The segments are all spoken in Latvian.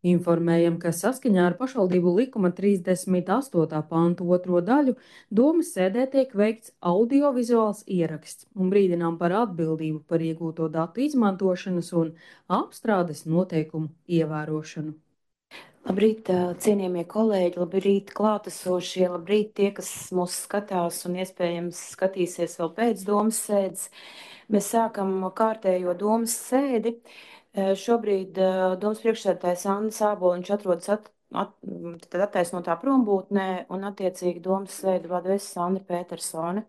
Informējam, ka saskaņā ar pašvaldību likuma 38. pantu 2. daļu domas sēdē tiek veikts audiovizuāls ieraksts un brīdinām par atbildību par iegūto datu izmantošanas un apstrādes noteikumu ievērošanu. Labrīt, cienījamie kolēģi, labrīt, klātesošie, labrīt tie, kas mūs skatās un iespējams skatīsies vēl pēc domas sēdes. Mēs sākam kārtējo domas sēdi. Šobrīd domas priekšsēdētājs Anna Sāboliņš atrodas attaisnotā prombūtnē un attiecīgi domas sēdi vada es Sandra Petersone.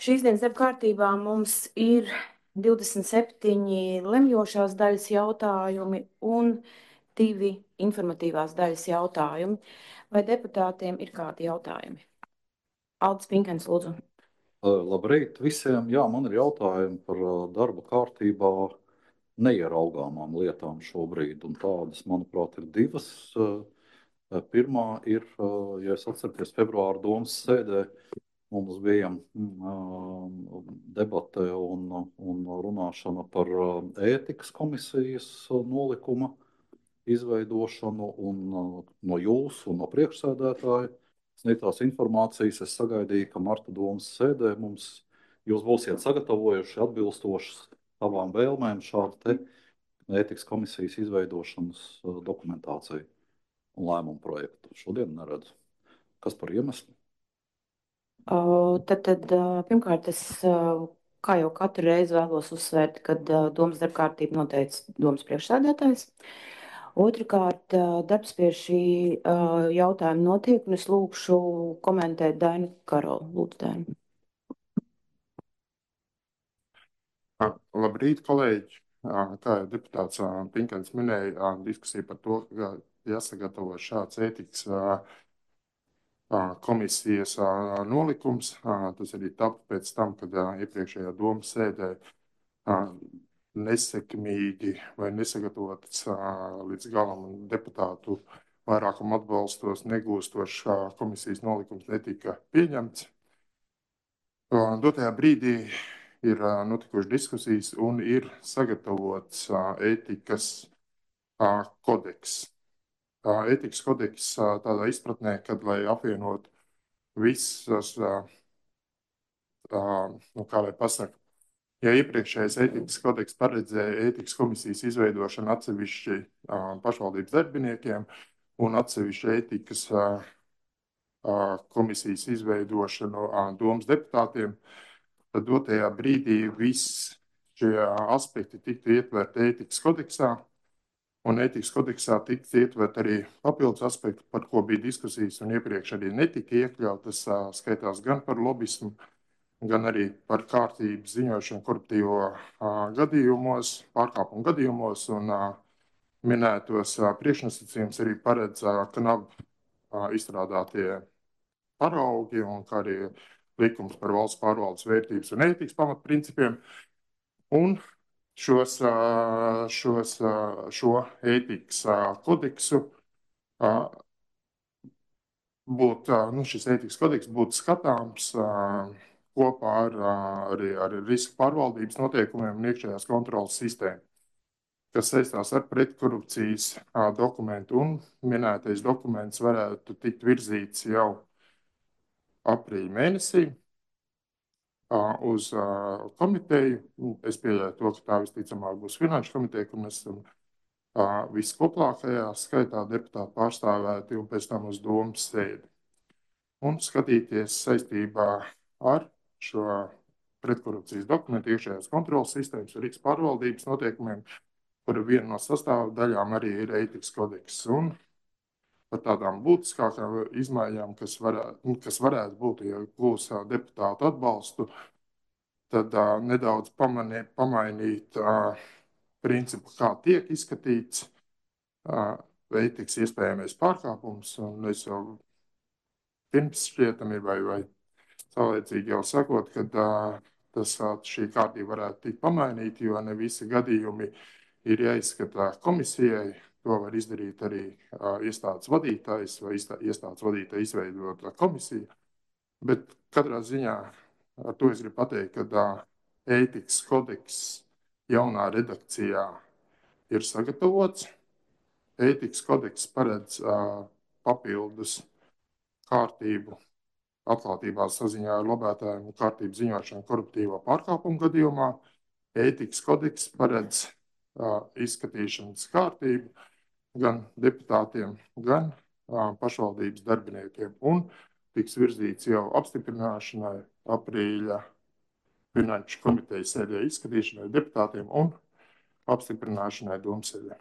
Šīs dienas darba kārtībā mums ir 27 lemjošās daļas jautājumi un 2 informatīvās daļas jautājumi. Vai deputātiem ir kādi jautājumi? Aldis Pinkens, lūdzu. Labrīt visiem. Jā, man ir jautājumi par darba kārtībā neieraugāmām lietām šobrīd. Un tādas, manuprāt, ir divas. Pirmā ir, ja es atceros, februāra domas sēdē mums bija debate un runāšana par ētikas komisijas nolikuma izveidošanu, un no jūsu un no priekšsēdētāja sniegtās informācijas es sagaidīju, ka marta domas sēdē jūs būsiet sagatavojuši atbilstoši savām vēlmēm šādu te ētikas komisijas izveidošanas dokumentāciju un lēmumu projektu. Šodien neredzu. Kas par iemeslu? Tad pirmkārt, es kā jau katru reizi vēlos uzsvērt, ka domas darbkārtība noteica domas priekšsēdētājs. Otrakārt, darbs pie šī jautājuma notiek, un es lūkšu komentēt Dainu Karolu. Lūdzu, Dainu. Labrīt, kolēģi! Kā jau deputāts Pinkens minēja, diskusija par to, ka jāsagatavo šāds ētikas komisijas nolikums. Tas arī tapa pēc tam, kad iepriekšējā domas sēdē nesekmīgi vai nesagatavots līdz galam deputātu vairākam atbalstos negūstošs komisijas nolikums netika pieņemts. Dotajā brīdī ir notikušas diskusijas un ir sagatavots ētikas kodeks. Ētikas kodeks tādā izpratnē, kad, lai apvienot visas, kā lai pasaka, ja iepriekšējais ētikas kodeks paredzēja ētikas komisijas izveidošanu atsevišķi pašvaldības darbiniekiem un atsevišķi ētikas komisijas izveidošanu domas deputātiem, tad dotajā brīdī viss šie aspekti tiktu ietverti ētikas kodeksā, un ētikas kodeksā tiktu ietvert arī papildus aspekti, par ko bija diskusijas un iepriekš arī netika iekļautas, skaitās gan par lobismu, gan arī par kārtības ziņošanu koruptīvo gadījumos, pārkāpumu gadījumos, un minētos priekšnosacījums arī paredz KNAB izstrādātie paraugi un kā arī likums par valsts pārvaldes vērtības un ētikas pamatprincipiem. Un šo ētikas kodeksu šis ētikas kodeks būtu skatāms kopā ar riska pārvaldības noteikumiem un iekšējās kontrolas sistēmu, kas saistās ar pretkorupcijas dokumentu, un minētais dokuments varētu tikt virzīts jau aprīļa mēnesī uz komiteju. Es pieļauju to, ka tā visticamāk būs finanšu komiteja, kur mēs esam viskoplākajā skaitā deputāti pārstāvēti, un pēc tam uz domas sēdi. Un skatīties saistībā ar šo pretkorupcijas dokumentu iekšējās kontrolas sistēmas un riska pārvaldības noteikumiem, kura viena no sastāvdaļām arī ir ētikas kodeks. Un par tādām būtiskākām izmaiņām, kas varētu būt, ja gūs deputātu atbalstu, tad nedaudz pamainīt principu, kā tiek izskatīts ētikas iespējamais pārkāpums. Un es jau pirms šķietami vai saulēcīgi jau sakot, ka šī kārtība varētu tikt pamainīta, jo ne visi gadījumi ir jāizskatā komisijai. To var izdarīt arī iestādes vadītājs vai iestādes vadītāja izveidota komisija. Bet katrā ziņā ar to es gribu pateikt, ka ētikas kodeks jaunā redakcijā ir sagatavots. ētikas kodeks paredz papildus kārtību atklātībā saziņā ar lobētājiem un kārtību ziņošanu koruptīvo pārkāpumu gadījumā. Ētikas kodeks paredz izskatīšanas kārtību gan deputātiem, gan pašvaldības darbiniekiem un tiks virzīts jau apstiprināšanai aprīļa Finanšu komitejas sēdē izskatīšanai deputātiem un apstiprināšanai domsēdē.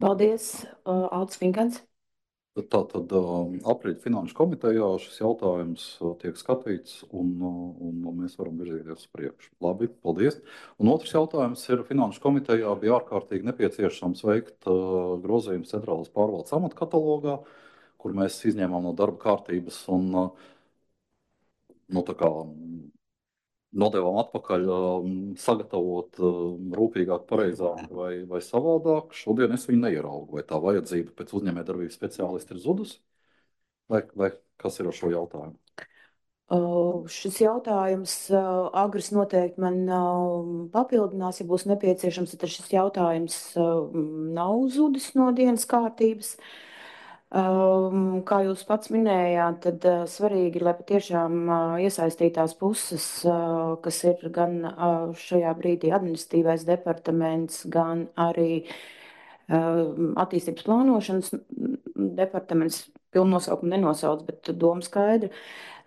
Paldies, Aldis Finkans. Tātad aprīļa Finanšu komitejā šis jautājums tiek skatīts un mēs varam virzīties uz priekšu. Labi, paldies. Un otrs jautājums ir Finanšu komitejā bija ārkārtīgi nepieciešams veikt grozījumus centrālās pārvaldes amatkatalogā, kur mēs izņēmām no darba kārtības un nodevām atpakaļ sagatavot rūpīgāk, pareizāk vai savādāk. Šodien es viņu neieraugu. Vai tā vajadzība pēc uzņēmējdarbības speciālista ir zudusi? Vai kas ir ar šo jautājumu? Šis jautājums Agris noteikti man papildinās, ja būs nepieciešams, tad šis jautājums nav zudis no dienas kārtības. Kā jūs pats minējāt, tad svarīgi, lai patiešām iesaistītās puses, kas ir gan šajā brīdī administratīvais departaments, gan arī attīstības plānošanas departaments, pilnu nosaukumu nenosauc, bet doma skaidra,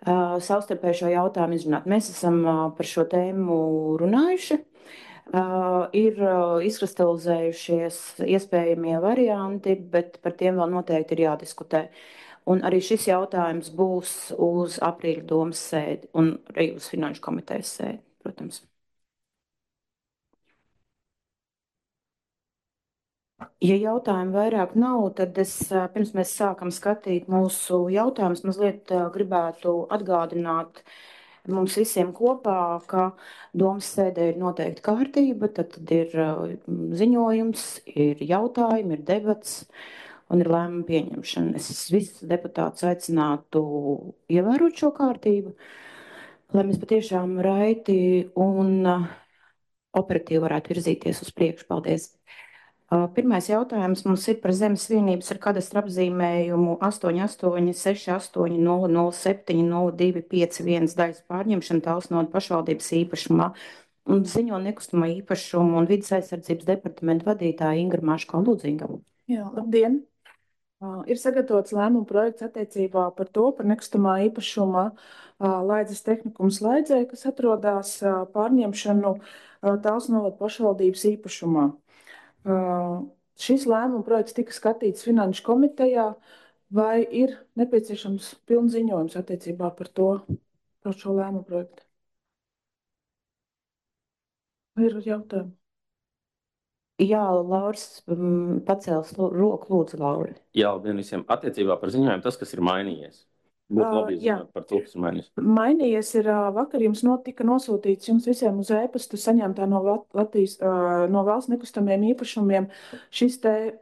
savstarpēji šo jautājumu izrunāt. Mēs esam par šo tēmu runājuši. Ir izkristalizējušies iespējamie varianti, bet par tiem vēl noteikti ir jādiskutē. Un arī šis jautājums būs uz aprīļa domas sēdi un arī uz Finanšu komitejas sēdi, protams. Ja jautājumu vairāk nav, tad es pirms mēs sākam skatīt mūsu jautājumus, mazliet gribētu atgādināt mums visiem kopā, ka domas sēdē ir noteikti kārtība, tad ir ziņojums, ir jautājumi, ir debats un ir lēmuma pieņemšana. Es visus deputātus aicinātu ievērot šo kārtību, lai mēs patiešām raiti un operatīvi varētu virzīties uz priekšu. Paldies! Pirmais jautājums mums ir par zemes vienības ar kadastra apzīmējumu 886800070251 daļas pārņemšanu Talsnoda pašvaldības īpašumā un ziņo nekustamā īpašumu un vidas aizsardzības departamenta vadītāja Ingra Maško Lūdzīga. Jā, labdien! Ir sagatavots lēmuma projekts attiecībā par to, par nekustamā īpašuma Laidzes tehnikums Laidzē, kas atrodas pārņemšanu Talsnoda pašvaldības īpašumā. Šis lēmuma projekts tika skatīts Finanšu komitejā, vai ir nepieciešams pilns ziņojums attiecībā par šo lēmumu projektu? Vai ir jautājumi? Jā, Lauris pacēls roku, lūdzu, Lauri. Jā, labdien visiem. Attiecībā par ziņojumu tas, kas ir mainījies. Būtu labi zināt par to, kas ir mainījies. Mainījies ir, vakar jums tika nosūtīts jums visiem uz e-pastu saņemtā no Latvijas, no valsts nekustamiem īpašumiem šis te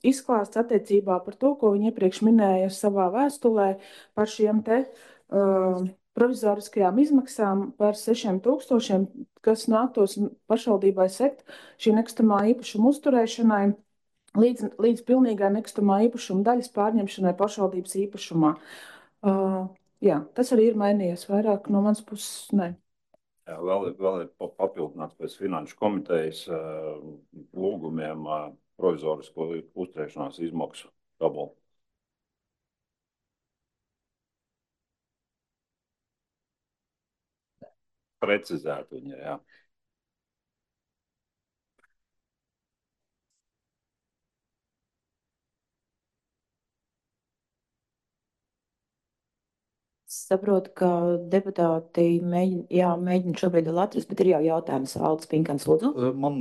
izklāsts attiecībā par to, ko viņi iepriekš minēja savā vēstulē par šiem te provizoriskajām izmaksām par 6,000, kas nāktos pašvaldībai sekt šī nekustamā īpašuma uzturēšanai līdz pilnīgai nekustamā īpašuma daļas pārņemšanai pašvaldības īpašumā. Jā, tas arī ir mainījies vairāk no manas puses, ne. Jā, vēl ir papildināts pēc Finanšu komitejas lūgumiem provizorisko uzturēšanās izmaksu tabulu. Precizēt viņa, jā. Saprotu, ka deputāti mēģina šobrīd Latvijas, bet ir jau jautājums Aldis Pinkans, lūdzu. Man,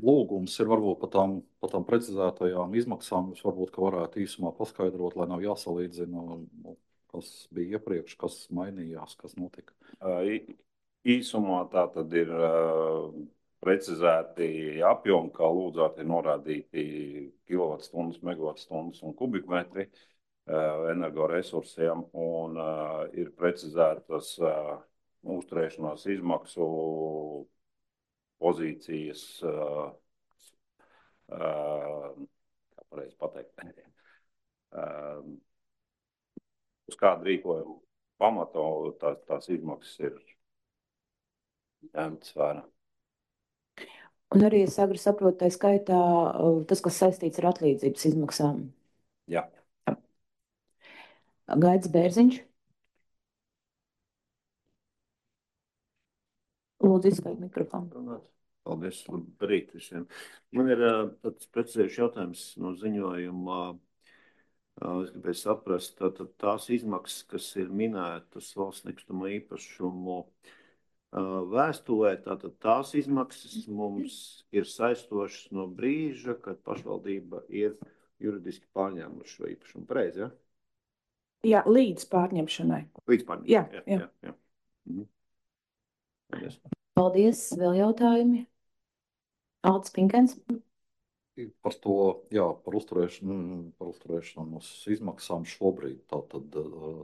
lūgums ir varbūt par tām precizētajām izmaksām. Jūs varbūt, ka varētu īsumā paskaidrot, lai nav jāsalīdzina, kas bija iepriekš, kas mainījās, kas notika. Īsumā tā tad ir precizēti apjomi, kā lūdzāt, ir norādīti kilovatstundas, megawatstundas un kubikmetri energoresursiem un ir precizētas uzturēšanās izmaksu pozīcijas kā pareizi pateikt, uz kādu rīkojumu pamata tās izmaksas ir ņemtas vērā. Un arī es agri saprotu, tā skaitā tas, kas saistīts ar atlīdzības izmaksām. Jā. Gaidis Bērziņš. Lūdzu, izslēgt mikrofonu. Paldies, labrīt visiem. Man ir tāds precizējuši jautājums no ziņojuma. Es gribēju saprast, tātad tās izmaksas, kas ir minētas valsts nekustamo īpašumu vēstulē, tātad tās izmaksas mums ir saistošas no brīža, kad pašvaldība ir juridiski pārņēmuši šo īpašumu. Pareizi, ja? Jā, līdz pārņemšanai. Līdz pārņemšanai. Jā. Mhm. Paldies. Paldies. Vēl jautājumi? Aldis Pinkens. Par to, jā, par uzturēšanas izmaksām šobrīd. Tātad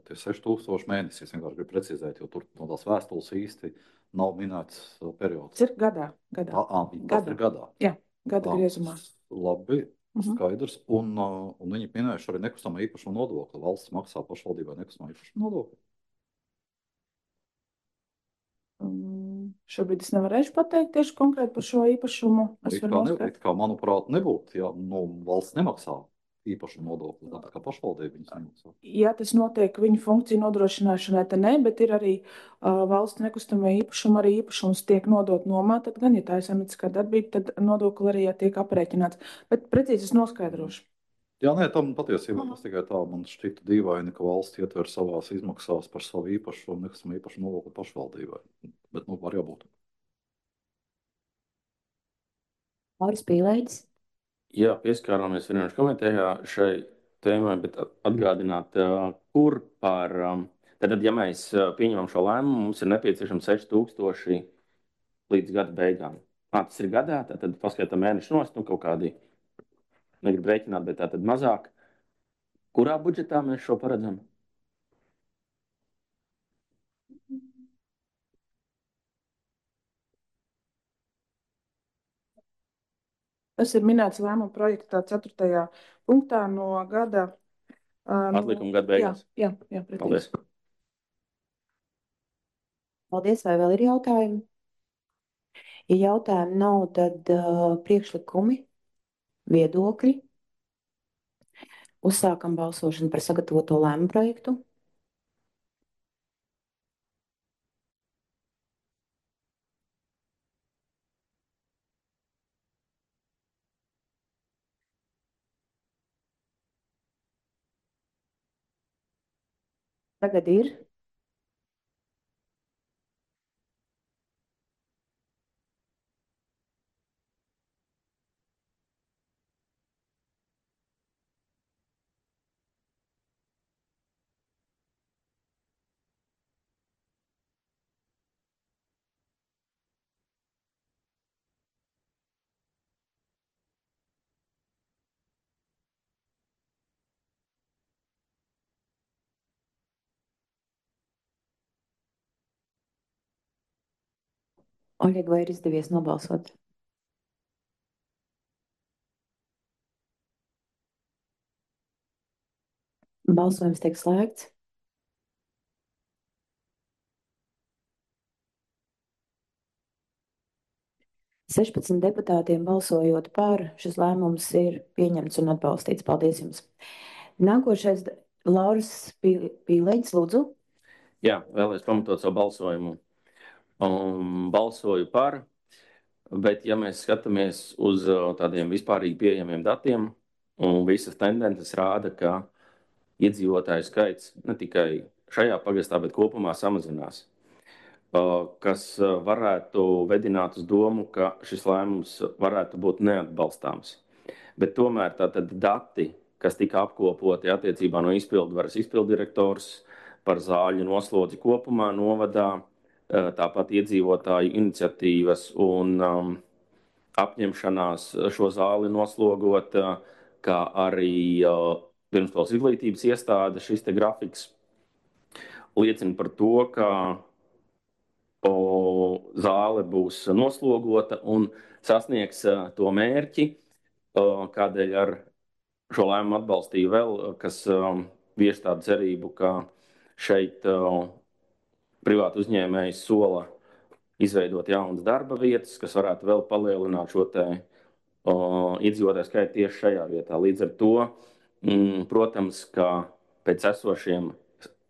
tie 6000 mēnesis, es vienkārši gribu precizēt, jo tur no tās vēstules īsti nav minēts periods. Tas ir gadā. Tas ir gadā. Jā, gada griezumā. Labi, skaidrs. Un viņi minējuši arī nekustamā īpašuma nodokli. Valsts maksā pašvaldībai nekustamā īpašuma nodokli. Šobrīd es nevarēšu pateikt tieši konkrēti par šo īpašumu. Manuprāt, nebūtu, ja valsts nemaksā īpašumu nodokli, tāpēc kā pašvaldība viņas nemaksā. Ja tas notiek viņu funkciju nodrošināšanai, tad ne, bet ir arī valsts nekustamā īpašuma, arī īpašums tiek nodot nomā, tad gan, ja tā ir saimnieciskā darbība, tad nodokli arī tiek aprēķināts. Bet precīzi es noskaidrošu. Jā, nē, tam patiesībā tas tikai tā man šķita dīvaini, ka valsts ietver savās izmaksās par savu īpašumu, nekustamā īpašuma nodokli pašvaldībai. Bet, var jābūt. Māris Pīlēģis. Jā, pieskārāmies Finanšu komitejā šai tēmai, bet atgādināt, kur par, tad, ja mēs pieņemam šo lēmumu, mums ir nepieciešams 6000 līdz gada beigām. Tas ir gadā, tad paskatām mēnešu nost, kaut kādi, negribu rēķināt, bet tātad mazāk. Kurā budžetā mēs šo paredzam? Tas ir minēts lēmuma projektā 4. punktā no gada. Atlikuma gada beigās. Jā, Paldies. Paldies, vai vēl ir jautājumi? Ja jautājumi nav, tad priekšlikumi, viedokļi. Uzsākam balsošanu par sagatavoto lēmumu projektu. Tagad ir. Oļeg, vai ir izdevies nobalsot? Balsojums tiek slēgts. Sešpadsmit deputātiem balsojot par, šis lēmums ir pieņemts un atbalstīts. Paldies jums. Nākošais Lauris Pīlēģis, lūdzu. Jā, vēlreiz pamatot savu balsojumu. Balsoju par, bet ja mēs skatāmies uz tādiem vispārīgi pieejamiem datiem, un visas tendences rāda, ka iedzīvotāju skaits ne tikai šajā pagastā, bet kopumā samazinās, kas varētu vedināt uz domu, ka šis lēmums varētu būt neatbalstāms. Bet tomēr tātad dati, kas tika apkopoti attiecībā no izpildvaras izpildirektors par zāļu noslodzi kopumā novadā, tāpat iedzīvotāju iniciatīvas un apņemšanās šo zāli noslogot, kā arī pirmskolas izglītības iestāde, šis te grafiks liecina par to, ka zāle būs noslogota un sasniegs to mērķi, kādēļ ar šo lēmumu atbalstīju vēl, kas vieš tādu cerību, ka šeit privātu uzņēmējs sola izveidot jaunas darba vietas, kas varētu vēl palielināt šo te iedzīvotāju skaitu tieši šajā vietā. Līdz ar to, protams, ka pēc esošiem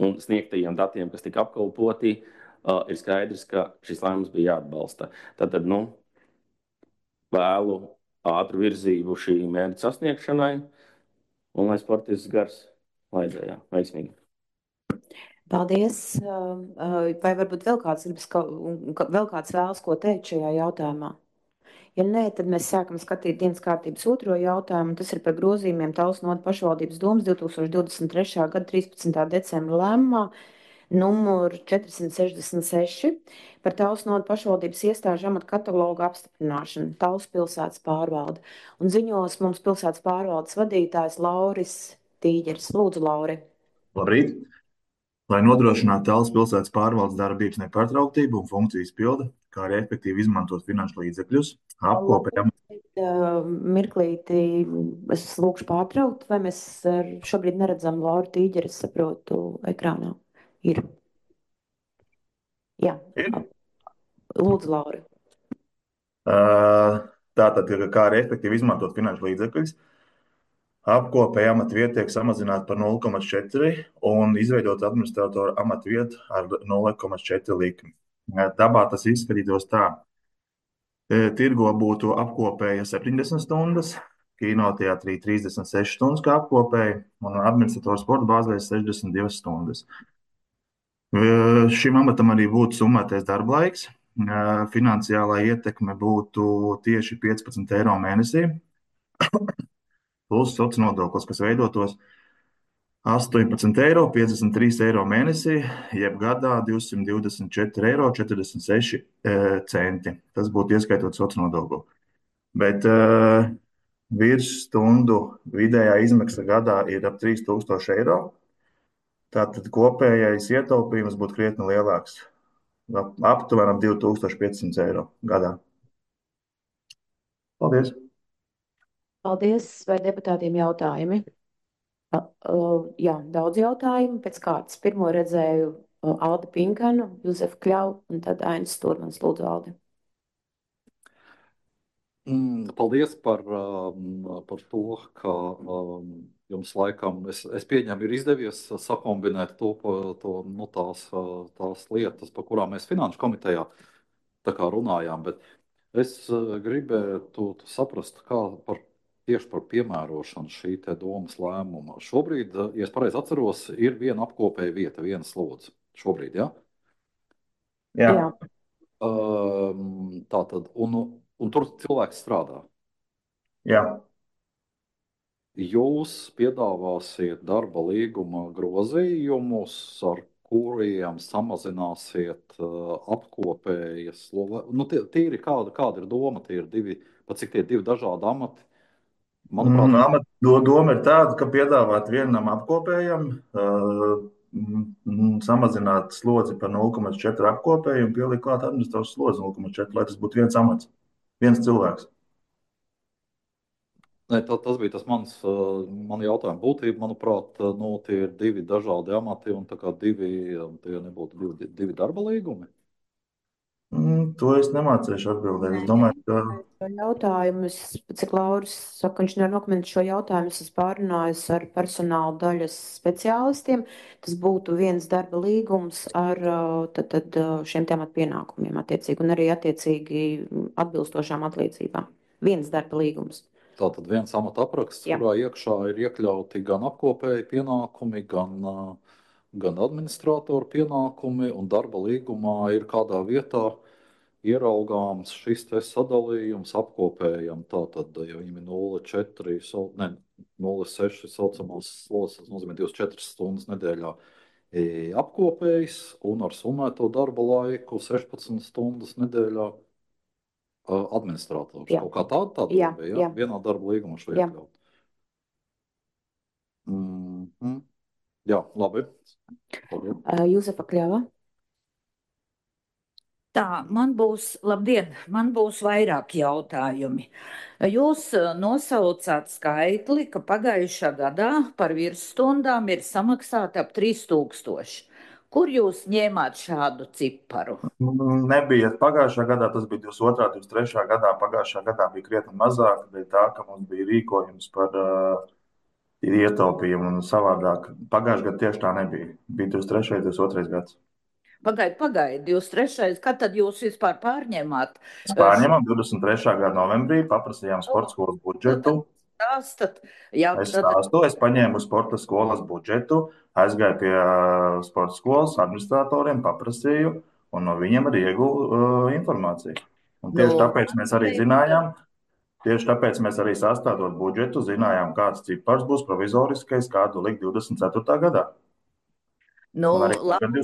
un sniegtajiem datiem, kas tika apkalpoti, ir skaidrs, ka šis lēmums bija jāatbalsta. Tātad, vēlu ātru virzību šī mērķa sasniegšanai, un lai sportists gars laidzējā veiksmīgi. Paldies. Vai varbūt vēl kāds vēl kāds vēlas ko teikt šajā jautājumā? Ja nē, tad mēs sākam skatīt dienas kārtības otro jautājumu. Tas ir par grozījumiem Talsu noda pašvaldības domas 2023. gada 13. decembra lēmumā numur 466 par Talsu noda pašvaldības iestāžu amatu katalogu apstiprināšanu, Talsu pilsētas pārvalde. Un ziņos mums pilsētas pārvaldes vadītājs Lauris Tīģeris. Lūdzu, Lauri. Labrīt! Lai nodrošinātu Talsu pilsētas pārvaldes darbības nepārtrauktību un funkciju izpildi, kā arī efektīvi izmantot finanšu līdzekļus, apkopējam. Mirklīti, es lūkšu pārtraukt, vai mēs šobrīd neredzam Lauru Tīģeri, es saprotu, ekrānā. Ir. Jā. Lūdzu, Lauri. Tātad, kā arī efektīvi izmantot finanšu līdzekļus, apkopēja amata vieta tiek samazināta par 0,4 un izveidot administratoru amata vietu ar 0,4 likmi. Dabā tas izskatītos tā. Tirgo būtu apkopēja 70 stundas, kinoteātrī 36 stundas kā apkopēja un administrators sporta bāzē 62 stundas. Šim amatam arī būtu summētais darba laiks. Finansiālā ietekme būtu tieši 15 eiro mēnesī, plus sociālais nodoklis, kas veidotos 18 eiro, 53 eiro mēnesī, jeb gadā 224 eiro 46 centi. Tas būtu ieskaitot sociālo nodokli. Bet virsstundu vidējā izmaksa gadā ir ap 3000 eiro. Tātad kopējais ietaupījums būtu krietni lielāks. Aptuveni 2500 eiro gadā. Paldies! Paldies! Vai deputātiem jautājumi? Jā, daudz jautājumu pēc kārtas. Pirmo redzēju Aldi Pinkanu, Juzefu Kļavu un tad Ainis Sturmans. Lūdzu, Aldi. Paldies par to, ka jums laikam, es pieņemu, ir izdevies sakombinēt tās lietas, par kurām mēs Finanšu komitejā tā kā runājām, bet es gribētu saprast, tieši par piemērošanu šī te domas lēmuma. Šobrīd, ja es pareizi atceros, ir viena apkopēja vieta, viena slodze. Šobrīd, ja? Jā. Tātad, un tur cilvēks strādā. Jā. Jūs piedāvāsiet darba līguma grozījumus, ar kuriem samazināsiet apkopējas. Tīri kāda ir doma? Tie ir cik tie divi dažādi amati? Manuprāt, doma ir tāda, ka piedāvāt vienam apkopējam, samazināt slodzi par 0,4 apkopēju un pielikt klāt administrators slodzi 0,4, lai tas būtu viens amats, viens cilvēks. Ne, tas bija tas man jautājuma būtība. Manuprāt, tie ir divi dažādi amati un tā kā tie nebūtu divi darba līgumi. To es nemācīšu atbildēt. Es domāju, ka jautājumu, cik Lauris saka, viņš nevar nokomentēt šo jautājumu, es pārunāju ar personāla daļas speciālistiem. Tas būtu viens darba līgums ar tad šiem tematu pienākumiem attiecīgi un arī attiecīgi atbilstošām atlīdzībām. Viens darba līgums. Tātad viens amata apraksts, kurā iekšā ir iekļauti gan apkopēji pienākumi, gan administratoru pienākumi, un darba līgumā ir kādā vietā ieraugāms šis te sadalījums apkopējam. Tātad, ja viņam ir 0,6 saucamās slodzes, tas nozīmē 24 stundas nedēļā apkopējs, un ar summēto darba laiku 16 stundas nedēļā administrators. Jā. Kaut kā tāda Jā. bija, vienā darba līgumā šo iekļaut. Jā, labi. Juzefa Kļava. Tā, man būs vairāk jautājumi. Jūs nosaucāt skaitli, ka pagājušā gadā par virsstundām ir samaksāta ap 3000. Kur jūs ņēmāt šādu ciparu? Nebija pagājušā gadā, tas bija 22. 23. gadā. Pagājušā gadā bija krietni mazāk, bet tā, ka mums bija rīkojums par ietaupījumu un savādāk. Pagājušā gadā tieši tā nebija. Bija 23. 22. gads. Pagaid, 23. Kad tad jūs vispār pārņēmāt? Mēs pārņēmām 23. gada novembrī, paprasījām sporta skolas budžetu. Stāstat, jā, Es paņēmu sporta skolas budžetu, aizgāju pie sporta skolas administratoriem, paprasīju, un no viņiem arī ieguvu informāciju. Un tieši tāpēc mēs arī zinājām, tieši tāpēc mēs arī sastādot budžetu, zinājām, kāds cipars būs provizoriskais, kādu likt 24. gadā. Labi,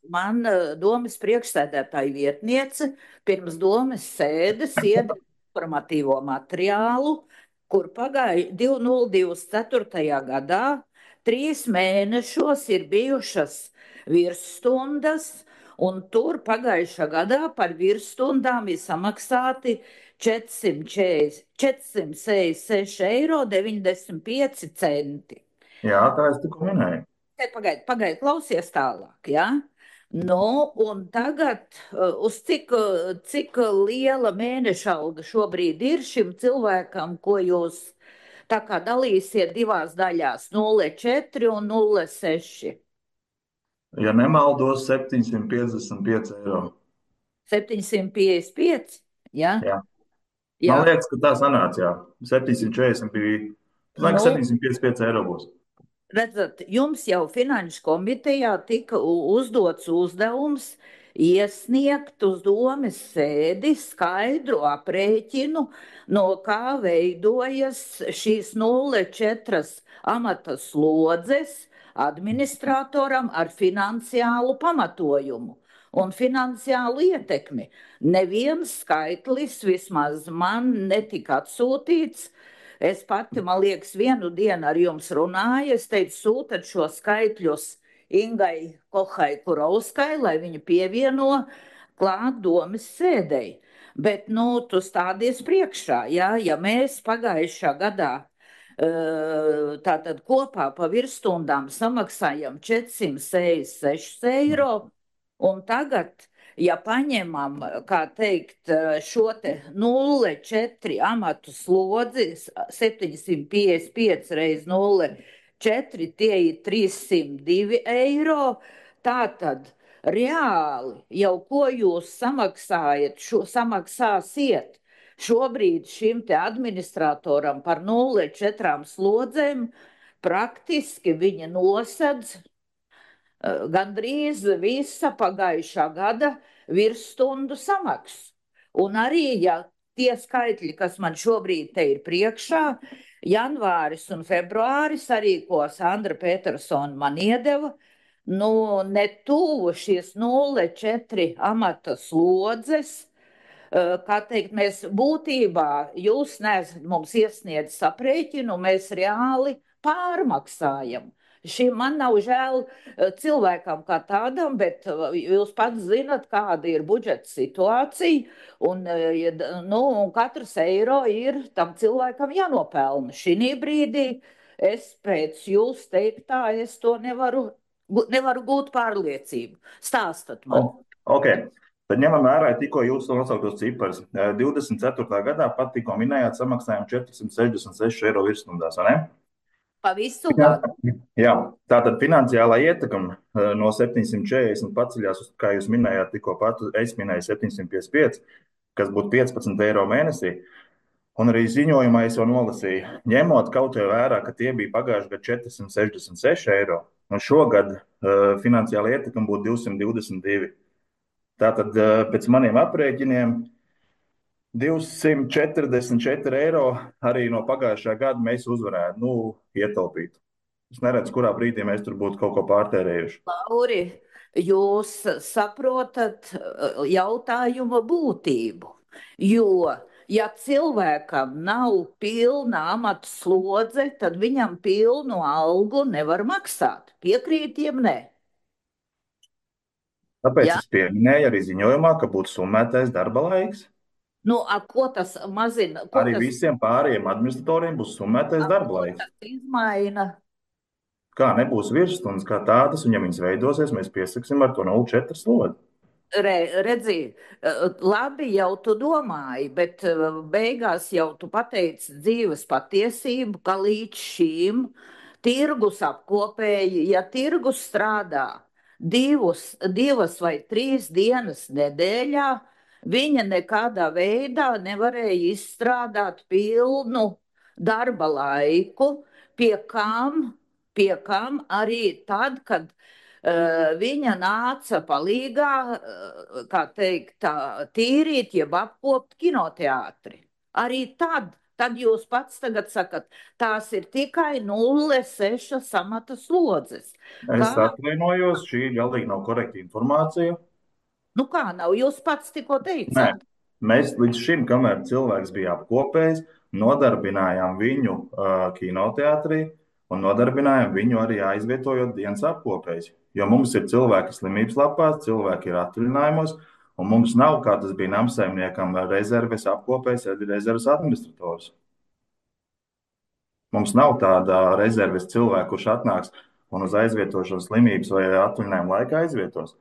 man domas priekšsēdētāja vietniece pirms domas sēdes iedeva informatīvo materiālu, kur pagāja 2024. gadā 3 mēnešos ir bijušas virsstundas, un tur pagājušā gadā par virsstundām ir samaksāti 466,95 eiro. Jā, tā es tikko minēju. Pagaid, klausies tālāk, jā? Un tagad uz cik liela mēneša alga šobrīd ir šim cilvēkam, ko jūs tā kā dalīsiet divās daļās, 0,4 un 0,6? Ja nemaldos, 755 eiro. 755, jā? Jā. Man liekas, ka tā sanāca, jā. 740 bija, man liekas, 755 eiro būs. Redzat, jums jau Finanšu komitejā tika uzdots uzdevums iesniegt uz domes sēdi skaidru aprēķinu, no kā veidojas šīs 0,4 amata slodzes administratoram ar finansiālu pamatojumu un finansiālu ietekmi. Neviens skaitlis vismaz man netika atsūtīts. Es pati, man liekas, vienu dienu ar jums runāju, es teicu, sūtat šo skaitļus Ingai Kohai Kurovskai, lai viņa pievieno klāt domas sēdei. Bet, tu stādies priekšā, jā, ja mēs pagājušā gadā tātad kopā pa virsstundām samaksājam 466 eiro, un tagad, ja paņemam, kā teikt, šo te 0,4 amatu slodzi, 755 reiz 0,4, tie ir 302 eiro, tātad reāli jau ko jūs samaksāsiet šobrīd šim te administratoram par 0,4 slodzēm, praktiski viņa nosedz gandrīz visa pagājušā gada virsstundu samaksu. Un arī, ja tie skaitļi, kas man šobrīd te ir priekšā, janvāris un februāris, arī ko Sandra Petersona man iedeva, ne tuvu šīs 0,4 amata slodzes, kā teikt, mēs būtībā, jūs neesat mums iesniedzis aprēķinu, mēs reāli pārmaksājam. Man nav žēl cilvēkam kā tādam, bet jūs pats zinat, kāda ir budžeta situācija, un katrs eiro ir tam cilvēkam jānopelna. Šī brīdī es pēc jūs teiktā, es to nevaru gūt pārliecību. Stāstat man. Okay. Tad ņemam vērā tikko jūsu nosauktos ciparus. 24. gadā pat tikko minējāt samaksājumu 466 eiro virsstundās, vai ne? Pa visu gadu. Jā, tātad finansiālā ietekme no 740 paceļās, kā jūs minējāt, tikko pat es minēju 755, kas būtu 15 eiro mēnesī. Un arī ziņojumā es jau nolasīju, ņemot kaut vai vērā, ka tie bija pagājuši gadu 466 eiro, un šogad finansiālā ietekme būtu 222. Tātad pēc maniem aprēķiniem 244 eiro arī no pagājušā gada mēs uzvarētu, ietaupīt. Es neredzu, kurā brīdī mēs tur būtu kaut ko pārtērējuši. Lauri, jūs saprotat jautājuma būtību, jo, ja cilvēkam nav pilna amata slodze, tad viņam pilnu algu nevar maksāt. Piekrītiem, nē? Tāpēc Ja? es pieminēju arī ziņojumā, ka būtu summētais darba laiks. Nu, ko tas mazina? Arī visiem pārējiem administratoriem būs summētais darba laiks. Tas izmaina. Kā nebūs virsstundas kā tādas, un ja viņas veidosies, mēs piesaksim ar to 0,4 slodi. Redzi, labi jau tu domāji, bet beigās jau tu pateici dzīves patiesību, ka līdz šīm tirgus apkopēji, ja tirgus strādā divas vai 3 dienas nedēļā, viņa nekādā veidā nevarēja izstrādāt pilnu darba laiku, pie kam arī tad, kad viņa nāca palīgā, kā teikt, tīrīt, jeb apkopt kinoteātri. Arī tad jūs pats tagad sakat, tās ir tikai 0,6 amata slodzes. Es atvainojos, šī galīgi nav korekta informācija. Nu kā nav, jūs pats tikko Nē, teicāt. mēs līdz šim, kamēr cilvēks bija apkopējis, nodarbinājām viņu kinoteātrī un nodarbinājām viņu arī aizvietojot dienas apkopējs. Jo mums ir cilvēki slimības lapās, cilvēki ir atvaļinājumos, un mums nav, kā tas bija namsaimniekam, rezerves apkopējs, rezerves administrators. Mums nav tāda rezerves cilvēka, kurš atnāks un uz aizvietošanas slimības vai atvaļinājuma laikā aizvietos.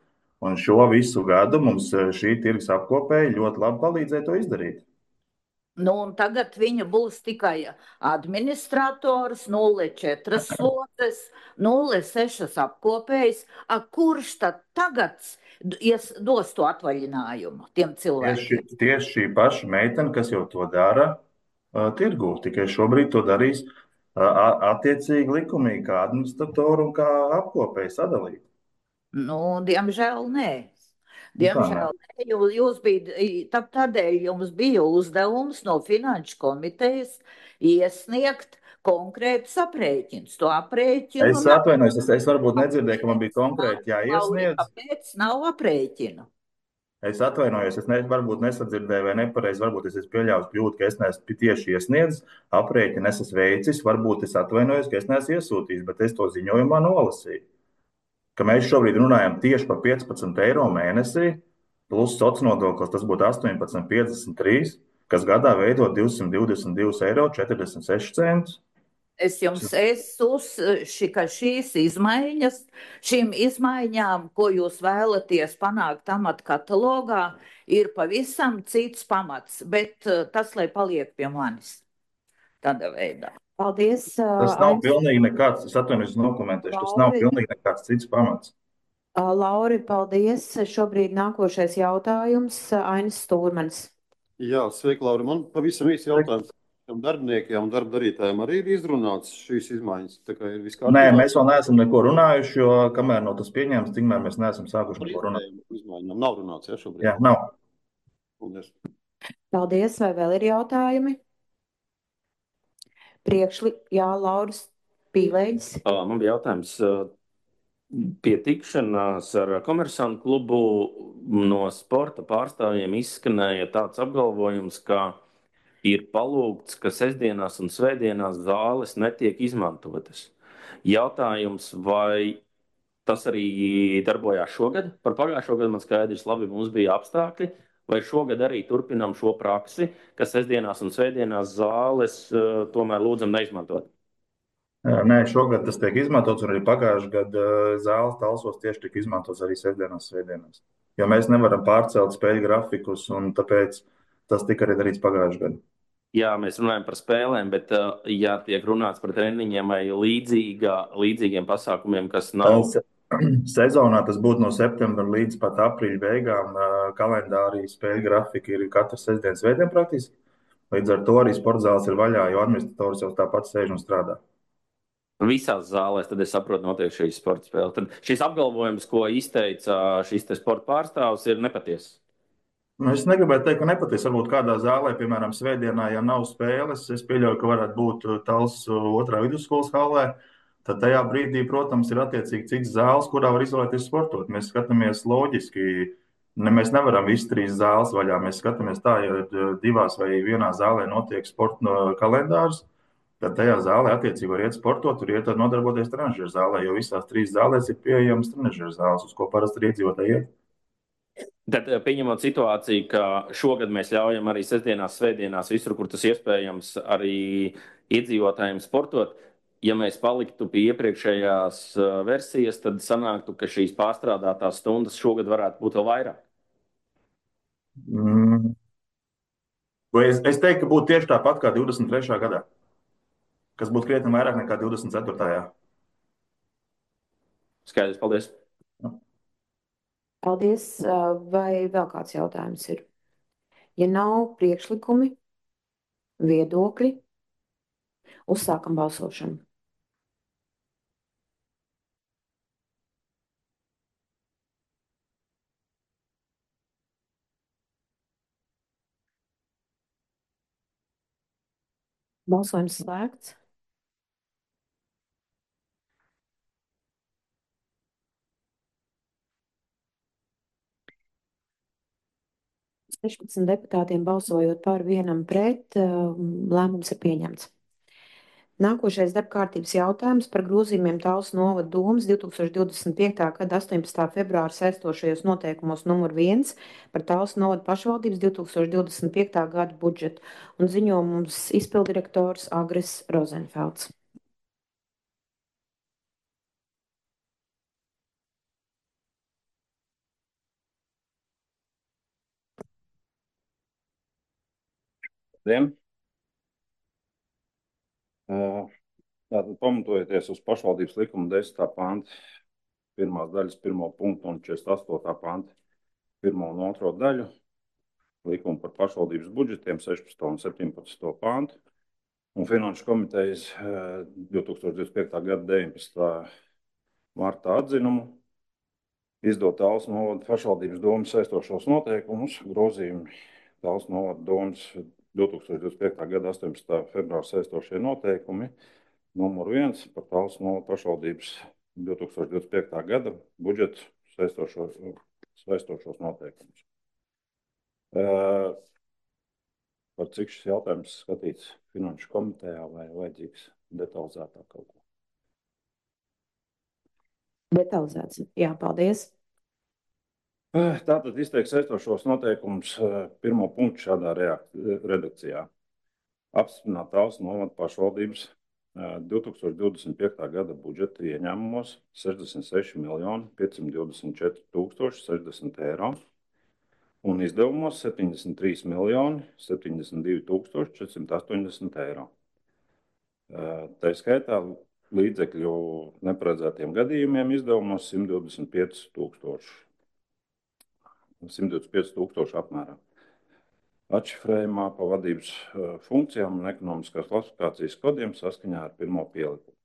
Un šo visu gadu mums šī tirgus apkopēja ļoti labi palīdzēja to izdarīt. Nu, un tagad viņa būs tikai administrators, 0,4 slodzes, 0,6 apkopējs. Kurš tad tagad dos to atvaļinājumu tiem cilvēkiem? Tieši šī paša meitene, kas jau to dara tirgū, tikai šobrīd to darīs attiecīgi likumīgi, kā administratoru un kā apkopēju sadalīt. Nu, diemžēl nē. Diemžēl jūs bija, tādēļ jums bija uzdevums no Finanšu komitejas iesniegt konkrētus aprēķinus. To aprēķinu. Es atvainojos, es varbūt nedzirdēju, ka man bija konkrēti jāiesniedz. Kāpēc nav aprēķinu? Es atvainojos, es varbūt nesadzirdēju vai nepareizi, varbūt es pieļāvu kļūdu, ka es neesmu tieši iesniedzis aprēķinu, es esmu veicis, varbūt es atvainojos, ka es neesmu iesūtījis, bet es to ziņojumā nolasīju. Ka mēs šobrīd runājam tieši par 15 eiro mēnesī, plus sociālais nodoklis, tas būtu 18,53, kas gadā veido 222,46 eiro. Es jums ka šīs izmaiņas, šīm izmaiņām, ko jūs vēlaties panākt amata katalogā, ir pavisam cits pamats, bet tas, lai paliek pie manis tādā veidā. Paldies. Tas nav pilnīgi nekāds, es atvainojos, nokomentēšu, tas nav pilnīgi nekāds cits pamats. Lauri, paldies. Šobrīd nākošais jautājums Ainis Stūrmanis. Jā, sveiki, Lauri. Man pavisam īsi jautājums. Darbiniekiem un darba darītājiem arī ir izrunāts šīs izmaiņas? Nē, mēs vēl neesam neko runājuši, jo kamēr nav tas pieņēmts, tikmēr mēs neesam sākuši neko runāt. Izmaiņām nav runāts, ja, šobrīd? Jā, nav. Paldies. Paldies. Vai vēl ir jautājumi? Jā, Lauris Pīlēģis. Man bija jautājums pie tikšanās ar Komersantu klubu no sporta pārstāvjiem izskanēja tāds apgalvojums, ka ir palūgts, ka sestdienās un svētdienās zāles netiek izmantotas. Jautājums, vai tas arī darbojās šogad? Par pagājušo gadu man skaidrs, labi, mums bija apstākļi. Vai šogad arī turpinām šo praksi, ka sestdienās un svētdienās zāles tomēr lūdzam neizmantot? Nē, šogad tas tiek izmantots, un arī pagājušajā gadā zāles talsos tieši tika izmantots arī sestdienās, svētdienās. Jo mēs nevaram pārcelt spēļu grafikus, un tāpēc tas tika arī darīts pagājušajā gadā. Jā, mēs runājam par spēlēm, bet ja tiek runāts par treniņiem vai līdzīgiem pasākumiem, kas nav... Sezonā tas būtu no septembra līdz pat aprīļa beigām. Kalendārī spēļu grafika ir katru sestdienu, svētdienu praktiski. Līdz ar to arī sporta zāles ir vaļā, jo administrators jau tāpat sēž un strādā. Visās zālēs, tad es saprotu, notiek šīs sporta spēles. Tad šis apgalvojums, ko izteica šis sporta pārstāvs, ir nepatiess. Es negribētu teikt, ka nepatiesi. Varbūt kādā zālē, piemēram, svētdienā, ja nav spēles, es pieļauju, ka varētu būt Tals otrā vidusskolas hallē. Tad tajā brīdī, protams, ir attiecīgi cits zāles, kurā var izvēlēties sportot. Mēs skatāmies loģiski. Mēs nevaram visas 3 zāles vaļā. Mēs skatāmies tā, ja 2 vai 1 zālē notiek sporta kalendārs, tad tajā zālē attiecīgi var iet sportot, tur iet nodarboties trenažeru zālē, jo visās 3 zālēs ir pieejamas trenažeru zāles, uz ko parasti ir iedzīvotāji iet. Tad pieņemot situāciju, ka šogad mēs ļaujam arī sestdienās, svētdienās, visur, kur tas iespējams, arī iedzīvotājiem sportot. Ja mēs paliktu pie iepriekšējās versijas, tad sanāktu, ka šīs pārstrādātās stundas šogad varētu būt vēl vairāk. Es teiktu, ka būtu tieši tāpat kā 23. gadā, kas būtu krietni vairāk nekā 24. Skaidrs, paldies. Paldies. Vai vēl kāds jautājums ir? Ja nav priekšlikumi, viedokļi, uzsākam balsošanu. Balsojums slēgts. Sešpadsmit deputātiem balsojot par, vienam pret, lēmums ir pieņemts. Nākošais darbkārtības jautājums par grozījumiem Talsu novada domas 2025. gada 18. februāra saistošajos noteikumos numur 1 par Talsu novada pašvaldības 2025. gada budžetu, un ziņo mums izpildirektors Agris Rozenfelds. Tātad pamatojoties uz pašvaldības likuma 10. panta 1. daļas 1. punktu un 48. panta 1. un 2. daļu, likuma par pašvaldības budžetiem 16. un 17. pantu un Finanšu komitejas 2025. gada 19. martā atzinumu, izdot Talsu novada pašvaldības domas saistošos noteikumus, grozījumi Talsu novada domas 2025. gada 18. februāra saistošie noteikumi, numur 1 par Talsu novada pašvaldības 2025. gada budžetu saistošos noteikumus. Par cik šis jautājums skatīts Finanšu komitejā vai vajadzīgs detalizētāk kaut ko? Detalizēts. Jā, paldies. Tātad izteikt saistošos noteikumus 1. punktu šādā redakcijā. Apstiprināt Talsu novada pašvaldības 2025. gada budžeta ieņēmumos 66 524 060 eiro un izdevumos 73 072 480 eiro. Tā skaitā līdzekļu neparedzētiem gadījumiem izdevumos 125 000 apmērā. Atšifrējumā pa vadības funkcijām un ekonomiskās klasifikācijas kodiem saskaņā ar 1. pielikumu.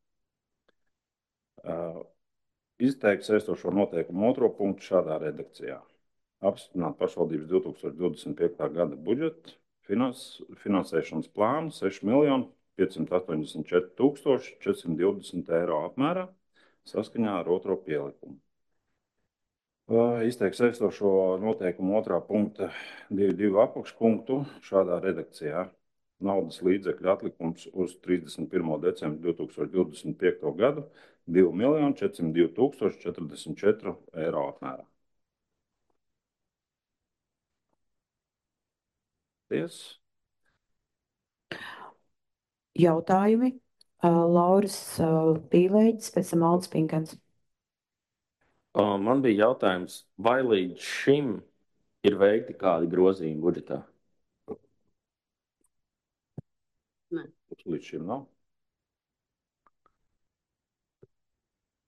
Izteikt saistošo noteikumu 2. punktu šādā redakcijā. Apstiprināt pašvaldības 2025. gada budžetu finansēšanas plānu 6 584 420 eiro apmērā saskaņā ar 2. pielikumu. Izteikt saistošo noteikumu 2. punkta 2.2. apakšpunktu šādā redakcijā. Naudas līdzekļu atlikums uz 31. decembru 2025. gadu 2 402 044 eiro apmērā. Paldies. Jautājumi. Lauris Pīlēģis, pēc tam Aldis Pinkans. Man bija jautājums, vai līdz šim ir veikti kādi grozījumi budžetā? Nē. Līdz šim nav.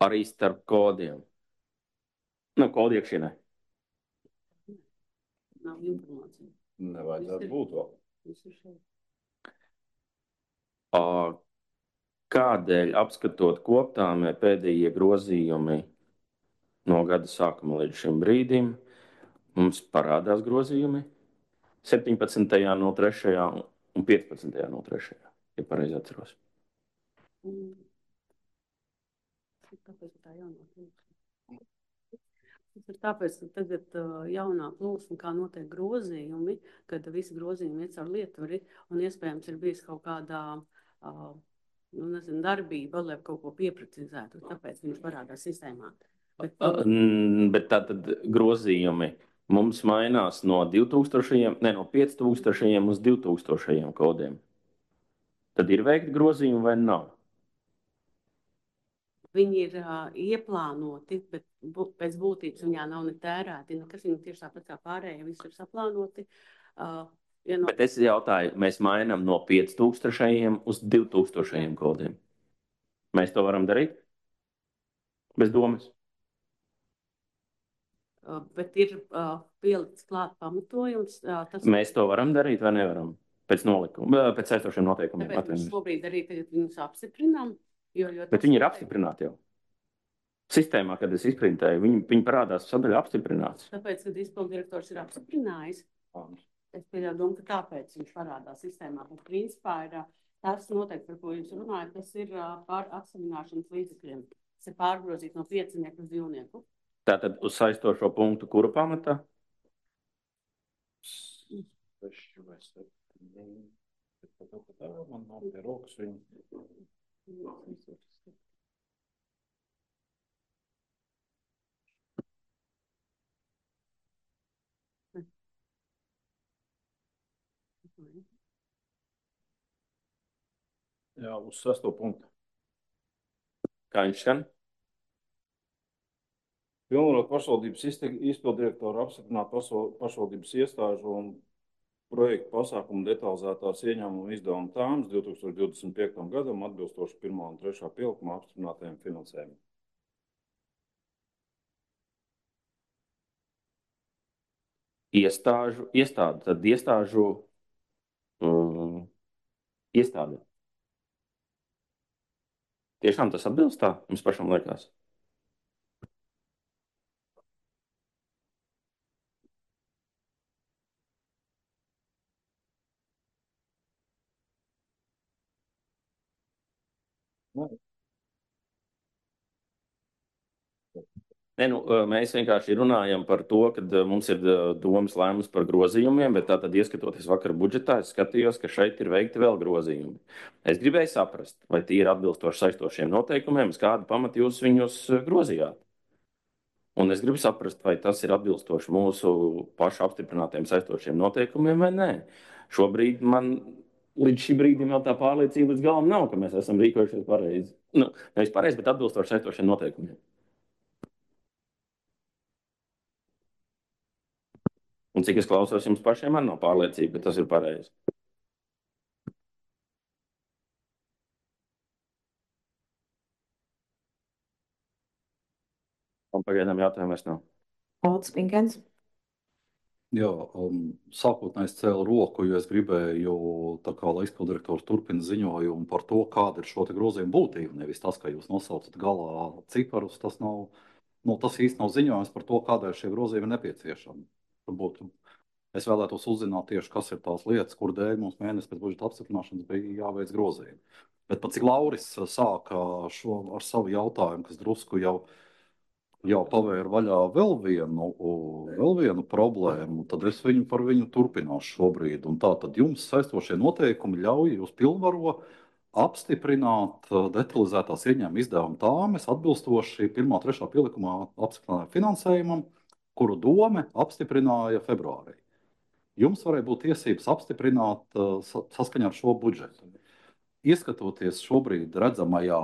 Arī starp kodiem? Kodu iekšienē? Nav informācija. Nevajadzētu būt vēl. Kādēļ apskatot koptāmē pēdējie grozījumi no gada sākuma līdz šim brīdim, mums parādās grozījumi 17. no 3. un 15. no 3. ja pareizi atceros. Tāpēc tā jaunā plūsma. Tas ir tāpēc, ka tagad jaunā plūsma, kā notiek grozījumi, kad visi grozījumi iet caur Lietuveri un iespējams ir bijis kaut kādā darbība, lai kaut ko pieprecizētu, tāpēc viņš parādās sistēmā. Bet tātad grozījumi Mums mainās no 2000, ne no 5000 uz 2000 kodiem. Tad ir veikti grozījumi vai nav? Viņi ir ieplānoti, bet pēc būtības viņā nav ne tērēti, nekas viņi tieši tāpat kā pārējie, viss ir saplānoti. Bet es jautāju, mēs mainām no 5000 uz 2000 kodiem. Mēs to varam darīt? Bez domas. Bet ir pielikts klāt pamatojums. Mēs to varam darīt vai nevaram? Pēc nolikuma, pēc saistošiem noteikumiem. Tāpēc mēs šobrīd arī tagad viņus apstiprinām. Bet viņi ir apstiprināti jau. Sistēmā, kad es izprintēju, viņi parādās sadaļā apstiprināts. Tāpēc, kad izpildirektors ir apstiprinājis, es pieļauju domu, ka tāpēc viņš parādās sistēmā. Bet principā ir tas noteikti, par ko jūs runājat, tas ir pār atsamināšanas līdzekļiem. Tas ir pārgrozīt no 5 uz 2. Tātad uz saistošo punktu, kuru pamatā? 6 vai 7. Man nav pie rokas viņu. Jā, uz 6. punktu. Kā viņš skan? Pilnvarot pašvaldības izpildirektoru apstiprināt pašvaldības iestāžu un projektu pasākumu detalizētās ieņēmumu izdevumu tāmas 2025. gadam atbilstoši 1. un 3. pielikumā apstiprinātajiem finansējumiem. Iestāde, tad iestāžu iestāde. Tiešām tas atbilst tā, jums pašam liekas? Ne, mēs vienkārši runājam par to, ka mums ir domas lēmums par grozījumiem, bet tātad, ieskatoties vakar budžetā, es skatījos, ka šeit ir veikti vēl grozījumi. Es gribēju saprast, vai tie ir atbilstoši saistošiem noteikumiem, uz kādu pamatu jūs viņus grozījāt. Un es gribu saprast, vai tas ir atbilstoši mūsu pašu apstiprinātiem saistošiem noteikumiem vai nē. Šobrīd man līdz šim brīdim vēl tā pārliecība līdz galam nav, ka mēs esam rīkojušies pareizi. Nevis pareizi, bet atbilstoši saistošiem noteikumiem. Un cik es klausos, jums pašiem man nav pārliecība, ka tas ir pareizi. Un pagaidām jautājumu vairs nav. Aldis Pinkens. Jā, sākotnēji es cēlu roku, jo es gribēju, tā kā, lai izpildirektors turpina ziņojumu par to, kāda ir šo te grozījumu būtība. Nevis tas, ka jūs nosaucat galā ciparus, tas nav, tas īsti nav ziņojums par to, kādēļ šie grozījumi ir nepieciešami. Varbūt es vēlētos uzzināt tieši, kas ir tās lietas, kur dēļ mums mēnesi pēc budžeta apstiprināšanas bija jāveic grozījumi. Bet pat cik Lauris sāka šo ar savu jautājumu, kas drusku jau pavēra vaļā vēl vienu problēmu, tad es par viņu turpināšu šobrīd. Un tā tad jums saistošie noteikumi ļauj jūs pilnvaro apstiprināt detalizētās ieņēmuma izdevuma tāmes atbilstoši 1. un 3. pielikumā apstiprinātajam finansējumam, kuru dome apstiprināja februārī. Jums varēja būt tiesības apstiprināt saskaņā ar šo budžetu. Ieskatoties šobrīd redzamajā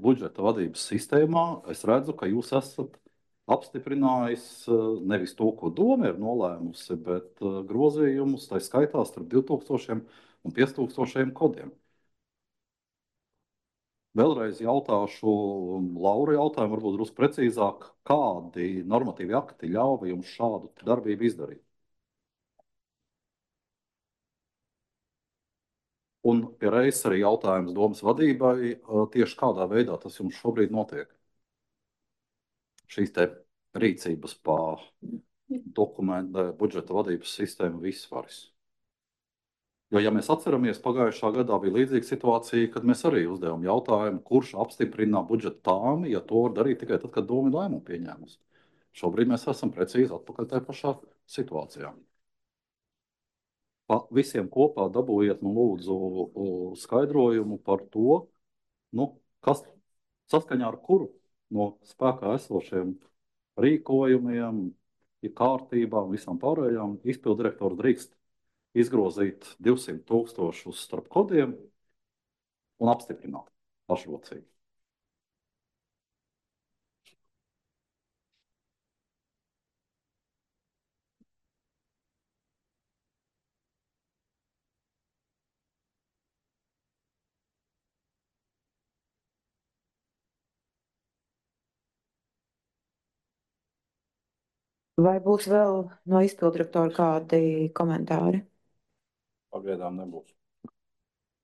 budžeta vadības sistēmā, es redzu, ka jūs esat apstiprinājis nevis to, ko doma ir nolēmusi, bet grozījumus, tā skaitā starp 2000 un 5000 kodiem. Vēlreiz jautāšu Laura jautājumu, varbūt drusku precīzāk, kādi normatīvi akti ļauj jums šādu darbību izdarīt? Un pie reizes arī jautājums domas vadībai, tieši kādā veidā tas jums šobrīd notiek? Šīs te rīcības pa dokumentu budžeta vadības sistēmu visvaris. Jo, ja mēs atceramies, pagājušā gadā bija līdzīga situācija, kad mēs arī uzdevām jautājumu, kurš apstiprina budžeta tāmi, ja to var darīt tikai tad, kad doma ir lēmumu pieņēmusi. Šobrīd mēs esam precīzi atpakaļ tajā pašā situācijā. Visiem kopā dabūjiet, lūdzu, skaidrojumu par to, kas saskaņā ar kuru no spēkā esošiem rīkojumiem, ir kārtībā un visām pārējām. Izpildirektors drīkst izgrozīt 200,000 starp kodiem un apstiprināt pašrocīgi. Vai būs vēl no izpildirektora kādi komentāri? Pagaidām nebūs.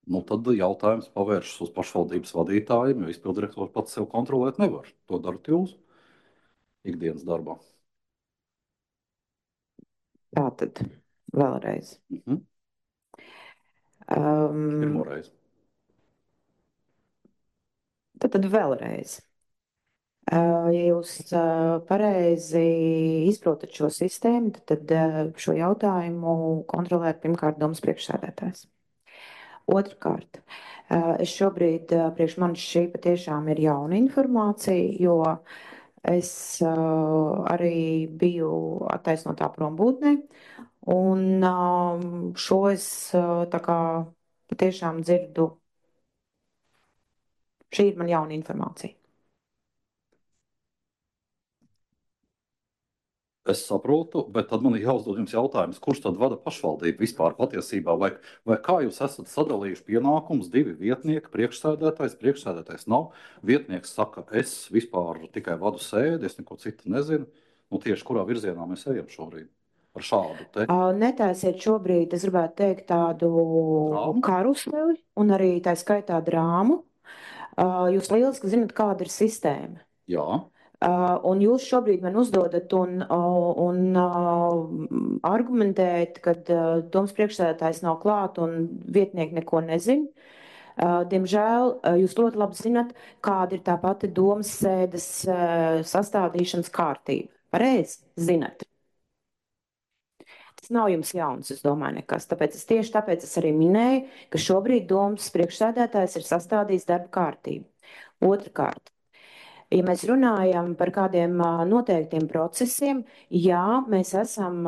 Nu, tad jautājums pavēršas uz pašvaldības vadītājiem, jo izpildirektors pats sev kontrolēt nevar. To darat jūs ikdienas darbā. Tātad vēlreiz. Pirmo reizi. Tad vēlreiz. Ja jūs pareizi izprotat šo sistēmu, tad šo jautājumu kontrolē pirmkārt domas priekšsēdētājs. Otrkārt, es šobrīd priekš manis šī patiešām ir jauna informācija, jo es arī biju attaisnotā prombūtnē, un šo es tā kā patiešām dzirdu. Šī ir man jauna informācija. Es saprotu, bet tad man ir jāuzdod jums jautājums, kurš tad vada pašvaldību vispār patiesībā, vai kā jūs esat sadalījuši pienākumus, 2 vietnieki, priekšsēdētājs nav, vietnieks saka, es vispār tikai vadu sēdi, es neko citu nezinu, nu tieši kurā virzienā mēs ejam šobrīd ar šādu te? Netaisiet šobrīd, es gribētu teikt, tādu karuseli un arī tā skaitā drāmu. Jūs lieliski zinat, kāda ir sistēma. Jā. Un jūs šobrīd man uzdodat un argumentējat, ka domas priekšsēdētājs nav klāt un vietnieki neko nezin. Diemžēl jūs ļoti labi zinat, kāda ir tā pati domas sēdes sastādīšanas kārtība. Pareizi zinat. Tas nav jums jauns, es domāju, nekas. Tieši tāpēc es arī minēju, ka šobrīd domas priekšsēdētājs ir sastādījis darba kārtību. Otrakārt. Ja mēs runājam par kādiem noteiktiem procesiem, jā, mēs esam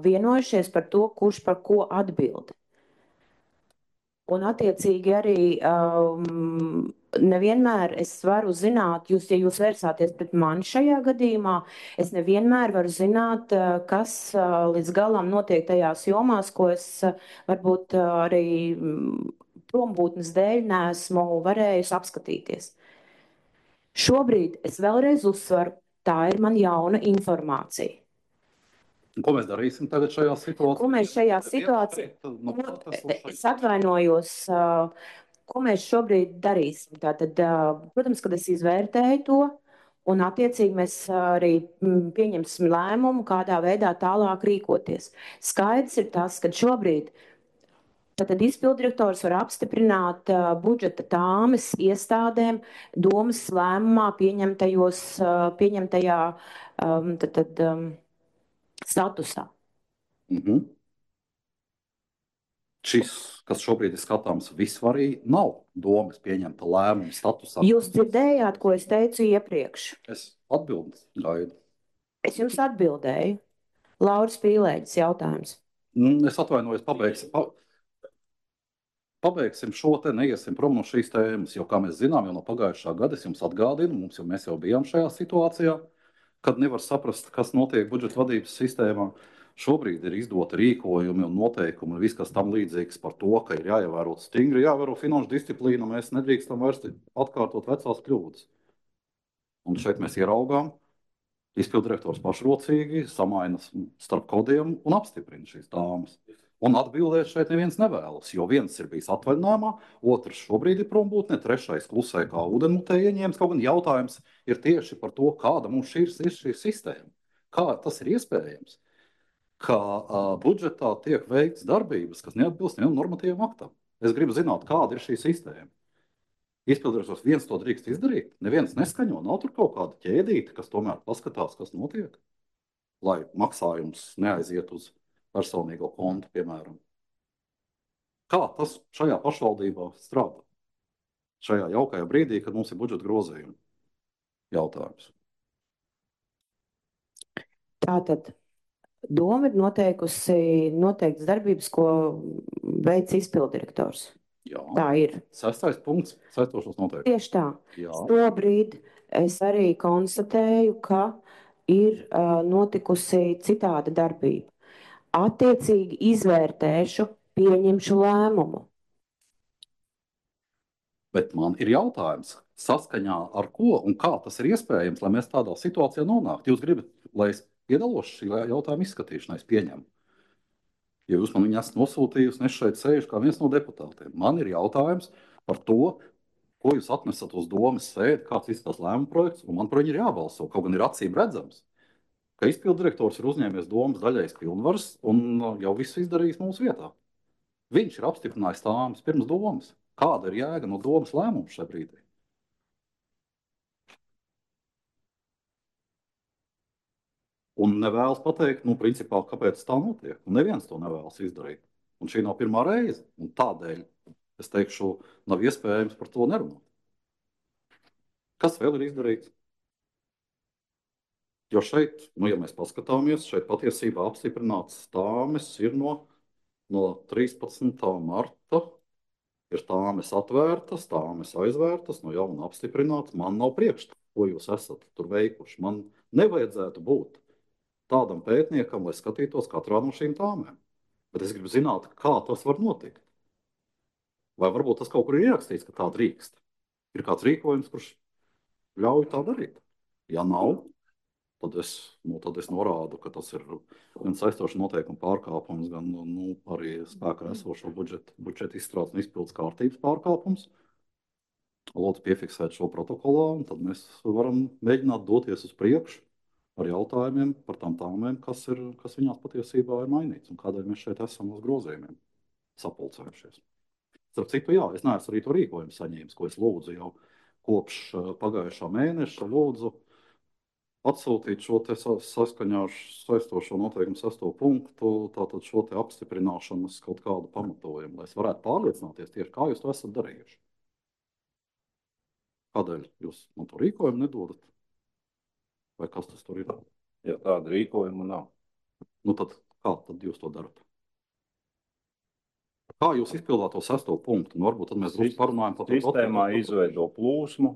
vienojušies par to, kurš par ko atbild. Un attiecīgi arī nevienmēr es varu zināt, ja jūs vērsāties pret mani šajā gadījumā, es nevienmēr varu zināt, kas līdz galam notiek tajās jomās, ko es varbūt arī prombūtnes dēļ neesmu varējusi apskatīties. Šobrīd es vēlreiz uzsveru, tā ir man jauna informācija. Ko mēs darīsim tagad šajā situācijā? Ko mēs šajā situācijā? Es atvainojos, ko mēs šobrīd darīsim. Tātad, protams, kad es izvērtēju to, un attiecīgi mēs arī pieņemsim lēmumu, kādā veidā tālāk rīkoties. Skaidrs ir tas, ka šobrīd tad izpildirektors var apstiprināt budžeta tāmes iestādēm domas lēmumā pieņemtajā statusā. Šis, kas šobrīd ir skatāms, vispārīgi nav domas pieņemta lēmuma statusā. Jūs dzirdējāt, ko es teicu iepriekš? Es atbildu gaidu. Es jums atbildēju. Lauris Pīlēģis jautājums. Es atvainojos, pabeigsim šo te, neiesim prom no šīs tēmas, jo, kā mēs zinām, jau no pagājušā gada es jums atgādinu, mēs jau bijām šajā situācijā, kad nevar saprast, kas notiek budžeta vadības sistēmā. Šobrīd ir izdoti rīkojumi un noteikumi un viss, kas tam līdzīgs par to, ka ir jāievēro stingri, jāievēro finanšu disciplīna, mēs nedrīkstam vairs atkārtot vecās kļūdas. Un šeit mēs ieraugām, izpildirektors pašrocīgi samaina starp kodiem un apstiprina šīs dāmas. Un atbildēt šeit neviens nevēlas, jo viens ir bijis atvaļinājumā, otrs šobrīd ir prombūtnē, trešais klusē kā ūdenmutē ieņēmis. Kaut gan jautājums ir tieši par to, kāda mums ir šī sistēma. Kā tas ir iespējams, ka budžetā tiek veikts darbības, kas neatbilst nevienam normatīvam aktam. Es gribu zināt, kāda ir šī sistēma. Izpildirektors viens to drīkst izdarīt, neviens neskaņo, nav tur kaut kāda ķēdīte, kas tomēr paskatās, kas notiek, lai maksājums neaiziet uz personīgo kontu, piemēram. Kā tas šajā pašvaldībā strādā? Šajā jaukajā brīdī, kad mums ir budžeta grozījumi. Jautājums. Tātad Doma ir noteikusi noteiktas darbības, ko veic izpildirektors. Jā. Tā ir. 6. punkts saistošos noteikumus. Tieši tā. Jā. Šobrīd es arī konstatēju, ka ir notikusi citāda darbība. Attiecīgi izvērtēšu, pieņemšu lēmumu. Bet man ir jautājums, saskaņā ar ko un kā tas ir iespējams, lai mēs tādā situācijā nonāktu? Jūs gribat, lai es piedalos šī jautājuma izskatīšanā, es pieņemu. Ja jūs man viņu esat nosūtījusi, un es šeit sēžu kā viens no deputātiem. Man ir jautājums par to, ko jūs atnesat uz domas sēdi, kāds izskatās lēmuma projekts, un man par viņu ir jābalso. Kaut gan ir acīm redzams, ka izpildirektors ir uzņēmies domas daļais pilnvaras un jau viss izdarījis mūsu vietā. Viņš ir apstiprinājis tāmas pirms domas. Kāda ir jēga no domas lēmuma šajā brīdī? Un nevēlas pateikt, principā, kāpēc tā notiek. Un neviens to nevēlas izdarīt. Un šī nav pirmā reize. Un tādēļ, es teikšu, nav iespējams par to nerunāt. Kas vēl ir izdarīts? Jo šeit, ja mēs paskatāmies, šeit patiesībā apstiprināts tāmes ir no 13. marta. Ir tāmes atvērtas, tāmes aizvērtas, no jauna apstiprināts. Man nav priekšstats, ko jūs esat tur veikuši. Man nevajadzētu būt tādam pētniekam, lai skatītos katrā no šīm tāmēm. Bet es gribu zināt, kā tas var notikt. Vai varbūt tas kaut kur ir ierakstīts, ka tā drīkst? Ir kāds rīkojums, kurš ļauj tā darīt? Ja nav, tad es norādu, ka tas ir gan saistošs noteikumu pārkāpums, gan arī spēkā esošo budžeta izstrādes un izpildes kārtības pārkāpums. Lūdzu, piefiksēt šo protokolā, un tad mēs varam mēģināt doties uz priekšu ar jautājumiem par tām tāmēm, kas viņās patiesībā ir mainīts un kādēļ mēs šeit esam uz grozījumiem sapulcējušies. Starp citu, jā, es neesmu arī to rīkojumu saņēmis, ko es lūdzu jau kopš pagājušā mēneša lūdzu atsūtīt šo te saskaņā ar saistošo noteikumu 6. punktu, tātad šo te apstiprināšanas kaut kādu pamatojumu, lai es varētu pārliecināties tieši, kā jūs to esat darījuši. Kādēļ jūs man to rīkojumu nedodat? Vai kas tas tur ir? Ja tāda rīkojuma nav. Tad kā tad jūs to darat? Kā jūs izpildāt to 6. punktu? Varbūt tad mēs drusku parunājam par to. Sistēmā izveido plūsmu.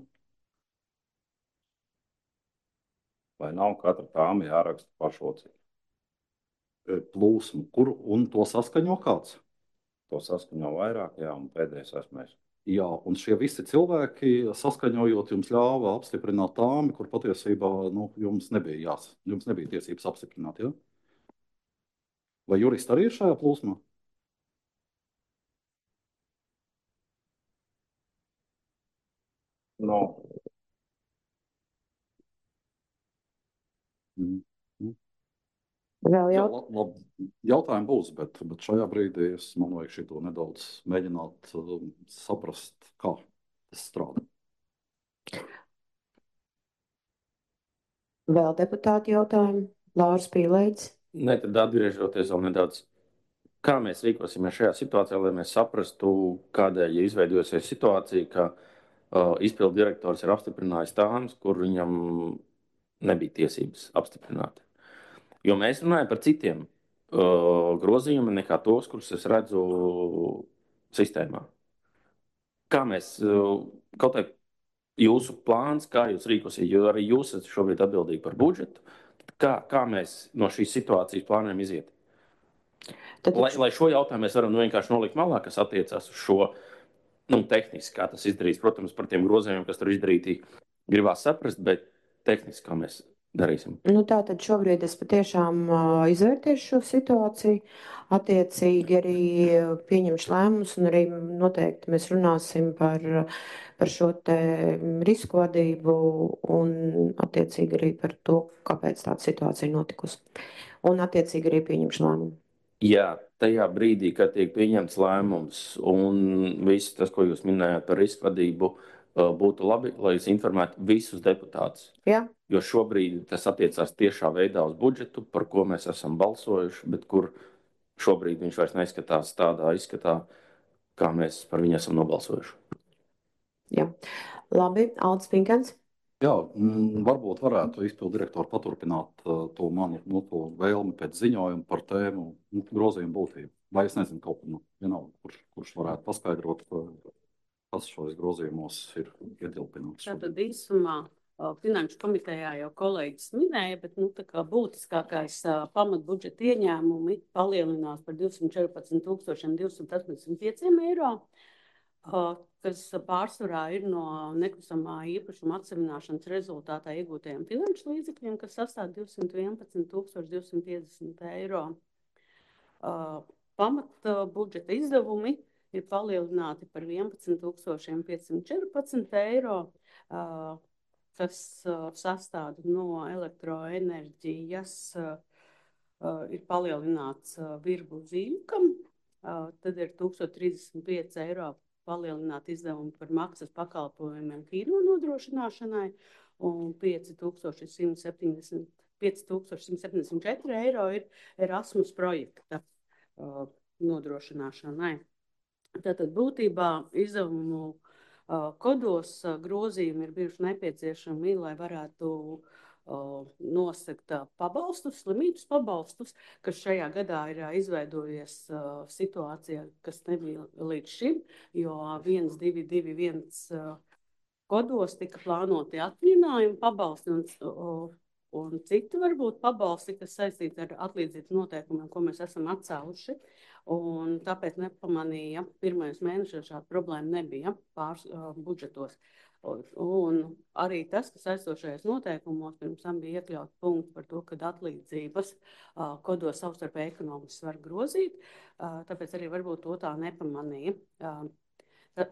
Vai nav katra tāma jāraksta pašlocīgi? Plūsmu, kur un to saskaņo kāds? To saskaņo vairāk, jā, un pēdējais esmu es. Jā, un šie visi cilvēki saskaņojot jums ļāva apstiprināt tāmi, kur patiesībā jums nebija tiesības apstiprināt, ja? Vai juristi arī ir šajā plūsmā? No. Vēl jautājumi būs, bet šajā brīdī man vajag šito nedaudz mēģināt saprast, kā tas strādā. Vēl deputāti jautājumi? Lauris Pīlēģis. Ne, tad atgriežoties vēl nedaudz. Kā mēs rīkosimies šajā situācijā, lai mēs saprastu, kādēļ izveidojusies situācija, ka izpildu direktors ir apstiprinājis tāmas, kur viņam nebija tiesības apstiprināt. Jo mēs runājam par citiem grozījumiem nekā tos, kurus es redzu sistēmā. Kā mēs, kaut kā jūsu plāns, kā jūs rīkosiet, jo arī jūs esat šobrīd atbildīgi par budžetu, kā mēs no šīs situācijas plānojam iziet? Lai šo jautājumu mēs varam vienkārši nolikt malā, kas attiecās uz šo tehniski, kā tas izdarīs. Protams, par tiem grozījumiem, kas tur izdarīti, gribās saprast, bet tehniski, kā mēs darīsim. Tātad šobrīd es patiešām izvērtēšu šo situāciju, attiecīgi arī pieņemšu lēmumus un arī noteikti mēs runāsim par šo te risku vadību un attiecīgi arī par to, kāpēc tāda situācija notikusi. Un attiecīgi arī pieņemšu lēmumu. Jā, tajā brīdī, kad tiek pieņemts lēmums un viss tas, ko jūs minējāt par risku vadību, būtu labi, lai jūs informētu visus deputātus. Jā. Jo šobrīd tas attiecās tiešā veidā uz budžetu, par ko mēs esam balsojuši, bet kur šobrīd viņš vairs neizskatās tādā izskatā, kā mēs par viņu esam nobalsojuši. Jā. Labi, Aldis Pinkens. Jā, varbūt varētu izpildu direktori paturpināt to manu to vēlmi pēc ziņojuma par tēmu grozījumu būtību. Vai es nezinu, kaut vienalga, kurš varētu paskaidrot, kas šos grozījumos ir ietilpināts. Tātad īsumā Finanšu komitejā jau kolēģis minēja, bet tā kā būtiskākais pamatbudžeta ieņēmumi palielinās par 214 285 eiro, kas pārsvarā ir no nekustamā īpašuma atsevināšanas rezultātā iegūtajiem finanšu līdzekļiem, kas sastāv 211 250 eiro. Pamatbudžeta izdevumi ir palielināti par 11 514 eiro, kas sastāv no elektroenerģijas, ir palielināts virbu zīļukam, tad ir 1035 eiro palielināt izdevumi par maksas pakalpojumiem kino nodrošināšanai un 5174 eiro ir Erasmus projekta nodrošināšanai. Tātad būtībā izdevumu kodos grozījumi ir bijuši nepieciešami, lai varētu nosegt pabalstus, slimības pabalstus, kas šajā gadā ir izveidojies situācija, kas nebija līdz šim, jo 1221 kodos tika plānoti atvaļinājumi pabalsti un citi varbūt pabalsti, kas saistīti ar atlīdzības noteikumiem, ko mēs esam atcēluši. Un tāpēc nepamanīja, pirmajos mēnešos šāda problēma nebija budžetos. Un arī tas, kas aizstošajos noteikumos pirms tam bija iekļaut punktu par to, ka atlīdzības kodos savstarpēji ekonomiski var grozīt, tāpēc arī varbūt to tā nepamanīja.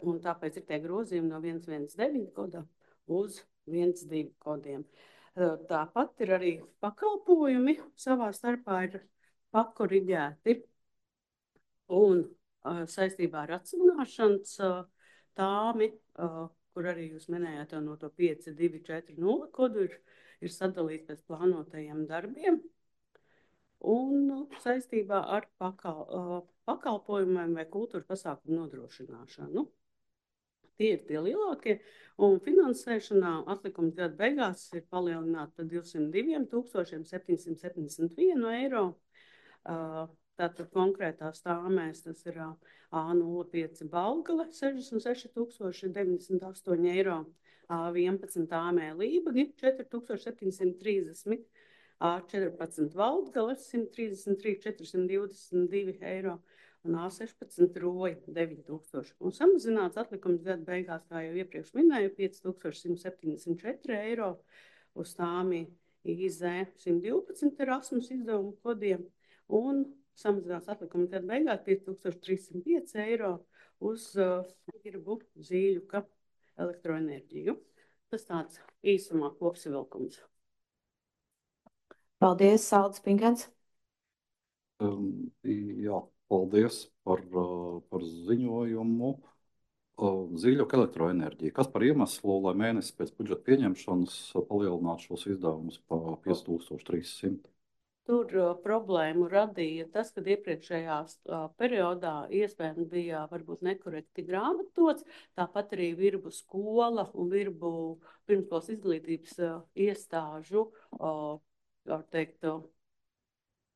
Un tāpēc ir tie grozījumi no 119 koda uz 12 kodiem. Tāpat ir arī pakalpojumi savā starpā ir pakoriģēti. Un saistībā ar atsevināšanas tāmi, kur arī jūs minējāt no to 5240 kodu, ir sadalīts pēc plānotajiem darbiem. Un saistībā ar pakalpojumiem vai kultūra pasākumu nodrošināšanu. Tie ir tie lielākie. Un finansēšanā atlikums gada beigās ir palielināts par 202 771 eiro. Tātad konkrētās tāmēs tas ir A05 Balgale 66 098 eiro, A11 tāmē Lībagi 4730, A14 Valdgale 133 422 eiro un A16 Roja 9000. Un samazināts atlikums gada beigās, kā jau iepriekš minēju, 5174 eiro uz tāmi IZ 112 Erasmus izdevumu kodiem un samazinās atlikuma gada beigās 5305 eiro uz virbu zīļuka elektroenerģiju. Tas tāds īsumā kopsavilkums. Paldies, Saldis Pinkens. Jā, paldies par ziņojumu. Zīļuka elektroenerģija. Kas par iemeslu, lai mēnesi pēc budžeta pieņemšanas palielinātu šos izdevumus pa 5300? Tur problēmu radīja tas, ka iepriekšējā periodā iespējams bija varbūt nekorekti grāmatots, tāpat arī virbu skola un virbu pirmskolas izglītības iestāžu, var teikt,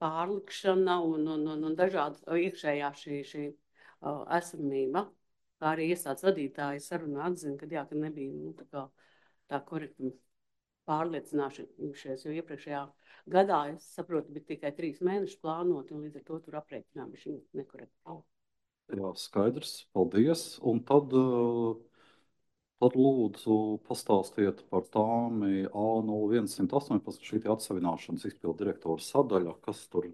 pārlikšana un dažāda iekšējā šī esamība. Kā arī iestādes vadītāji sarunā atzina, ka nebija tā korekti pārliecinājušies, jo iepriekšējā gadā, es saprotu, bija tikai 3 mēneši plānoti, un līdz ar to tur aprēķinājumi šī nekorekti. Jā, skaidrs, paldies. Un tad lūdzu pastāstiet par tāmi A0118, šī atsevināšanas izpildu direktora sadaļa, kas tur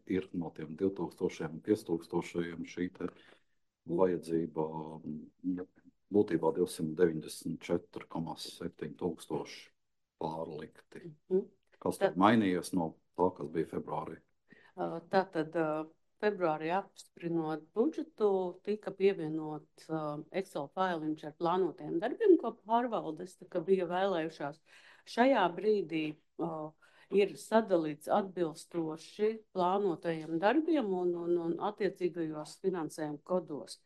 ir no tiem 2000 un 5000 šī te vajadzība. Būtībā 294,7 tūkstoši pārlikti. Kas tad mainījies no tā, kas bija februārī? Tātad februārī apstiprinot budžetu, tika pievienots Excel failiņš ar plānotiem darbiem, ko pārvaldes bija vēlējušās. Šajā brīdī ir sadalīts atbilstoši plānotajiem darbiem un attiecīgajos finansējuma kodos.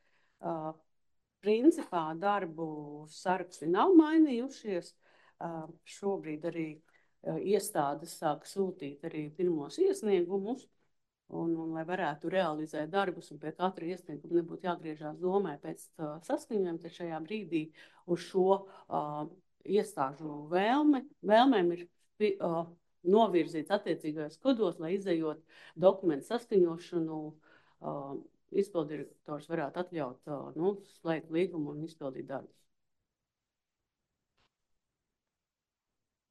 principā darbu saraksti nav mainījušies. Šobrīd arī iestādes sāk sūtīt arī pirmos iesniegumus, un lai varētu realizēt darbus, un pie katra iesnieguma nebūtu jāgriežās domē pēc saskaņojuma, tad šajā brīdī uz šo iestāžu vēlmēm ir novirzīts attiecīgajos kodos, lai izejot dokumentu saskaņošanu, izpildirektors varētu atļaut slēgt līgumu un izpildīt darbus.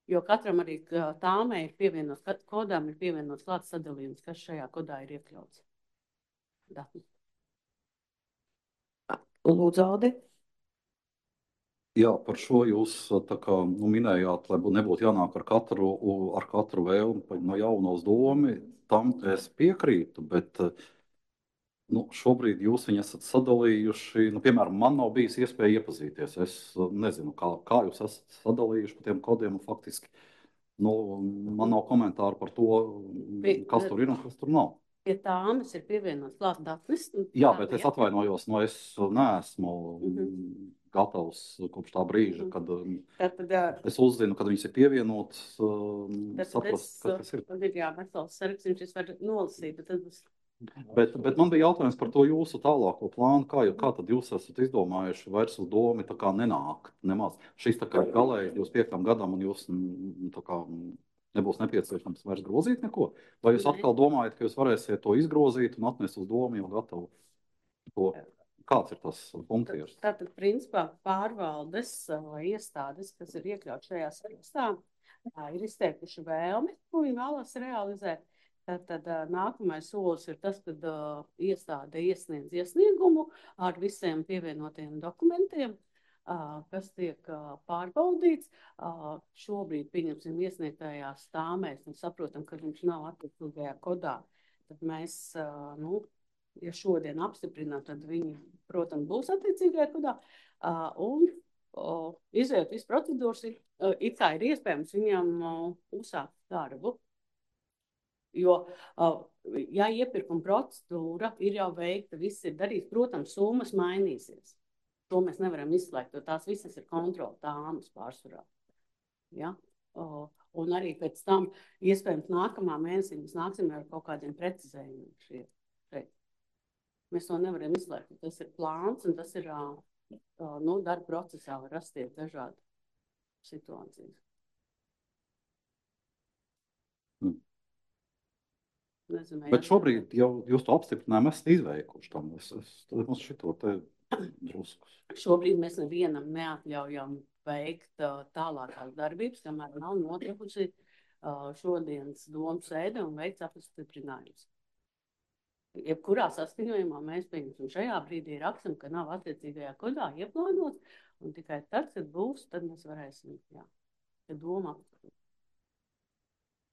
Jo katram arī tāmē ir pievienots, kodām ir pievienots klāts sadalījums, kas šajā kodā ir iekļauts. Dati. Lūdzu, Aldi. Jā, par šo jūs tā kā minējāt, lai nebūtu jānāk ar katru vēlmi no jauna uz domu. Tam es piekrītu, bet šobrīd jūs viņu esat sadalījuši. Piemēram, man nav bijis iespēja iepazīties. Es nezinu, kā jūs esat sadalījuši pa tiem kodiem. Faktiski man nav komentāru par to, kas tur ir un kas tur nav. Pie tāmas ir pievienots klāt datnes. Jā, bet es atvainojos, es neesmu gatavs kopš tā brīža, kad es uzzinu, kad viņas ir pievienotas, saprast, kas tas ir. Tad ir vesels saraksts, viņš var nolasīt, bet tad būs. Bet man bija jautājums par to jūsu tālāko plānu. Kā tad jūs esat izdomājuši vairs uz domu tā kā nenākt nemaz? Šis tā kā galēji 25. gadam un jūs tā kā nebūs nepieciešams vairs grozīt neko? Vai jūs atkal domājat, ka jūs varēsiet to izgrozīt un atnest uz domu jau gatavu to? Kāds ir tas funkcijas? Tātad, principā, pārvaldes iestādes, kas ir iekļauts šajā sarakstā, ir izteikuši vēlmi, ko viņi vēlas realizēt. Tad nākamais solis ir tas, kad iestāde iesniedz iesniegumu ar visiem pievienotiem dokumentiem, kas tiek pārbaudīts. Šobrīd, pieņemsim, iesniegtajās tāmēs, un saprotam, ka viņš nav attiecīgajā kodā. Tad mēs, ja šodien apstiprinām, tad viņi, protams, būs attiecīgajā kodā. Un izējot visu procedūras, it kā ir iespējams viņam uzsākt darbu. Jo, ja iepirkuma procedūra ir jau veikta, viss ir darīts, protams, summas mainīsies. To mēs nevaram izslēgt, jo tās visas ir kontrola tāmas pārsvarā. Ja? Un arī pēc tam, iespējams, nākamā mēnesī mēs nāksim ar kaut kādiem precizējumiem šeit. Mēs to nevaram izslēgt. Tas ir plāns un tas ir, darba procesā var rasties dažādi situācijas. Nezinu, bet šobrīd jau jūs to apstiprinājumu esat izveikuši tam. Mums šito te drusku. Šobrīd mēs nevienam neatļaujam veikt tālākās darbības, kamēr nav notikusi šodienas domas sēde un veikts apstiprinājums. Jebkurā saskaņojumā mēs pieņemsim šajā brīdī rakstam, ka nav attiecīgajā kodā ieplānots, un tikai tad, kad būs, tad mēs varēsim, doma apstiprināt.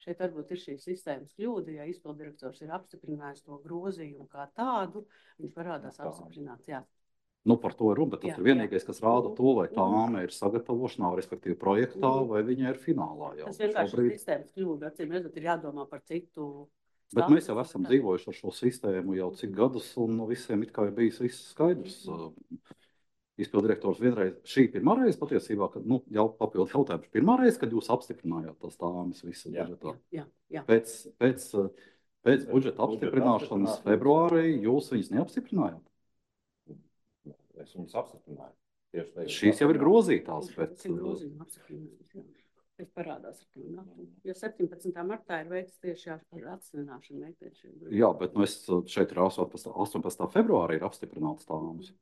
Šeit varbūt ir šī sistēmas kļūda, ja izpildirektors ir apstiprinājis to grozījumu kā tādu, viņš parādās apstiprināts, jā. Par to ir runa, bet tas ir vienīgais, kas rāda to, vai tāma ir sagatavošanā, respektīvi projektā, vai viņa ir finālā jau. Tas vienkārši ir sistēmas kļūda, acīm redzot, ir jādomā par citu. Bet mēs jau esam dzīvojuši ar šo sistēmu jau cik gadus, un visiem it kā ir bijis viss skaidrs. Izpildirektors vienreiz, šī pirmā reize patiesībā, kad, jau papildu jautājums, pirmā reize, kad jūs apstiprinājāt tās tāmas visas budžetā. Jā. Pēc budžeta apstiprināšanas februārī jūs viņas neapstiprinājāt? Es viņas apstiprināju. Šīs jau ir grozītās. Tas parādās. Jo 17. martā ir veikts tieši ar atsināšanu. Jā, bet šeit ir 18. februārī ir apstiprināts tāmas.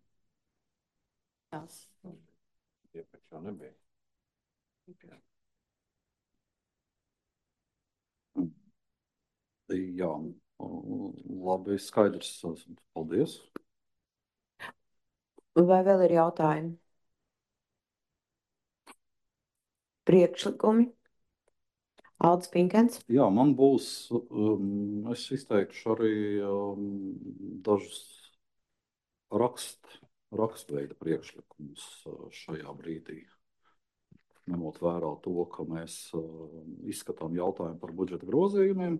Iepriekš jau nebija. Jā, labi, skaidrs. Paldies. Vai vēl ir jautājumi? Priekšlikumi? Aldis Pinkens? Jā, man būs, es izteikšu arī dažus rakstveida priekšlikumus šajā brīdī. Ņemot vērā to, ka mēs izskatām jautājumu par budžeta grozījumiem,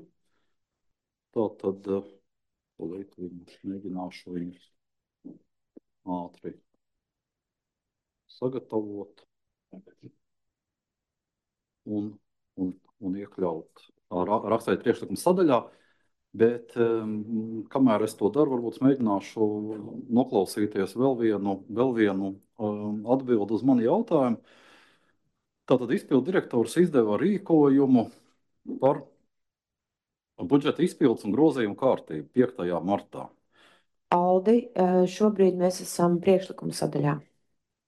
tad mēģināšu viņus ātri sagatavot un iekļaut rakstīt priekšlikumu sadaļā. Bet kamēr es to daru, varbūt mēģināšu noklausīties vēl vienu atbildi uz manu jautājumu. Tātad izpildu direktors izdeva rīkojumu par budžeta izpildes un grozījumu kārtību 5. martā. Aldi, šobrīd mēs esam priekšlikuma sadaļā.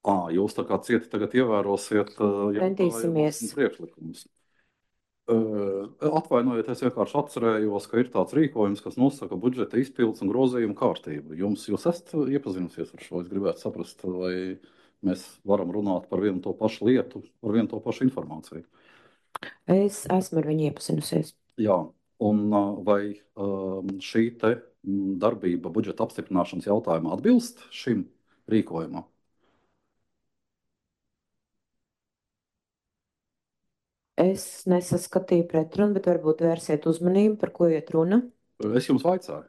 Jūs tā kā cieti tagad ievērosiet Centīsimies. priekšlikumus. Atvainojiet, es vienkārši atcerējos, ka ir tāds rīkojums, kas nosaka budžeta izpildes un grozījumu kārtību. Jūs esat iepazinusies ar šo? Es gribētu saprast, vai mēs varam runāt par vienu to pašu lietu, par vienu to pašu informāciju. Es esmu ar viņu iepazinusies. Jā, un vai šī te darbība budžeta apstiprināšanas jautājumā atbilst šim rīkojumam? Es nesaskatīju pretrunu, bet varbūt vērsiet uzmanību, par ko iet runa. Es jums vaicāju.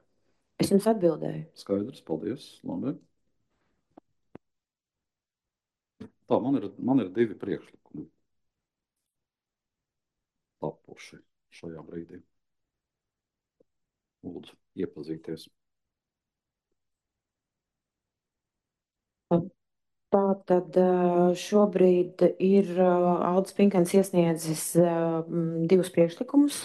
Es jums atbildēju. Skaidrs, paldies. Labi. Tā, man ir 2 priekšlikumi tapuši šajā brīdī. Lūdzu, iepazīties. Tā tad šobrīd ir Aldis Pinkens iesniedzis 2 priekšlikumus.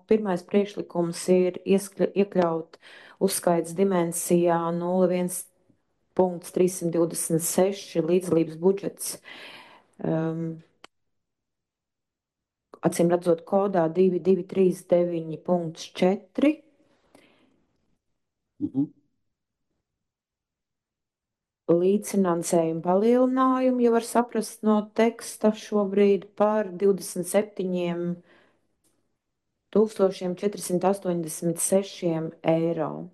Pirmais priekšlikums ir iekļaut uzskaits dimensijā 01.326 līdzdalības budžets. Acīm redzot kodā 2239.4. Līdzfinansējumu palielinājumu, ja var saprast no teksta šobrīd par 27.486 eiro.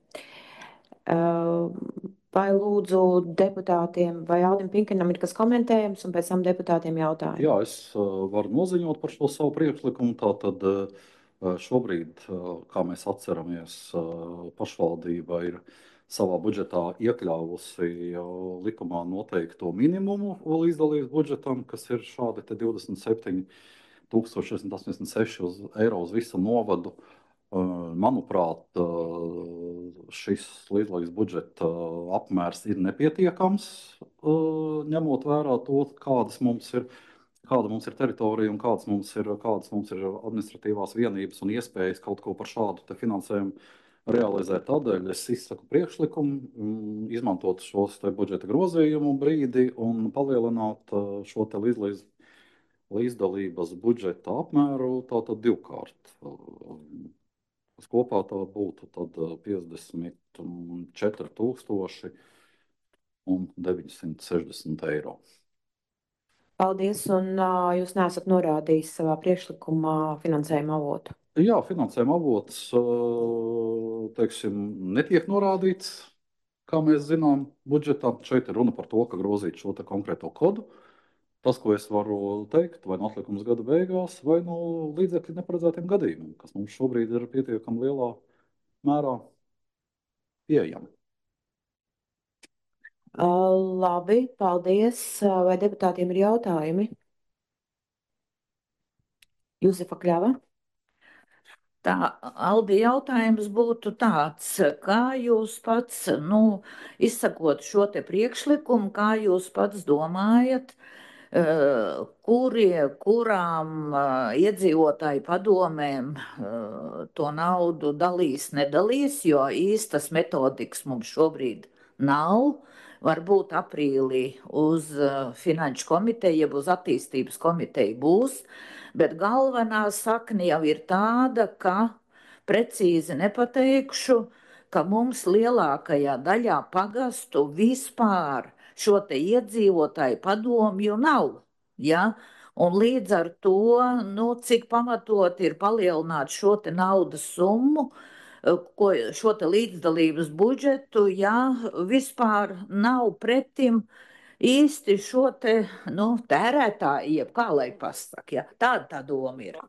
Vai lūdzu deputātiem vai Aldim Pinkenam ir kas komentējams un pēc tam deputātiem jautājumi? Jā, es varu noziņot par šo savu priekšlikumu. Tātad šobrīd, kā mēs atceramies, pašvaldība ir savā budžetā iekļāvusi likumā noteikto minimumu līdzdalības budžetam, kas ir šādi 27,686 eiro uz visu novadu. Manuprāt, šis līdzdalības budžeta apmērs ir nepietiekams, ņemot vērā to, kāda mums ir teritorija un kādas mums ir administratīvās vienības un iespējas kaut ko par šādu finansējumu realizēt. Tādēļ es izsaku priekšlikumu izmantot šos budžeta grozījumu brīdi un palielināt šo līdzdalības budžeta apmēru tātad 2-kārt. Kopā tā būtu 54,960 eiro. Paldies, un jūs neesat norādījis savā priekšlikumā finansējuma avotu? Jā, finansējuma avots, teiksim, netiek norādīts, kā mēs zinām, budžetā. Šeit ir runa par to, ka grozīt šo konkrēto kodu. Tas, ko es varu teikt, vai no atlikums gada beigās, vai no līdzekļu neparedzētiem gadījumiem, kas mums šobrīd ir pietiekami lielā mērā pieejami. Labi, paldies. Vai deputātiem ir jautājumi? Juzefa Kļava? Tā, Aldi, jautājums būtu tāds, kā jūs pats, izsakot šo te priekšlikumu, kā jūs pats domājat, kurām iedzīvotāju padomēm to naudu dalīs, nedalīs, jo īstas metodikas mums šobrīd nav. Varbūt aprīlī uz Finanšu komiteju, jeb uz attīstības komiteju būs, bet galvenā sakne jau ir tāda, ka precīzi nepateikšu, ka mums lielākajā daļā pagastu vispār šo te iedzīvotāju padomju nav. Ja? Un līdz ar to, cik pamatot ir palielināt šo te naudas summu, šo te līdzdalības budžetu, ja vispār nav pretim īsti šo te, tērētāju, jeb kā lai pasaka, ja? Tāda tā doma ir.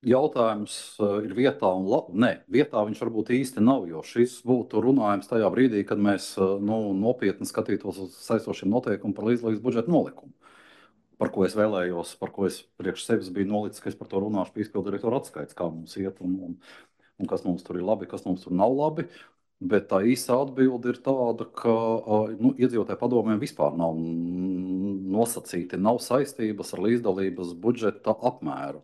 Jautājums ir vietā un nē, vietā viņš varbūt īsti nav, jo šis būtu runājums tajā brīdī, kad mēs nopietni skatītos uz saistošiem noteikumiem par līdzdalības budžeta nolikumu, par ko es vēlējos, par ko es priekš sevis biju nolicis, ka es par to runāšu pie izpildirektora atskaits, kā mums iet un kas mums tur ir labi, kas mums tur nav labi. Bet tā īsa atbilde ir tāda, ka iedzīvotāju padomēm vispār nav nosacīti, nav saistības ar līdzdalības budžeta apmēru.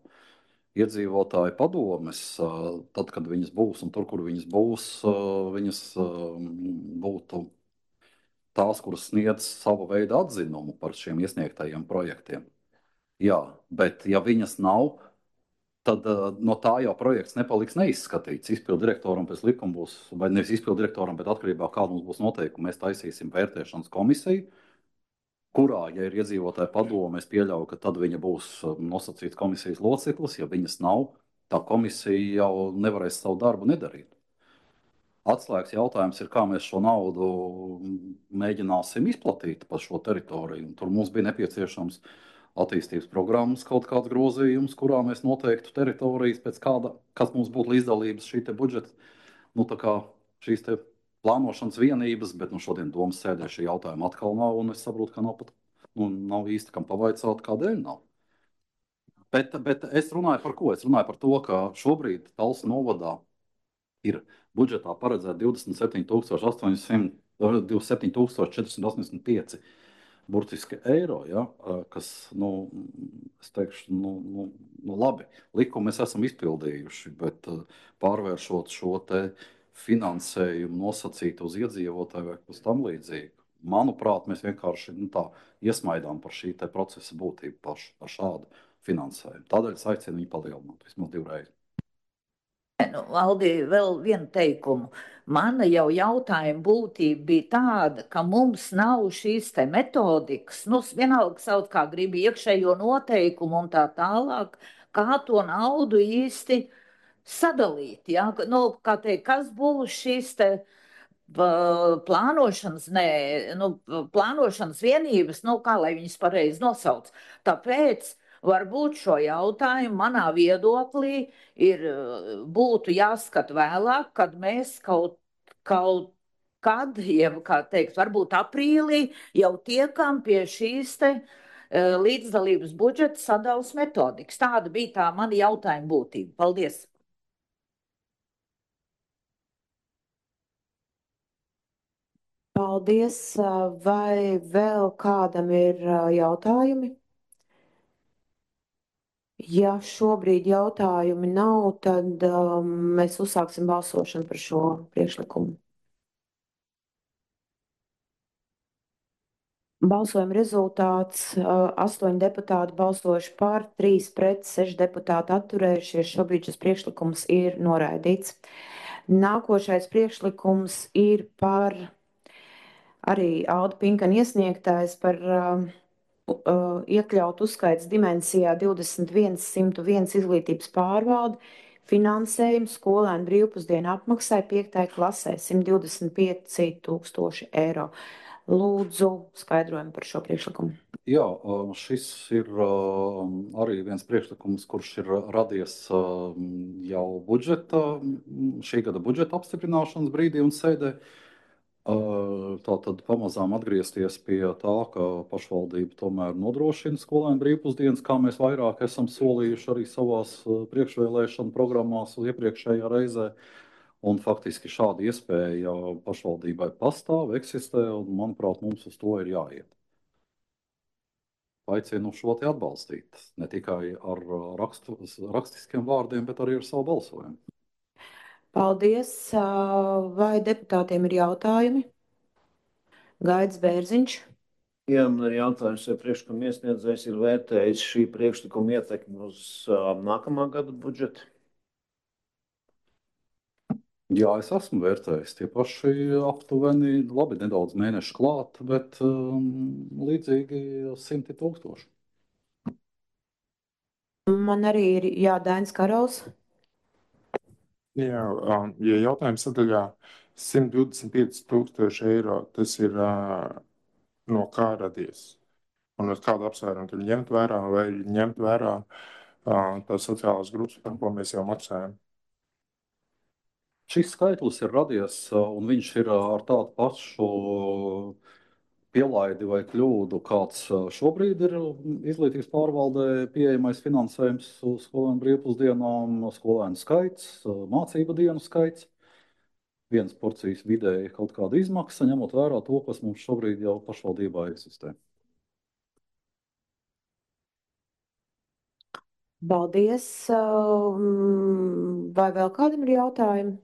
Iedzīvotāju padomes, tad, kad viņas būs un tur, kur viņas būs, viņas būtu tās, kuras sniedz savu veidu atzinumu par šiem iesniegtajiem projektiem. Jā, bet ja viņas nav, tad no tā jau projekts nepaliks neizskatīts. Izpildirektoram pēc likuma būs, vai nevis izpildirektoram, bet atkarībā kāda mums būs noteikuma, mēs taisīsim vērtēšanas komisiju, kurā, ja ir iedzīvotāja padome, es pieļauju, ka tad viņa būs nosacīts komisijas loceklis. Ja viņas nav, tā komisija jau nevarēs savu darbu nedarīt. Atslēgas jautājums ir, kā mēs šo naudu mēģināsim izplatīt pa šo teritoriju. Tur mums bija nepieciešams attīstības programmas kaut kāds grozījums, kurā mēs noteiktu teritorijas pēc kāda, kas mums būtu līdzdalības šī te budžeta, tā kā šīs te plānošanas vienības, bet šodien domas sēdē šī jautājuma atkal nav, un es saprotu, ka nav pat, nav īsti kam pavaicāt, kādēļ nav. Bet es runāju par ko? Es runāju par to, ka šobrīd Talsu novadā ir budžetā paredzēta 27,485 burtiski eiro, ja, kas, es teikšu, labi, likumu mēs esam izpildījuši, bet pārvēršot šo te finansējumu nosacīt uz iedzīvotāju vai uz tam līdzīgu, manuprāt, mēs vienkārši tā iesmaidām par šī te procesa būtību par šādu finansējumu. Tādēļ es aicinu viņu palielināt vismaz 2 reizes. Aldi, vēl vienu teikumu. Mana jau jautājuma būtība bija tāda, ka mums nav šīs te metodikas, vienalga sauc kā gribi iekšējo noteikumu un tā tālāk, kā to naudu īsti sadalīt. Ja? Kā teikt, kas būs šīs te plānošanas vienības, kā lai viņas pareizi nosauc. Tāpēc varbūt šo jautājumu manā viedoklī būtu jāskat vēlāk, kad mēs kaut kad, kā teikt, varbūt aprīlī jau tiekam pie šīs te līdzdalības budžeta sadalas metodikas. Tāda bija tā mana jautājuma būtība. Paldies! Paldies! Vai vēl kādam ir jautājumi? Ja šobrīd jautājumi nav, tad mēs uzsāksim balsošanu par šo priekšlikumu. Balsojuma rezultāts 8 deputāti balsojuši par, 3 pret, 6 deputāti atturējušies. Šobrīd šis priekšlikums ir noraidīts. Nākošais priekšlikums ir par arī Alda Pinkana iesniegtājs par iekļaut uzskaits dimensijā 21.101 izglītības pārvalde, finansējumu skolēnu brīvpusdienu apmaksai 5. klasē 125 000 eiro. Lūdzu, skaidrojumu par šo priekšlikumu. Jā, šis ir arī viens priekšlikums, kurš ir radies jau šī gada budžeta apstiprināšanas brīdī un sēdē. Tātad pamazām atgriezties pie tā, ka pašvaldība tomēr nodrošina skolēnu brīvpusdienas, kā mēs vairāk esam solījuši arī savās priekšvēlēšanu programmās iepriekšējā reizē. Un faktiski šāda iespēja pašvaldībai pastāv, eksistē, un, manuprāt, mums uz to ir jāiet. Aicinu šo te atbalstīt, ne tikai ar rakstiskiem vārdiem, bet arī ar savu balsojumu. Paldies. Vai deputātiem ir jautājumi? Gaidis Bērziņš. Jā, man ir jautājums, vai priekšlikuma iesniedzējs ir vērtējis šī priekšlikuma ietekmi uz nākamā gada budžetu? Jā, es esmu vērtējis tie paši aptuveni, labi, nedaudz mēnešu klāt, bet līdzīgi 100 000. Man arī ir Dainis Karals. Jā, ja jautājums sadaļā 125 000 eiro, tas ir no kā radies? Un uz kādu apsvērumu tur ņemt vērā vai ņemt vērā tās sociālās grupas, par ko mēs jau maksājam. Šis skaitlis ir radies, un viņš ir ar tādu pašu pielaidi vai kļūdu, kāds šobrīd ir izglītības pārvaldē pieejamais finansējums uz skolēnu brīvpusdienām, skolēnu skaits, mācību dienu skaits. Vienas porcijas vidēji kaut kāda izmaksa, ņemot vērā to, kas mums šobrīd jau pašvaldībā eksistē. Paldies. Vai vēl kādam ir jautājumi?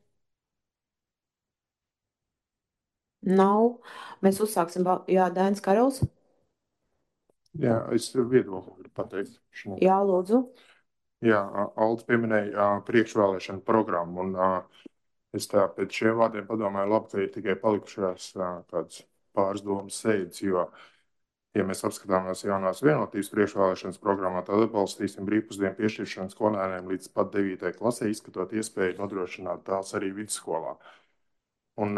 Nav. Mēs uzsāksim. Jā, Dainis Karols. Jā, es viedokli gribu pateikt. Jā, lūdzu. Jā, Aldis pieminēja priekšvēlēšanu programmu, un es tā pēc šiem vārdiem padomāju, labi, ka ir tikai palikušās kādas pāris domas sēdes, jo, ja mēs apskatāmies jaunās vienotības priekšvēlēšanas programmā, tad atbalstīsim brīvpusdienu piešķiršanu skolēniem līdz pat 9. klasē, izskatot iespēju nodrošināt tās arī vidusskolā. Un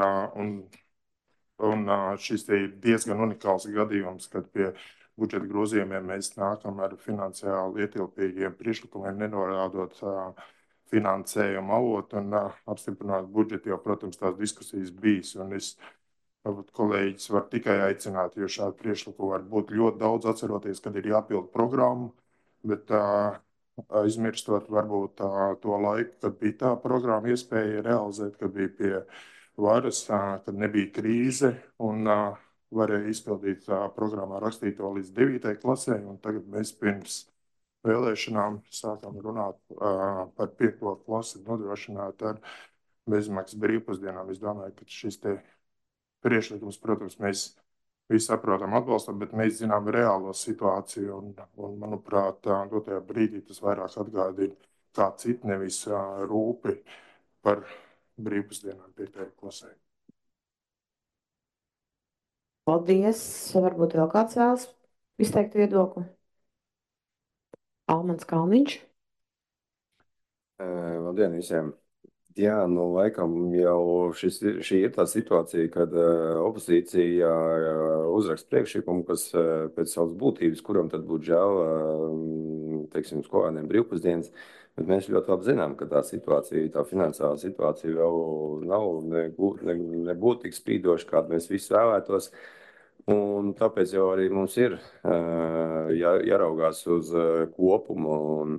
šis te ir diezgan unikāls gadījums, kad pie budžeta grozījumiem mēs nākam ar finansiāli ietilpīgiem priekšlikumiem, nenorādot finansējumu avotu un apstiprināt budžetu, jo, protams, tās diskusijas bijis. Un es, varbūt kolēģis var tikai aicināt, jo šādu priekšlikumu var būt ļoti daudz, atceroties, kad ir jāpild programmu, bet aizmirstot varbūt to laiku, kad bija tā programma iespēja realizēt, kad bija pie varas, kad nebija krīze un varēja izpildīt programmā rakstīto līdz 9. klasē, un tagad mēs pirms vēlēšanām sākam runāt par 5. klasi nodrošināt ar bezmaksas brīvpusdienām. Es domāju, ka šis te priekšlikums, protams, mēs visi saprotam atbalstam, bet mēs zinām reālo situāciju, un manuprāt, dotajā brīdī tas vairāk atgādina kā citu, nevis rūpi par brīvpusdienām 5. klasē. Paldies. Varbūt vēl kāds vēlas izteikt viedokli? Almans Kalniņš. Labdien visiem! Jā, nu laikam jau šī ir tā situācija, kad opozīcija uzraksta priekšlikumu, kas pēc savas būtības, kuram tad būtu žēl, teiksim, skolēniem brīvpusdienas, bet mēs ļoti labi zinām, ka tā situācija, tā finansiālā situācija vēl nav nebūtu tik spīdoša, kādu mēs visi vēlētos. Un tāpēc jau arī mums ir jāraugās uz kopumu, un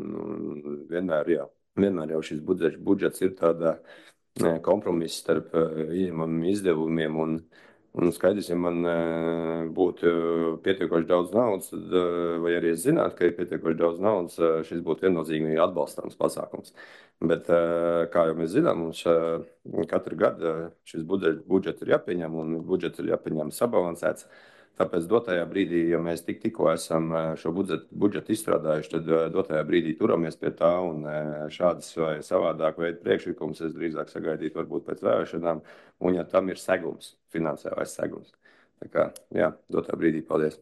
vienmēr jau šis budžets ir tāda kompromiss starp ieņemamiem izdevumiem, un skaidrs, ja man būtu pietiekoši daudz naudas, tad, vai arī es zinātu, ka ir pietiekoši daudz naudas, šis būtu viennozīmīgi atbalstāms pasākums. Bet, kā jau mēs zinām, mums katru gadu šis budžets ir jāpieņem, un budžets ir jāpieņem sabalansēts. Tāpēc dotajā brīdī, ja mēs tikko esam šo budžetu izstrādājuši, tad dotajā brīdī turamies pie tā, un šādas vai savādāk veidu priekšlikums es drīzāk sagaidītu varbūt pēc vēlēšanām, un ja tam ir segums, finansiālais segums. Tā kā, jā, dotajā brīdī paldies.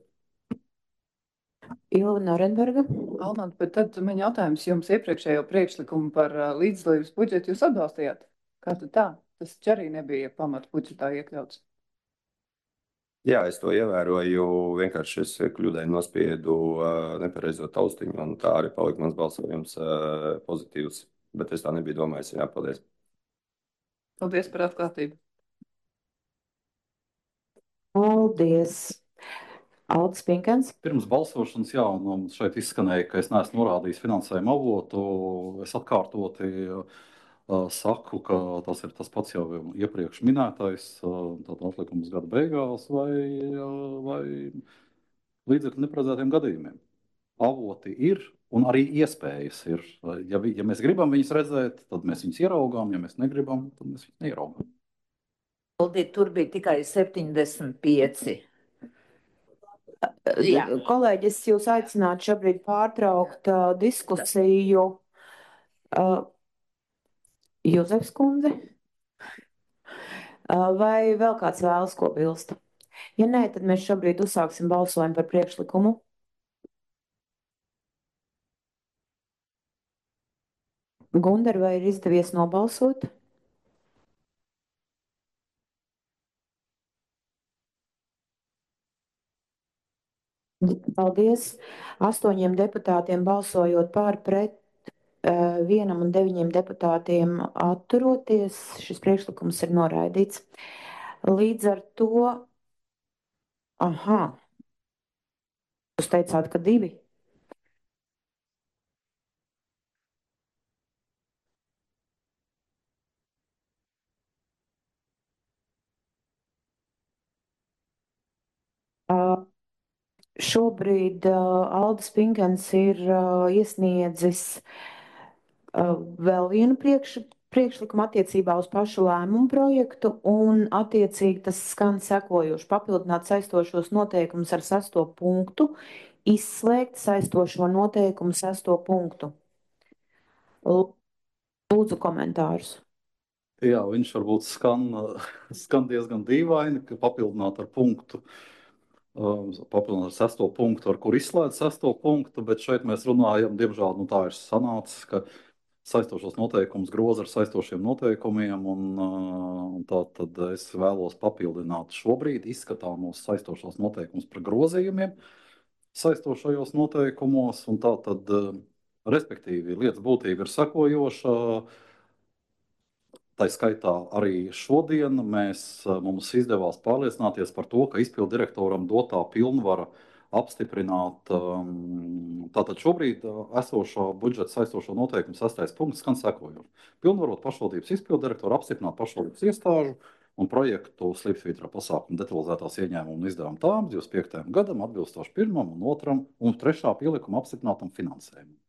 Ilva Norenberga. Almant, bet tad man jautājums jums iepriekšējo priekšlikumu par līdzdalības budžetu jūs atbalstījāt? Kā tad tā? Tas arī nebija pamat budžetā iekļauts. Jā, es to ievēroju, vienkārši es kļūdaini nospiedu nepareizo taustiņu, un tā arī palika mans balsojums pozitīvs, bet es tā nebiju domājis. Jā, paldies. Paldies par atklātību. Paldies. Aldis Pinkens. Pirms balsošanas, jā, un šeit izskanēja, ka es neesmu norādījis finansējumu avotu. Es atkārtoti saku, ka tas ir tas pats jau iepriekš minētais, tātad atlikums gada beigās vai līdzekļu neparedzētiem gadījumiem. Avoti ir un arī iespējas ir. Ja mēs gribam viņus redzēt, tad mēs viņus ieraugām, ja mēs negribam, tad mēs viņus neieraugām. Tur bija tikai 75. Jā. Kolēģi, es jūs aicinātu šobrīd pārtraukt diskusiju. Jozefs kundze? Vai vēl kāds vēlas ko bilst? Ja nē, tad mēs šobrīd uzsāksim balsojumu par priekšlikumu. Gundar, vai ir izdevies nobalsot? Paldies. 8 deputātiem balsojot par, pret 1 un 9 deputātiem atturoties, šis priekšlikums ir noraidīts. Līdz ar to, jūs teicāt, ka 2. Šobrīd Aldis Pinkens ir iesniedzis vēl vienu priekšlikumu attiecībā uz pašu lēmumu projektu, un attiecīgi tas skan sekojoši: papildināt saistošos noteikumus ar 6. punktu, izslēgt saistošo noteikumu 6. punktu. Lūdzu komentārus. Jā, viņš varbūt skan diezgan dīvaini, ka papildināt ar punktu. Papildināt ar 6. punktu, ar kur izslēdz 6. punktu, bet šeit mēs runājam, diemžēl, tā ir sanācis, ka saistošos noteikumus groza ar saistošiem noteikumiem, un tā tad es vēlos papildināt šobrīd izskatāmos saistošos noteikumus par grozījumiem saistošajos noteikumos, un tā tad, respektīvi, lietas būtība ir sekojoša. Tā skaitā arī šodien mums izdevās pārliecināties par to, ka izpildu direktoram dotā pilnvara apstiprināt. Tātad šobrīd esošā budžeta saistošo noteikumu 6. punkts skan sekojoši: pilnvarot pašvaldības izpildu direktoru apstiprināt pašvaldības iestāžu un projektu slīpsvītra pasākumu detalizētās ieņēmumu un izdevumu tām 25. gadam atbilstoši 1. un 2. un 3. pielikuma apstiprinātam finansējumam.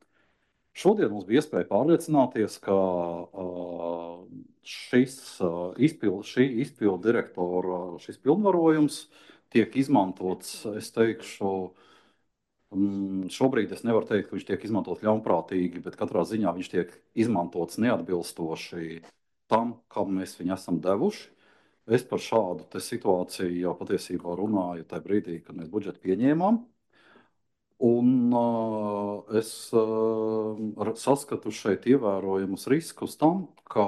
Šodien mums bija iespēja pārliecināties, ka šī izpildu direktora šis pilnvarojums tiek izmantots, es teikšu, šobrīd es nevaru teikt, ka viņš tiek izmantots ļaunprātīgi, bet katrā ziņā viņš tiek izmantots neatbilstoši tam, kam mēs viņu esam devuši. Es par šādu situāciju jau patiesībā runāju tajā brīdī, kad mēs budžetu pieņēmām. Un es saskatu šeit ievērojamus riskus tam, ka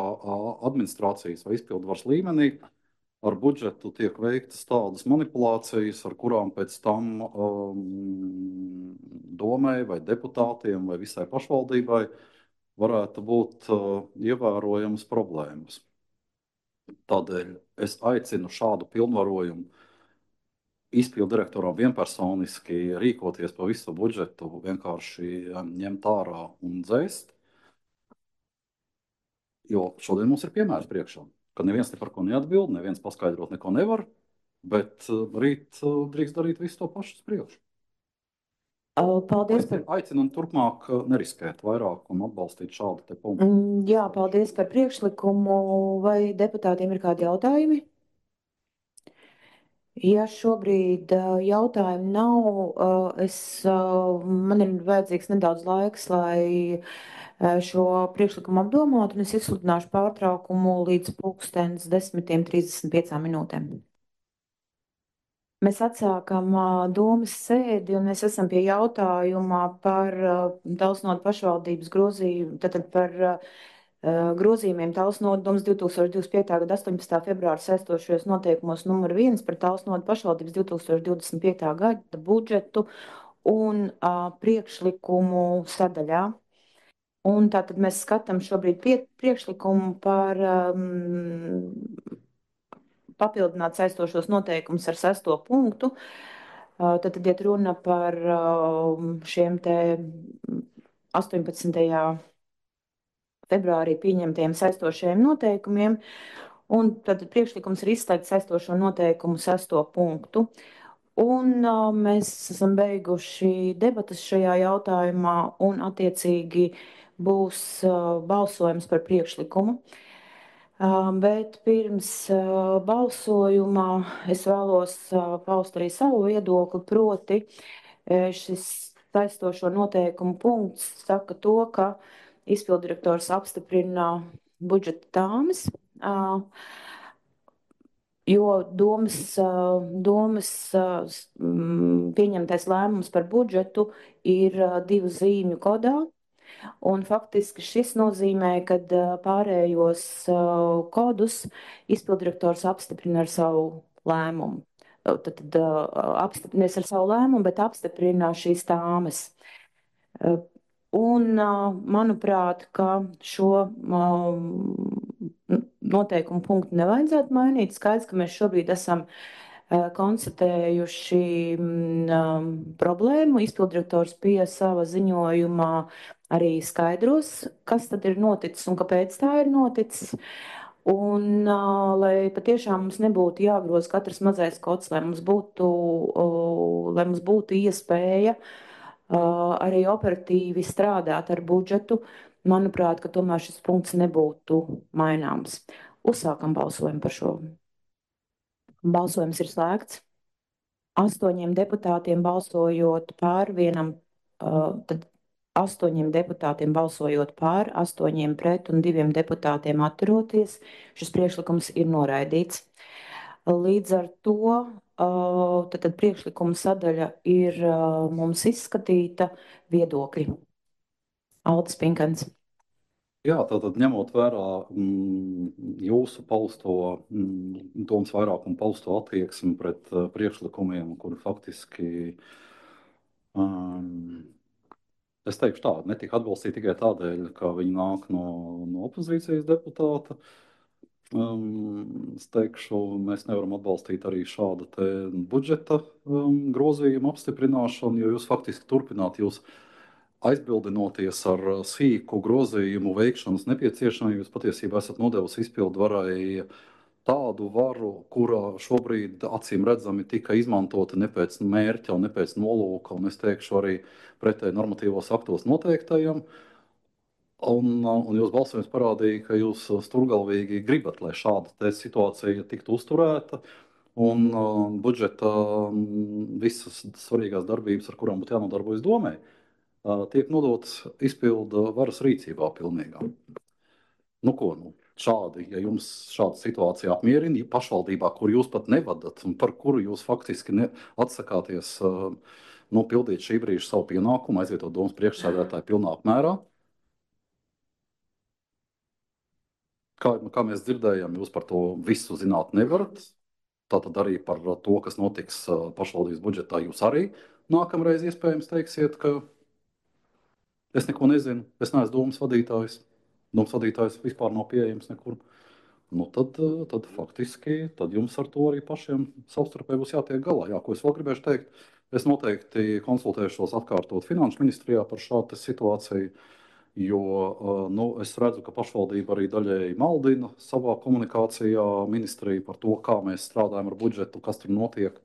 administrācijas vai izpildvaras līmenī ar budžetu tiek veiktas tādas manipulācijas, ar kurām pēc tam domai vai deputātiem vai visai pašvaldībai varētu būt ievērojamas problēmas. Tādēļ es aicinu šādu pilnvarojumu izpildu direktoram vienpersoniski rīkoties pa visu budžetu, vienkārši ņemt ārā un dzēst. Jo šodien mums ir piemērs priekšā, ka neviens ne par ko neatbild, neviens paskaidrot neko nevar, bet rīt drīkst darīt visu to pašu uz priekšu. Paldies. Aicinu turpmāk neriskēt vairāk un atbalstīt šādu te punktu. Jā, paldies par priekšlikumu. Vai deputātiem ir kādi jautājumi? Ja šobrīd jautājumu nav, man ir vajadzīgs nedaudz laiks, lai šo priekšlikumu apdomātu, un es izsludināšu pārtraukumu līdz 10:35. Mēs atsākam domas sēdi, un mēs esam pie jautājuma par Talsnodu pašvaldības grozījumu, tātad par grozījumiem Talsnodas 2025. gada 18. februāra saistošajos noteikumos numur 1 par Talsnodu pašvaldības 2025. gada budžetu un priekšlikumu sadaļā. Un tātad mēs skatām šobrīd priekšlikumu par papildināt saistošos noteikumus ar 6. punktu. Tad iet runa par šiem te 18. februārī pieņemtajiem saistošajiem noteikumiem, un tad priekšlikums ir izslēgt saistošo noteikumu 6. punktu. Un mēs esam beiguši debatas šajā jautājumā, un attiecīgi būs balsojums par priekšlikumu. Bet pirms balsojumā es vēlos paust arī savu viedokli, proti šis saistošo noteikumu punkts saka to, ka izpildirektors apstiprina budžeta tāmes, jo domas pieņemtais lēmums par budžetu ir 2 zīmju kodā. Un faktiski šis nozīmē, ka pārējos kodus izpildirektors apstiprina ar savu lēmumu. apstiprinās ar savu lēmumu, bet apstiprina šīs tāmes. Un, manuprāt, ka šo noteikumu punktu nevajadzētu mainīt. Skaidrs, ka mēs šobrīd esam konstatējuši problēmu. Izpildirektors pie sava ziņojumā arī skaidros, kas tad ir noticis un kāpēc tā ir noticis. Un, lai patiešām mums nebūtu jāgroza katrs mazais kods, lai mums būtu iespēja arī operatīvi strādāt ar budžetu, manuprāt, ka tomēr šis punkts nebūtu maināms. Uzsākam balsojumu par šo. Balsojums ir slēgts. 8 deputātiem balsojot pār, tad 8 deputātiem balsojot pār, 8 pret un 2 deputātiem atturoties, šis priekšlikums ir noraidīts. Līdz ar to tad priekšlikuma sadaļa ir mums izskatīta. Viedokļi. Aldis Pinkans. Jā, tātad ņemot vērā jūsu pausto, domas vairākumu pausto attieksmi pret priekšlikumiem, kuri faktiski, es teikšu tā, netika atbalstīti tikai tādēļ, ka viņi nāk no opozīcijas deputāta. Es teikšu, mēs nevaram atbalstīt arī šādu te budžeta grozījumu apstiprināšanu, jo jūs faktiski turpināt jūs aizbildinoties ar sīku grozījumu veikšanas nepieciešamību, jūs patiesībā esat nodevusi izpildvarai tādu varu, kura šobrīd acīm redzami tika izmantota ne pēc mērķa un ne pēc nolūka, un es teikšu arī pretēji normatīvos aktos noteiktajam. Un jūs balsojums parādīja, ka jūs sturgalvīgi gribat, lai šāda situācija tiktu uzturēta, un budžeta visas svarīgās darbības, ar kurām būtu jānodarbojas domē, tiek nodots izpildu varas rīcībā pilnīgā. Šādi, ja jums šāda situācija apmierina, ja pašvaldībā, kur jūs pat nevadat un par kuru jūs faktiski atsakāties pildīt šī brīža savu pienākumu, aizvietot domas priekšsēdētāju pilnā apmērā. Kā mēs dzirdējām, jūs par to visu zināt nevarat. Tātad arī par to, kas notiks pašvaldības budžetā, jūs arī nākamreiz iespējams teiksiet, ka es neko nezinu, es neesmu domas vadītājs. Domas vadītājs vispār nav pieejams nekur. Tad faktiski jums ar to arī pašiem savstarpēji būs jātiek galā. Jā, ko es vēl gribēšu teikt, es noteikti konsultēšos atkārtot Finanšu ministrijā par šādu situāciju, jo es redzu, ka pašvaldība arī daļēji maldina savā komunikācijā ministriju par to, kā mēs strādājam ar budžetu, kas tur notiek,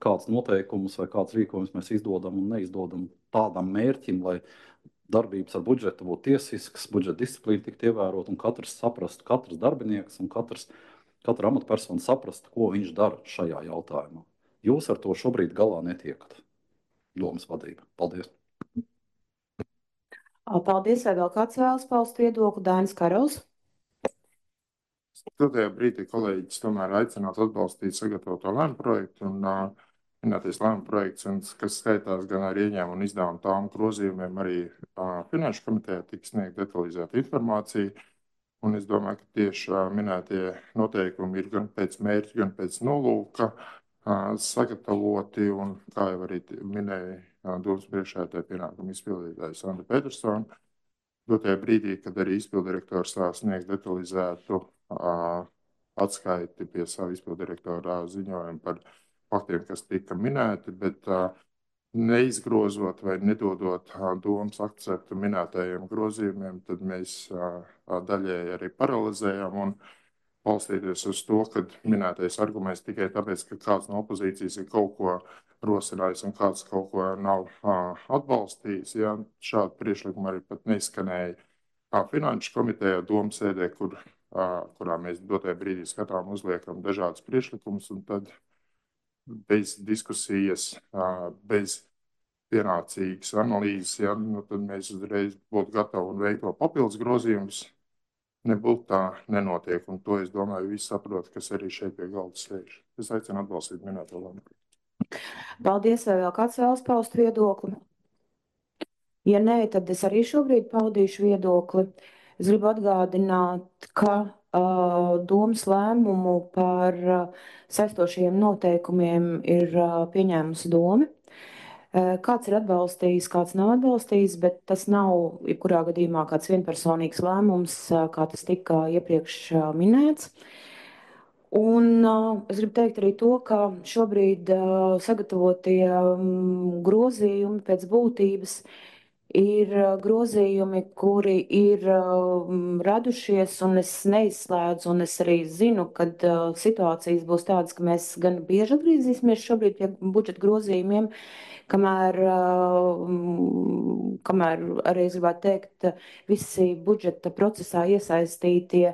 kāds noteikumus vai kāds rīkojums mēs izdodam un neizdodam tādam mērķim, lai darbības ar budžetu būtu tiesisks, budžeta disciplīna tiktu ievērot un katrs saprastu, katrs darbinieks un katra amatpersona saprastu, ko viņš dara šajā jautājumā. Jūs ar to šobrīd galā netiekat. Domas vadība. Paldies. Paldies. Vai vēl kāds vēlas paust viedokli? Dainis Karols. Tajā brīdī kolēģis tomēr aicinātu atbalstīt sagatavoto lēmumu projektu un minētais lēmuma projekts, kas skaitās gan ar ieņēmumu un izdevumu tām grozījumiem, arī Finanšu komitejā tiks sniegt detalizēta informācija. Un es domāju, ka tieši minētie noteikumi ir gan pēc mērķa, gan pēc nolūka sagatavoti. Un, kā jau arī minēja domas priekšsēdētāja pienākuma izpildītājs Sandra Petersona, dotajā brīdī, kad arī izpildirektors sniegs detalizētu atskaiti pie savu izpildirektora ziņojumu par faktiem, kas tika minēti, bet neizgrozot vai nedodot domas akceptu minētajiem grozījumiem, tad mēs daļēji arī paralizējam un balstīties uz to, ka minētais arguments tikai tāpēc, ka kāds no opozīcijas ir kaut ko rosinājis un kāds kaut ko nav atbalstījis. Ja, šādi priekšlikumi arī pat neizskanēja Finanšu komitejā domas sēdē, kurā mēs dotajā brīdī skatām uzliekam dažādas priekšlikumus un tad bez diskusijas, bez pienācīgas analīzes, ja, tad mēs uzreiz būtu gatavi un veikt vēl papildus grozījumus. Nebūtu tā nenotiek, un to es domāju visi saprot, kas arī šeit pie galda sēž. Es aicinu atbalstīt minēto lēmumu. Paldies, vai vēl kāds vēlas paust viedokli? Ja nē, tad es arī šobrīd paudīšu viedokli. Es gribu atgādināt, ka domas lēmumu par saistošiem noteikumiem ir pieņēmusi doma. Kāds ir atbalstījis, kāds nav atbalstījis, bet tas nav jebkurā gadījumā kāds vienpersonīgs lēmums, kā tas tika iepriekš minēts. Un es gribu teikt arī to, ka šobrīd sagatavotie grozījumi pēc būtības ir grozījumi, kuri ir radušies, un es neizslēdzu, un es arī zinu, ka situācijas būs tādas, ka mēs gan bieži atgriezīsimies šobrīd pie budžeta grozījumiem, kamēr arī es gribētu teikt, visi budžeta procesā iesaistītie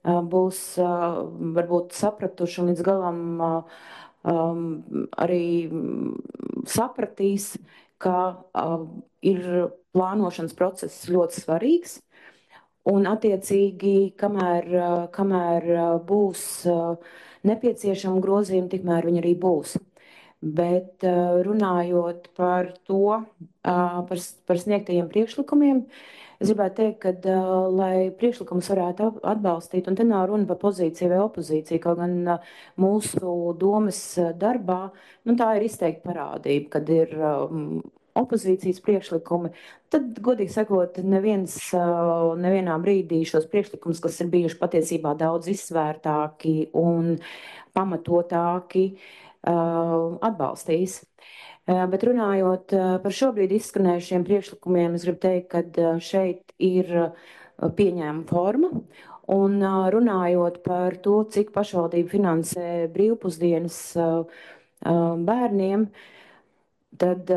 būs varbūt sapratuši un līdz galam arī sapratīs, ka ir plānošanas process ļoti svarīgs. Un attiecīgi, kamēr būs nepieciešama grozījuma, tikmēr viņi arī būs. Bet runājot par to, par sniegtajiem priekšlikumiem, es gribētu teikt, ka, lai priekšlikumus varētu atbalstīt, un te nav runa par pozīciju vai opozīciju, kaut gan mūsu domas darbā, tā ir izteikti parādība, kad ir opozīcijas priekšlikumi, tad, godīgi sakot, nevienā brīdī šos priekšlikumus, kas ir bijuši patiesībā daudz izsvērtāki un pamatotāki, atbalstīs. Bet runājot par šobrīd izskanējušiem priekšlikumiem, es gribu teikt, ka šeit ir pieņēma forma. Un runājot par to, cik pašvaldība finansē brīvpusdienas bērniem, tad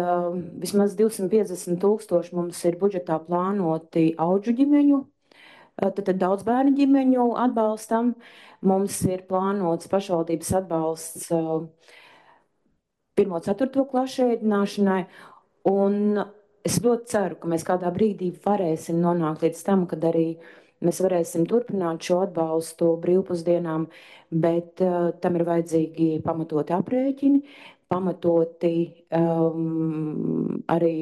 vismaz 250 000 mums ir budžetā plānoti audžu ģimeņu, tad daudz bērnu ģimeņu atbalstam. Mums ir plānots pašvaldības atbalsts 1.–4. klašu ēdināšanai, un es ļoti ceru, ka mēs kādā brīdī varēsim nonākt līdz tam, kad arī mēs varēsim turpināt šo atbalstu brīvpusdienām, bet tam ir vajadzīgi pamatoti aprēķini, pamatoti arī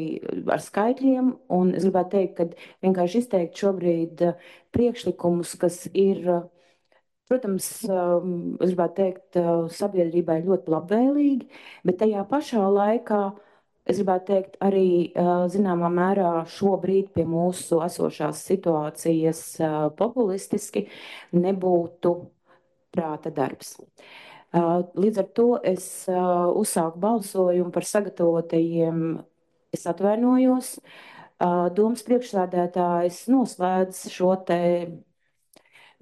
ar skaitļiem, un es gribētu teikt, ka vienkārši izteikt šobrīd priekšlikumus, kas ir, protams, es gribētu teikt, sabiedrībai ļoti labvēlīgi, bet tajā pašā laikā, es gribētu teikt, arī zināmā mērā šobrīd pie mūsu esošās situācijas populistiski nebūtu prāta darbs. Līdz ar to es uzsāku balsojumu par sagatavotajiem, es atvainojos, domas priekšsēdētājs noslēdz šo te.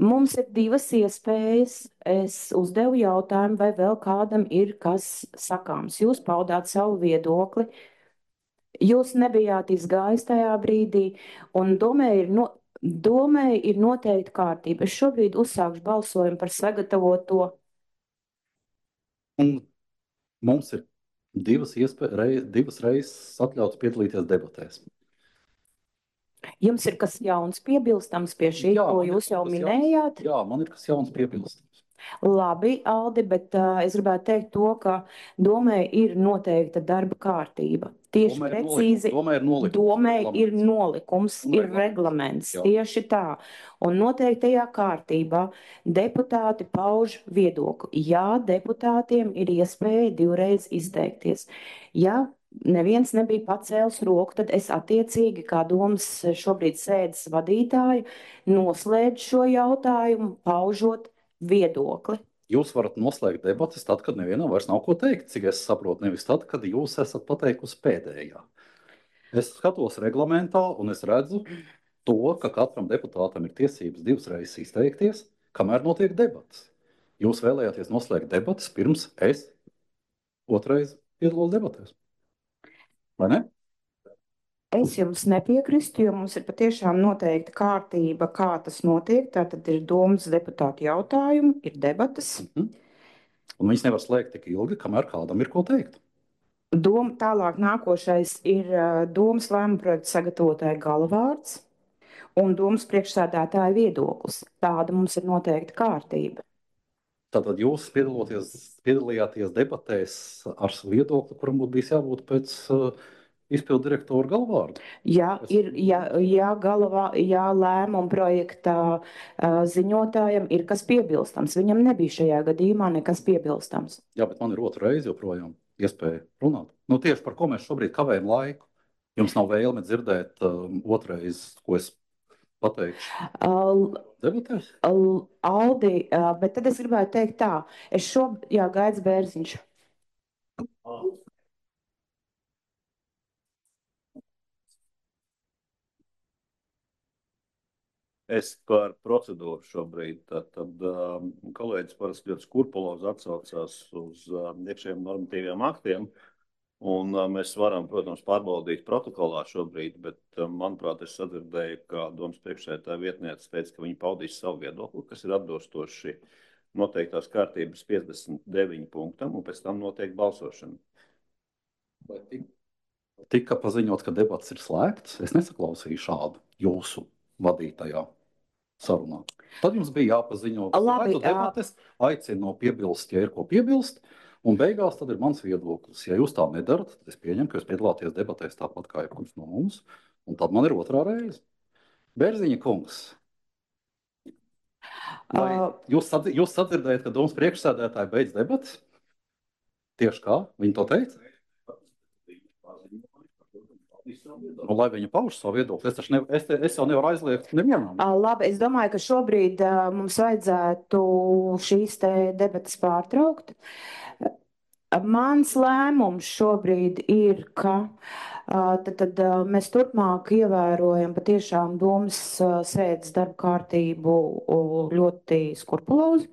Mums ir divas iespējas. Es uzdevu jautājumu, vai vēl kādam ir kas sakāms. Jūs paudāt savu viedokli. Jūs nebijāt izgājis tajā brīdī, un domē ir noteikta kārtība. Es šobrīd uzsākšu balsojumu par sagatavoto. Un mums ir divas reizes atļauts piedalīties debatēs. Jums ir kas jauns piebilstams pie šī, ko jūs jau minējāt? Jā, man ir kas jauns piebilstams. Labi, Aldi, bet es gribētu teikt to, ka domē ir noteikta darba kārtība. Tieši precīzi, domē ir nolikums, ir reglaments, tieši tā. Un noteiktajā kārtībā deputāti pauž viedokli. Jā, deputātiem ir iespēja divreiz izteikties. Ja neviens nebija pacēlis roku, tad es attiecīgi, kā domas šobrīd sēdes vadītāja, noslēdzu šo jautājumu, paužot viedokli. Jūs varat noslēgt debatas tad, kad nevienam vairs nav ko teikt, cik es saprotu, nevis tad, kad jūs esat pateikusi pēdējā. Es skatos reglamentā un es redzu to, ka katram deputātam ir tiesības divas reizes izteikties, kamēr notiek debatas. Jūs vēlējāties noslēgt debatas pirms es otrais piedalos debatēs. Vai ne? Es jums nepiekrīstu, jo mums ir patiešām noteikta kārtība, kā tas notiek. Tātad ir domas deputātu jautājumi, ir debatas. Un viņas nevar slēgt tik ilgi, kamēr kādam ir ko teikt. Tālāk nākošais ir domas lēmuma projekta sagatavotāja galvārds un domas priekšsēdētāja viedoklis. Tāda mums ir noteikta kārtība. Tātad jūs piedalījāties debatēs ar viedokli, kuram būtu bijis jābūt pēc izpildu direktoru galvārdu. Ja lēmuma projektā ziņotājam ir kas piebilstams, viņam nebija šajā gadījumā nekas piebilstams. Jā, bet man ir otra reize joprojām iespēja runāt. Nu, tieši par ko mēs šobrīd kavējam laiku. Jums nav vēlme dzirdēt otrais, ko es pateikšu debatēs? Aldi, bet tad es gribētu teikt tā, Gaidz Bērziņš. Es par procedūru šobrīd. Tad kolēģis parasti ļoti skurpulozi atsaucās uz iekšējiem normatīviem aktiem. Un mēs varam, protams, pārbaudīt protokolā šobrīd, bet, manuprāt, es sadzirdēju, ka domas priekšsēdētāja vietniece teica, ka viņi paudīs savu viedokli, kas ir atbilstoši noteiktās kārtības 59 punktam, un pēc tam notiek balsošana. Tika paziņots, ka debats ir slēgts. Es nesaklausīju šādu jūsu vadītajā sarunā. Tad jums bija jāpaziņo, ka slēgtu debates, aicinu piebilst, ja ir ko piebilst, un beigās tad ir mans viedoklis. Ja jūs tā nedarat, tad es pieņemu, ka jūs piedalāties debatēs tāpat kā jebkurš no mums, un tad man ir otrā reize. Bērziņa kungs, vai jūs sadzirdējat, ka domas priekšsēdētāji beidz debatas? Tieši kā? Viņi to teica? Nu, lai viņa pauž savu viedokli, es jau nevaru aizliegt nevienam. Labi, es domāju, ka šobrīd mums vajadzētu šīs te debatas pārtraukt. Mans lēmums šobrīd ir, ka tad mēs turpmāk ievērojam patiešām domas sēdes darba kārtību ļoti skurpulozi.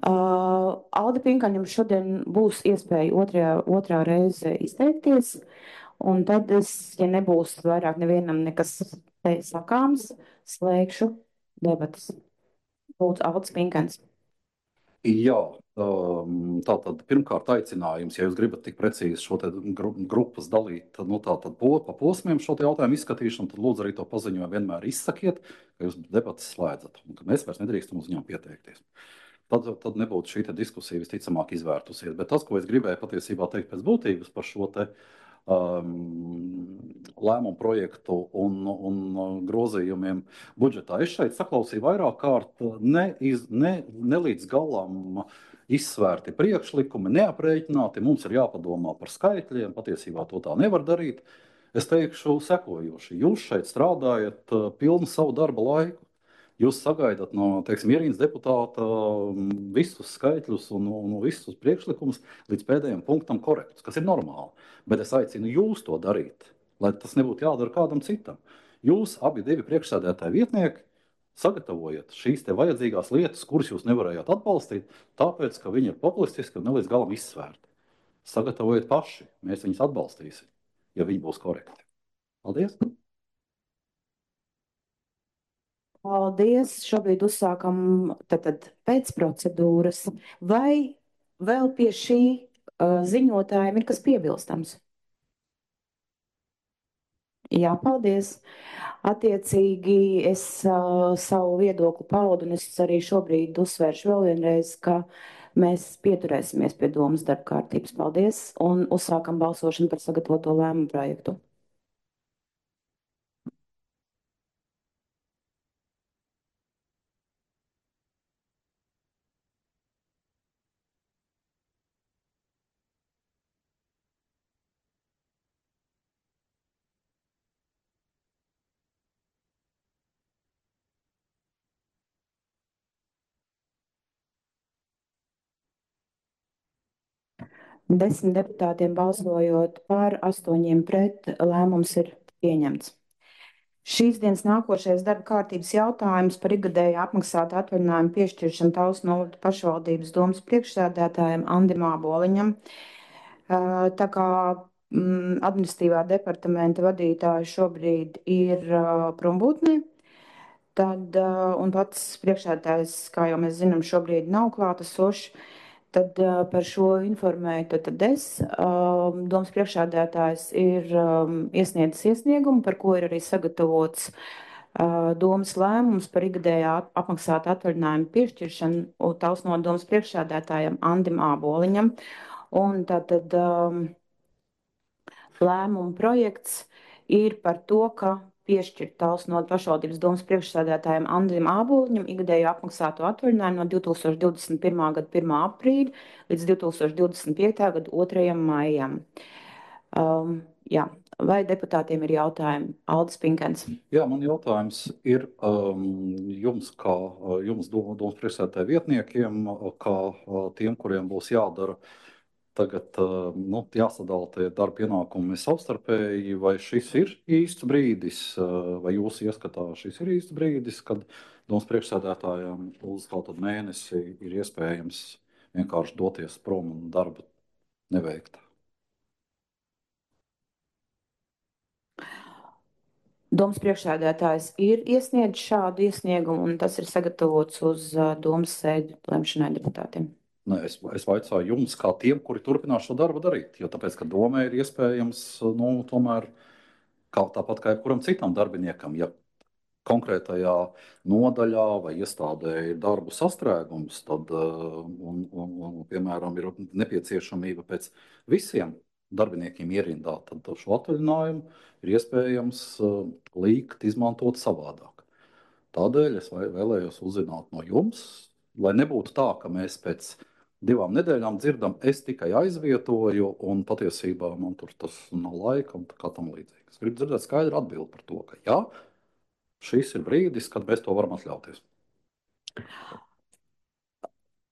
Alda Pinkaņam šodien būs iespēja otrā reize izteikties. Un tad ja nebūs vairāk nevienam nekas sakāms, slēgšu debatas. Lūdzu, Aldis Pinkans. Jā, tātad pirmkārt aicinājums, ja jūs gribat tik precīzi šo te grupas dalīt, nu tātad pa posmiem šo te jautājumu izskatīšanu, tad lūdzu arī to paziņojumu vienmēr izsakiet, ka jūs debatas slēdzat, un ka mēs vairs nedrīkstam uz viņām pieteikties. Tad nebūtu šī te diskusija visticamāk izvērtusies. Bet tas, ko es gribēju patiesībā teikt pēc būtības par šo te lēmumu projektu un grozījumiem budžetā. Es šeit saklausīju vairāk kārt ne līdz galam izsvērti priekšlikumi, neaprēķināti. Mums ir jāpadomā par skaitļiem, patiesībā to tā nevar darīt. Es teikšu sekojoši. Jūs šeit strādājat pilnu savu darba laiku. Jūs sagaidat no, ierīnas deputāta visus skaitļus un visus priekšlikumus līdz pēdējiem punktam korektus, kas ir normāli. Bet es aicinu jūs to darīt, lai tas nebūtu jādara kādam citam. Jūs abi divi priekšsēdētāji vietnieki sagatavojiet šīs te vajadzīgās lietas, kuras jūs nevarējāt atbalstīt, tāpēc, ka viņi ir populistiski un nelīdz galam izsvērti. Sagatavojiet paši, mēs viņus atbalstīsim, ja viņi būs korekti. Paldies! Paldies! Šobrīd uzsākam tad pēc procedūras. Vai vēl pie šī ziņotājiem ir kas piebilstams? Jā, paldies! Attiecīgi es savu viedokli paudu, un es arī šobrīd uzsvēršu vēl vienreiz, ka mēs pieturēsimies pie domas darba kārtības. Paldies! Un uzsākam balsošanu par sagatavoto lēmumu projektu. Desmit deputātiem balsojot par, 8 pret, lēmums ir pieņemts. Šīs dienas nākošais darba kārtības jautājums par ikgadēju apmaksātu atvaļinājumu piešķiršanu Talsu novada pašvaldības domas priekšsēdētājam Andim Āboliņam. Tā kā administratīvā departamenta vadītāja šobrīd ir prombūtnē, tad, un pats priekšsēdētājs, kā jau mēs zinām, šobrīd nav klātesošs. Tad par šo informēju tad es. Domas priekšsēdētājs ir iesniedzis iesniegumu, par ko ir arī sagatavots domas lēmums par ikgadējā apmaksātu atvaļinājumu piešķiršanu Talsu novada domas priekšsēdētājam Andim Āboliņam. Un tātad lēmuma projekts ir par to, ka piešķirt Talsu novads pašvaldības domas priekšsēdētājiem Andrim Āboliņam ikgadēju apmaksāto atvaļinājumu no 2021. gada 1. aprīļa līdz 2025. gada 2. maijam. Jā. Vai deputātiem ir jautājumi? Aldis Pinkens. Jā, man jautājums ir jums, kā jums domas priekšsēdētāju vietniekiem, kā tiem, kuriem būs jādara tagad jāsadala tie darba pienākumi savstarpēji, vai šis ir īsts brīdis, vai jūs ieskatā šis ir īsts brīdis, kad domas priekšsēdētājiem uz kaut kādu mēnesi ir iespējams vienkārši doties prom un darbu neveikt? Domas priekšsēdētājs ir iesniedzis šādu iesniegumu, un tas ir sagatavots uz domas sēdi lemšanai deputātiem. Ne, es vaicāju jums, kā tiem, kuri turpinās šo darbu darīt, jo tāpēc, ka domē ir iespējams, tomēr tāpat kā jebkuram citam darbiniekam, ja konkrētajā nodaļā vai iestādē ir darbu sastrēgums, tad, piemēram, ir nepieciešamība pēc visiem darbiniekiem ierindā, tad šo atvaļinājumu ir iespējams likt izmantot savādāk. Tādēļ es vēlējos uzzināt no jums, lai nebūtu tā, ka mēs pēc 2 nedēļām dzirdam, es tikai aizvietoju, un patiesībā man tur tas nav laika un kā tam līdzīgi. Es gribu dzirdēt skaidru atbildi par to, ka jā, šis ir brīdis, kad mēs to varam atļauties.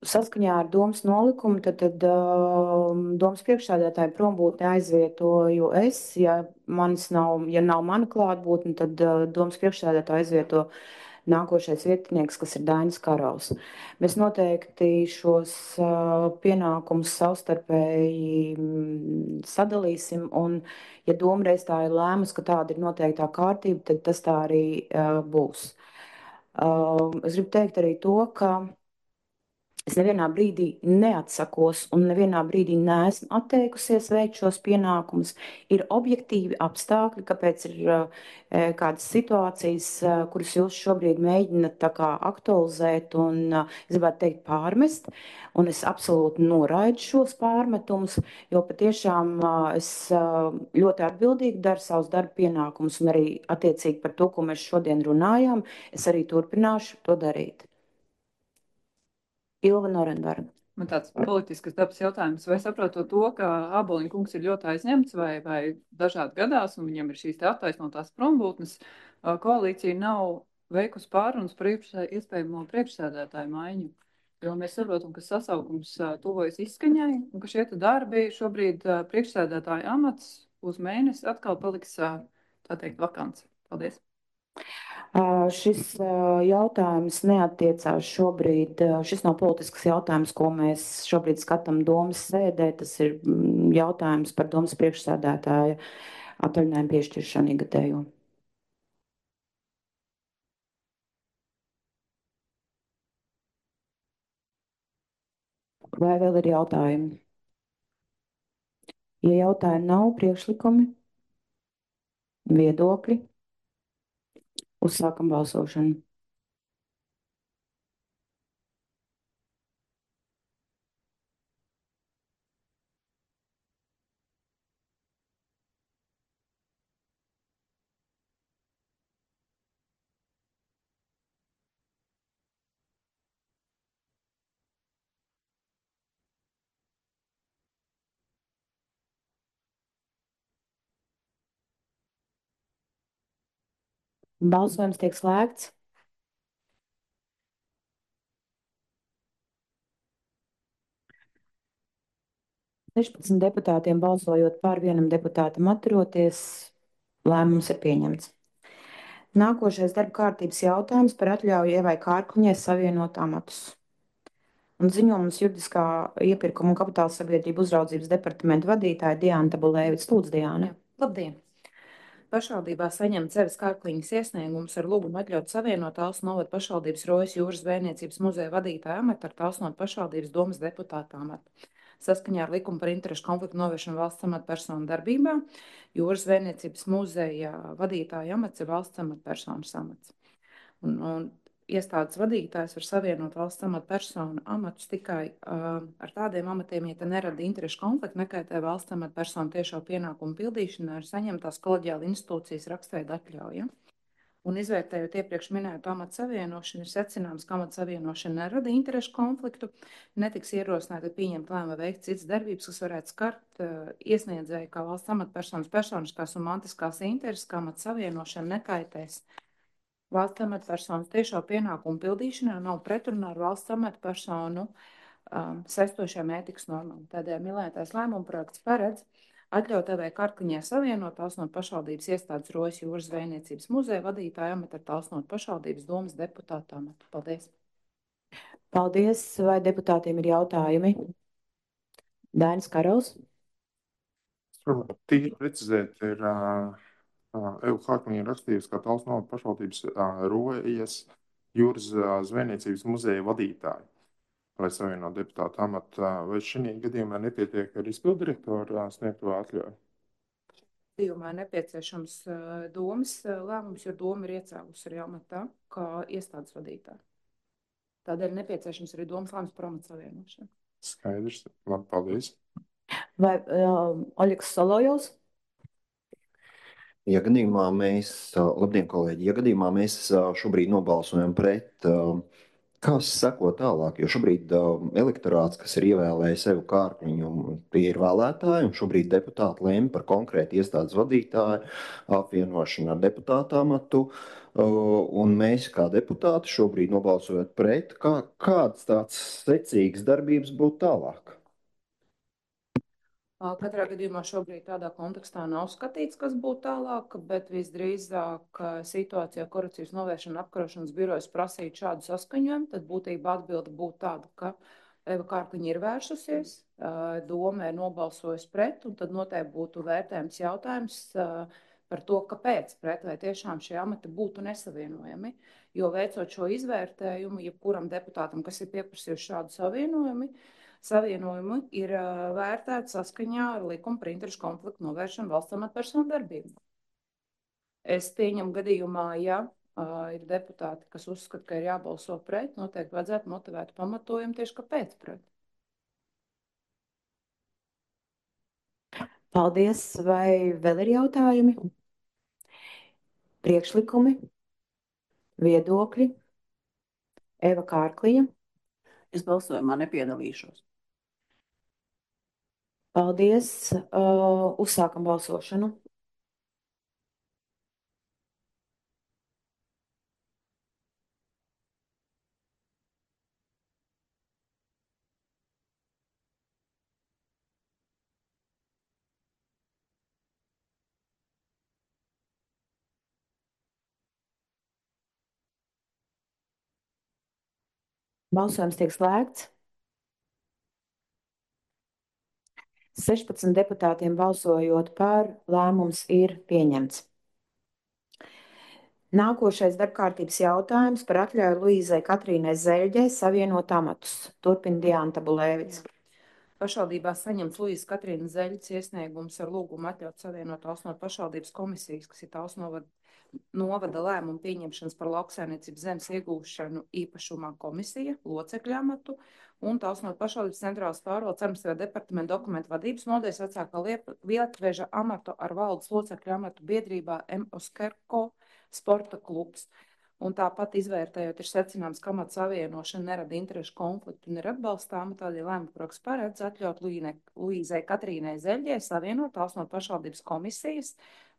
Saskaņā ar domas nolikumu, tad domas priekšsēdētāju prombūtni aizvietoju es. Ja nav mana klātbūtne, tad domas priekšsēdētāju aizvieto nākošais vietinieks, kas ir Dainis Karaus. Mēs noteikti šos pienākumus savstarpēji sadalīsim, un ja doma reiz tā ir lēmusi, ka tāda ir noteiktā kārtība, tad tas tā arī būs. Es gribu teikt arī to, ka es nevienā brīdī neatsakos un nevienā brīdī neesmu atteikusies veikt šos pienākumus. Ir objektīvi apstākļi, kāpēc ir kādas situācijas, kuras jūs šobrīd mēģināt tā kā aktualizēt un, es gribētu teikt, pārmest. Un es absolūti noraidu šos pārmetumus, jo patiešām es ļoti atbildīgi daru savus darba pienākumus un arī attiecīgi par to, ko mēs šodien runājām, es arī turpināšu to darīt. Ilva Norenberga. Man tāds politisks dabas jautājums, vai saprotot to, ka Āboliņa kungs ir ļoti aizņemts vai dažādi gadās, un viņam ir šīs attaisnotās prombūtnes, koalīcija nav veikusi pārunas par iespējamo priekšsēdētāju maiņu, jo mēs saprotam, ka sasaukums tuvojas izskaņai, un ka šie darbi šobrīd priekšsēdētāja amats uz mēnesi atkal paliks, tā teikt, vakants. Paldies. Šis jautājums neattiecās šobrīd, šis nav politisks jautājums, ko mēs šobrīd skatām domas sēdē, tas ir jautājums par domas priekšsēdētāja atvaļinājumu piešķiršanu ikgadējo. Vai vēl ir jautājumi? Ja jautājumi nav, priekšlikumi, viedokļi, uzsākam balsošanu. Balsojums tiek slēgts. Sešpadsmit deputātiem balsojot par, 1 deputātam atturoties, lēmums ir pieņemts. Nākošais darba kārtības jautājums par atļauju Ievai Kārkliņai savienot amatus. Un ziņojums juridiskā iepirkuma un kapitāla sabiedrību uzraudzības departamenta vadītāja Diana Tabulēvic. Lūdzu, Diana. Labdien! Pašvaldībā saņemts Evas Kārkliņas iesniegums ar lūgumu atļaut savienot Talsu novada pašvaldības Rojas jūras zvejniecības muzeja vadītāja amatu ar Talsu novada pašvaldības domas deputāta amatu. Saskaņā ar likumu par interešu konfliktu novēršanu valsts amatpersonu darbībā jūras zvejniecības muzeja vadītāja amats ir valsts amatpersonas amats. Un iestādes vadītājs var savienot valsts amatpersonu amatus tikai ar tādiem amatiem, ja te nerada interešu konfliktu, nekaitē valsts amatpersonu tiešo pienākumu pildīšanai ar saņemtās koleģiāla institūcijas rakstveida atļauja. Un izvērtējot iepriekš minēto amatu savienošanu, ir secināms, ka amatu savienošana nerada interešu konfliktu, netiks ierosināta pieņemt lēmumu veikt citas darbības, kas varētu skart iesniedzēju kā valsts amatpersonas personiskās un mantiskās intereses, kā amatu savienošana nekaitēs valsts amatpersonas tiešo pienākumu pildīšanā, nav pretrunā ar valsts amatpersonu saistošajām ētikas normām. Tādēļ minētais lēmuma projekts paredz atļaut EV Karkliņai savienot Talsnotu pašvaldības iestādes Rojas jūras zvejniecības muzeja vadītāju amatu ar Talsnotu pašvaldības domes deputātu amatu. Paldies! Paldies! Vai deputātiem ir jautājumi? Dainis Karls. Tīri precizēt ir Eva Karkliņa rakstījusi, ka Talsnotu pašvaldības Rojas jūras zvejniecības muzeja vadītāju, lai savienot deputātu amatu. Vai šī gadījumā nepietiek ar izpildirektoru sniegto atļauju? Gadījumā nepieciešams domes lēmums, jo doma ir iecēlusi arī amatā kā iestādes vadītāja. Tādēļ nepieciešams arī domas lēmums par amatu savienošanu. Skaidrs. Labi, paldies. Vai Oļegs Solojovs? Ja gadījumā mēs, labdien, kolēģi, ja gadījumā mēs šobrīd nobalsojam pret, kas seko tālāk, jo šobrīd elektorāts, kas ir ievēlējis Evu Kārkliņu, tie ir vēlētāji, un šobrīd deputāti lēma par konkrētu iestādes vadītāju apvienošanu ar deputātu amatu, un mēs kā deputāti šobrīd nobalsojot pret, kāds tāds secīgs darbības būtu tālāk? Katrā gadījumā šobrīd tādā kontekstā nav skatīts, kas būtu tālāk, bet visdrīzāk situācijā korupcijas novēršana apkarošanas birojas prasīt šādu saskaņojumu, tad būtībā atbilde būtu tāda, ka Eva Kārkliņa ir vēršusies, doma ir nobalsojusi pret, un tad noteikti būtu vērtējums jautājums par to, kāpēc pret, vai tiešām šie amati būtu nesavienojami. Jo veicot šo izvērtējumu, jebkuram deputātam, kas ir pieprasījuši šādu savienojumu ir vērtēts saskaņā ar likumu par interešu konfliktu novēršanu valsts amatpersonu darbību. Es pieņemu gadījumā, ja ir deputāti, kas uzskata, ka ir jābalso pret, noteikti vajadzētu motivēt pamatojumu tieši kāpēc pret. Paldies! Vai vēl ir jautājumi? Priekšlikumi? Viedokļi? Eva Kārkliņa. Es balsojumā nepiedalīšos. Paldies! Uzsākam balsošanu. Balsojums tiek slēgts. 16 deputātiem balsojot par, lēmums ir pieņemts. Nākošais darbkārtības jautājums par atļauju Luīzai Katrīnai Zeļģei savienot amatus. Turpina Diana Tabulēvics. Pašvaldībā saņemts Luīzes Katrīnas Zeļģes iesniegums ar lūgumu atļaut savienot Talsnotu pašvaldības komisijas, kas ir Talsnovada novada lēmumu pieņemšanas par lauksaimniecības zemes iegūšanu īpašumā komisija, locekļu amatu un Talsnotu pašvaldības centrālas pārvaldes administratīvā departamenta dokumentu vadības nodaļas vecākā Lietveža amatu ar valdes locekļu amatu biedrībā M. Oskerko sporta klubs. Un tāpat izvērtējot, ir secināms, ka amata savienošana nerada interešu konfliktu un ir atbalstāma, tādēļ lēmuma projekts paredz atļaut Luīzei Katrīnai Zeļģei savienot Talsnotu pašvaldības komisijas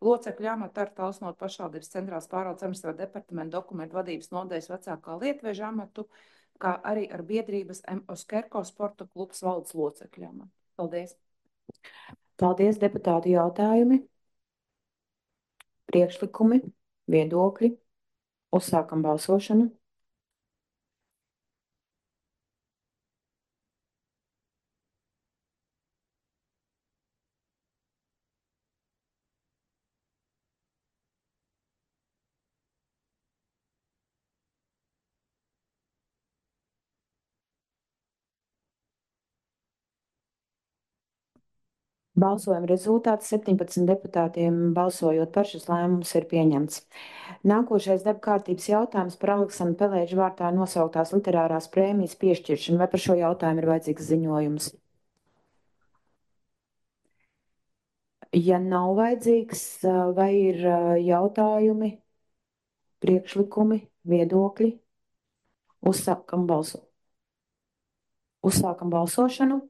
locekļu amatu ar Talsnotu pašvaldības centrālās pārvaldes administratīvā departamenta dokumentu vadības nodaļas vecākā Lietveža amatu, kā arī ar biedrības M. Oskerko sporta klubs valdes locekļu amatu. Paldies! Paldies, deputātu jautājumi, priekšlikumi, viedokļi. Uzsākam balsošanu. Balsojuma rezultāts 17 deputātiem balsojot par šis lēmums ir pieņemts. Nākošais darba kārtības jautājums par Aleksandra Pelēģa vārtā nosauktās literārās prēmijas piešķiršanu. Vai par šo jautājumu ir vajadzīgs ziņojums? Ja nav vajadzīgs, vai ir jautājumi, priekšlikumi, viedokļi? Uzsākam balsošanu.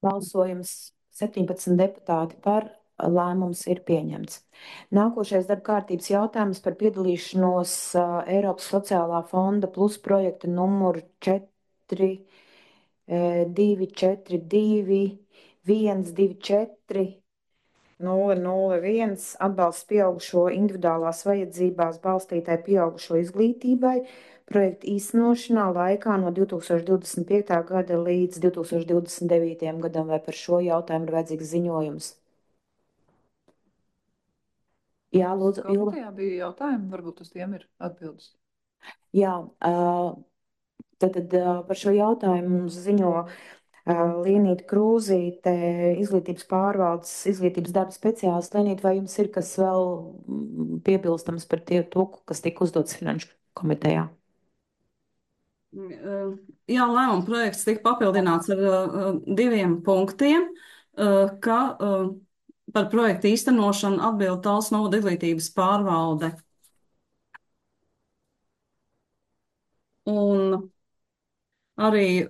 Balsojums 17 deputāti par, lēmums ir pieņemts. Nākošais darba kārtības jautājums par piedalīšanos Eiropas sociālā fonda plus projekta numuru 4.242.124.001 atbalsts pieaugušo individuālās vajadzībās balstītai pieaugušo izglītībai projekta īstenošanā laikā no 2025. gada līdz 2029. gadam. Vai par šo jautājumu ir vajadzīgs ziņojums? Jā, lūdzu, Ilva. Komitejā bija jautājumi, varbūt uz tiem ir atbildes. Jā, tad par šo jautājumu mums ziņo Lienīta Krūzīte, izglītības pārvaldes, izglītības darba speciālists. Lienīta, vai jums ir kas vēl piebilstams par to, kas tika uzdots Finanšu komitejā? Jā, lēmuma projekts tika papildināts ar 2 punktiem, ka par projektu īstenošanu atbild Talsu novada izglītības pārvalde. Un arī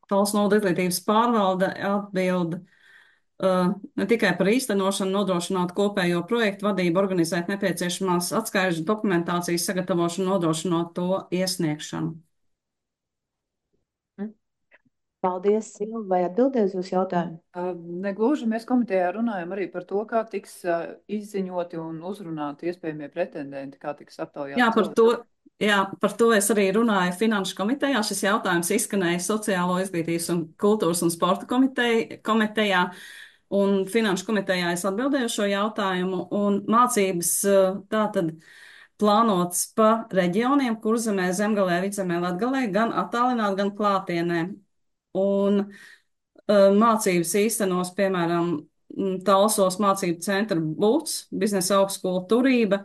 Talsu novada izglītības pārvalde atbild ne tikai par īstenošanu, nodrošināt kopējo projektu vadību, organizēt nepieciešamās atskaižu dokumentācijas sagatavošanu, nodrošinot to iesniegšanu. Paldies, Silva. Vai atbildēs uz jautājumu? Negluži, mēs komitejā runājam arī par to, kā tiks izziņoti un uzrunāti iespējamie pretendenti, kā tiks aptaujāti. Jā, par to es arī runāju Finanšu komitejā. Šis jautājums izskanēja Sociālo izglītības un kultūras un sporta komitejā. Un Finanšu komitejā es atbildēju šo jautājumu. Un mācības tātad plānotas pa reģioniem, Kurzemē, Zemgalē, Vidzemē, Latgalē, gan attālināt, gan klātienē. Un mācības īstenos, piemēram, Talsos mācību centra BUC, biznesa augstskola Turība,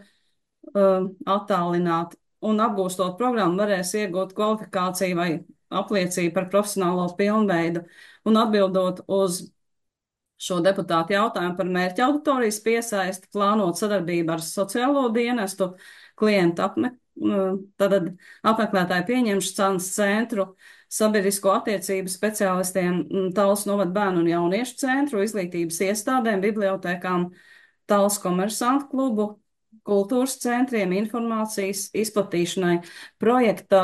attālināt. Un apgūstot programmu varēs iegūt kvalifikāciju vai apliecību par profesionālo pilnveidu. Un atbildot uz šo deputātu jautājumu par mērķa auditorijas piesaisti, plānot sadarbību ar sociālo dienestu, klientu apmeklētāju pieņemšanas centru, sabiedrisko attiecību speciālistiem, Talsu novada bērnu un jauniešu centru, izglītības iestādēm, bibliotēkām, Talsu komersantu klubu, kultūras centriem, informācijas izplatīšanai. Projekta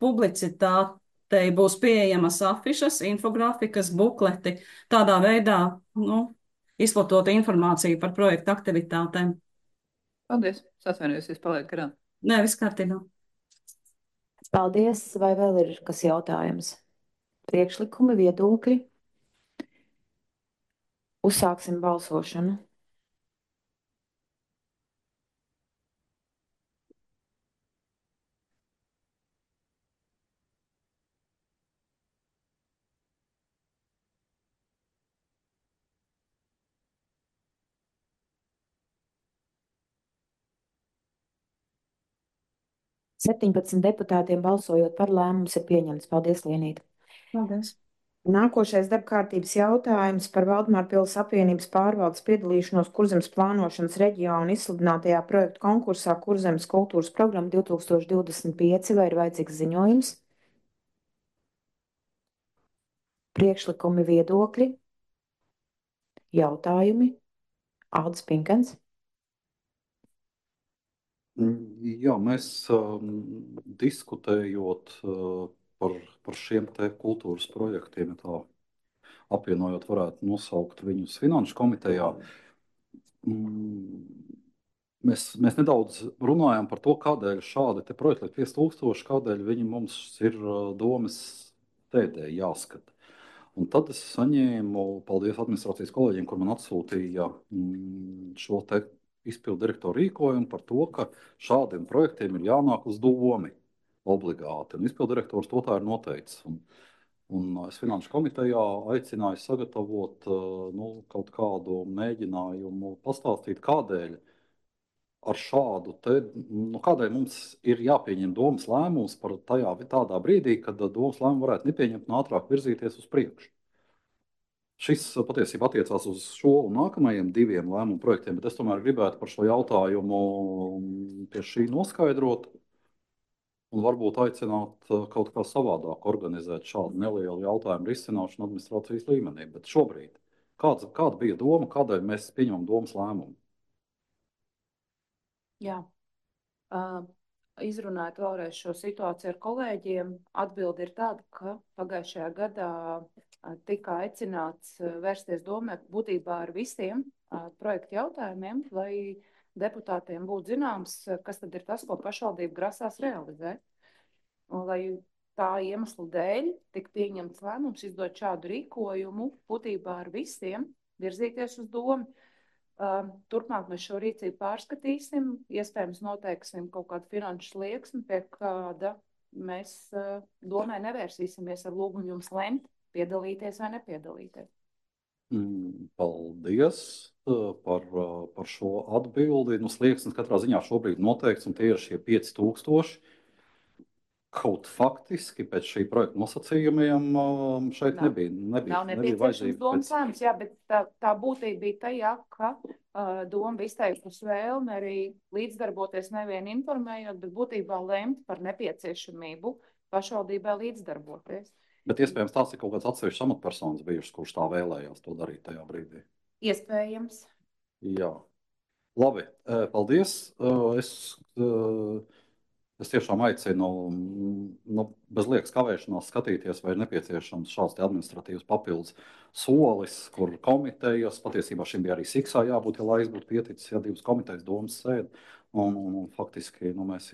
publicitātei būs pieejamas afišas, infografikas, bukleti, tādā veidā izplatot informāciju par projekta aktivitātēm. Paldies. Atvainojos, es palieku garām. Nē, viss kārtībā. Paldies. Vai vēl ir kas jautājums? Priekšlikumi, viedokļi? Uzsāksim balsošanu. Septiņpadsmit deputātiem balsojot par, lēmums ir pieņemts. Paldies, Lienīta. Paldies. Nākošais darba kārtības jautājums par Valdemārpils apvienības pārvaldes piedalīšanos Kurzemes plānošanas reģiona izsludinātajā projektu konkursā Kurzemes kultūras programma 2025. Vai ir vajadzīgs ziņojums? Priekšlikumi, viedokļi? Jautājumi? Aldis Pinkens. Jā, mēs diskutējot par šiem te kultūras projektiem, tā apvienojot varētu nosaukt viņus Finanšu komitejā, Mēs nedaudz runājam par to, kādēļ šādi projekti, 5000, kādēļ viņi mums ir domas sēdē jāskata. Un tad es saņēmu, paldies administrācijas kolēģiem, kur man atsūtīja šo te izpildu direktoru rīkojumu par to, ka šādiem projektiem ir jānāk uz domi obligāti. Un izpildu direktors to tā ir noteicis. Un es Finanšu komitejā aicināju sagatavot kaut kādu mēģinājumu pastāstīt, kādēļ ar šādu te, kādēļ mums ir jāpieņem domas lēmums par tādā brīdī, kad domas lēmumu varētu nepieņemt un ātrāk virzīties uz priekšu. Šis patiesībā attiecās uz šo un nākamajiem 2 lēmumu projektiem, bet es tomēr gribētu par šo jautājumu pie šī noskaidrot un varbūt aicināt kaut kā savādāk organizēt šādu nelielu jautājumu risināšanu administrācijas līmenī. Bet šobrīd, kāda bija doma, kādēļ mēs pieņemam domas lēmumu? Jā. Izrunājot vēlreiz šo situāciju ar kolēģiem, atbilde ir tāda, ka pagājušajā gadā tika aicināts vērsties domē būtībā ar visiem projektu jautājumiem, lai deputātiem būtu zināms, kas tad ir tas, ko pašvaldība grasās realizēt. Un lai tā iemesla dēļ tika pieņemts lēmums izdot šādu rīkojumu būtībā ar visiem virzīties uz domu. Turpmāk mēs šo rīcību pārskatīsim, iespējams noteiksim kaut kādu finanšu slieksni, pie kāda mēs domē nevērsīsimies ar lūgumu jums lemt, piedalīties vai nepiedalīties. Paldies par šo atbildi. Slieksnis katrā ziņā šobrīd noteikts, un tie ir šie 5000. Kaut faktiski pēc šī projekta nosacījumiem šeit nebija nepieciešams domas lēmums, jā, bet tā būtība bija tajā, ka doma izteikusi vēlmi arī līdzdarboties nevien informējot, bet būtībā lemt par nepieciešamību pašvaldībai līdzdarboties. Bet iespējams tās ir kaut kāds atsevišķs amatpersonas bijušas, kurš tā vēlējās to darīt tajā brīdī. Iespējams. Jā. Labi, paldies. Es tiešām aicinu bez liekas kavēšanās skatīties, vai ir nepieciešams šāds administratīvs papildus solis, kur komitejas, patiesībā šim bija arī Siksā jābūt, ja laiks būtu pieticis, ja 2 komitejas domas sēd. Un faktiski mēs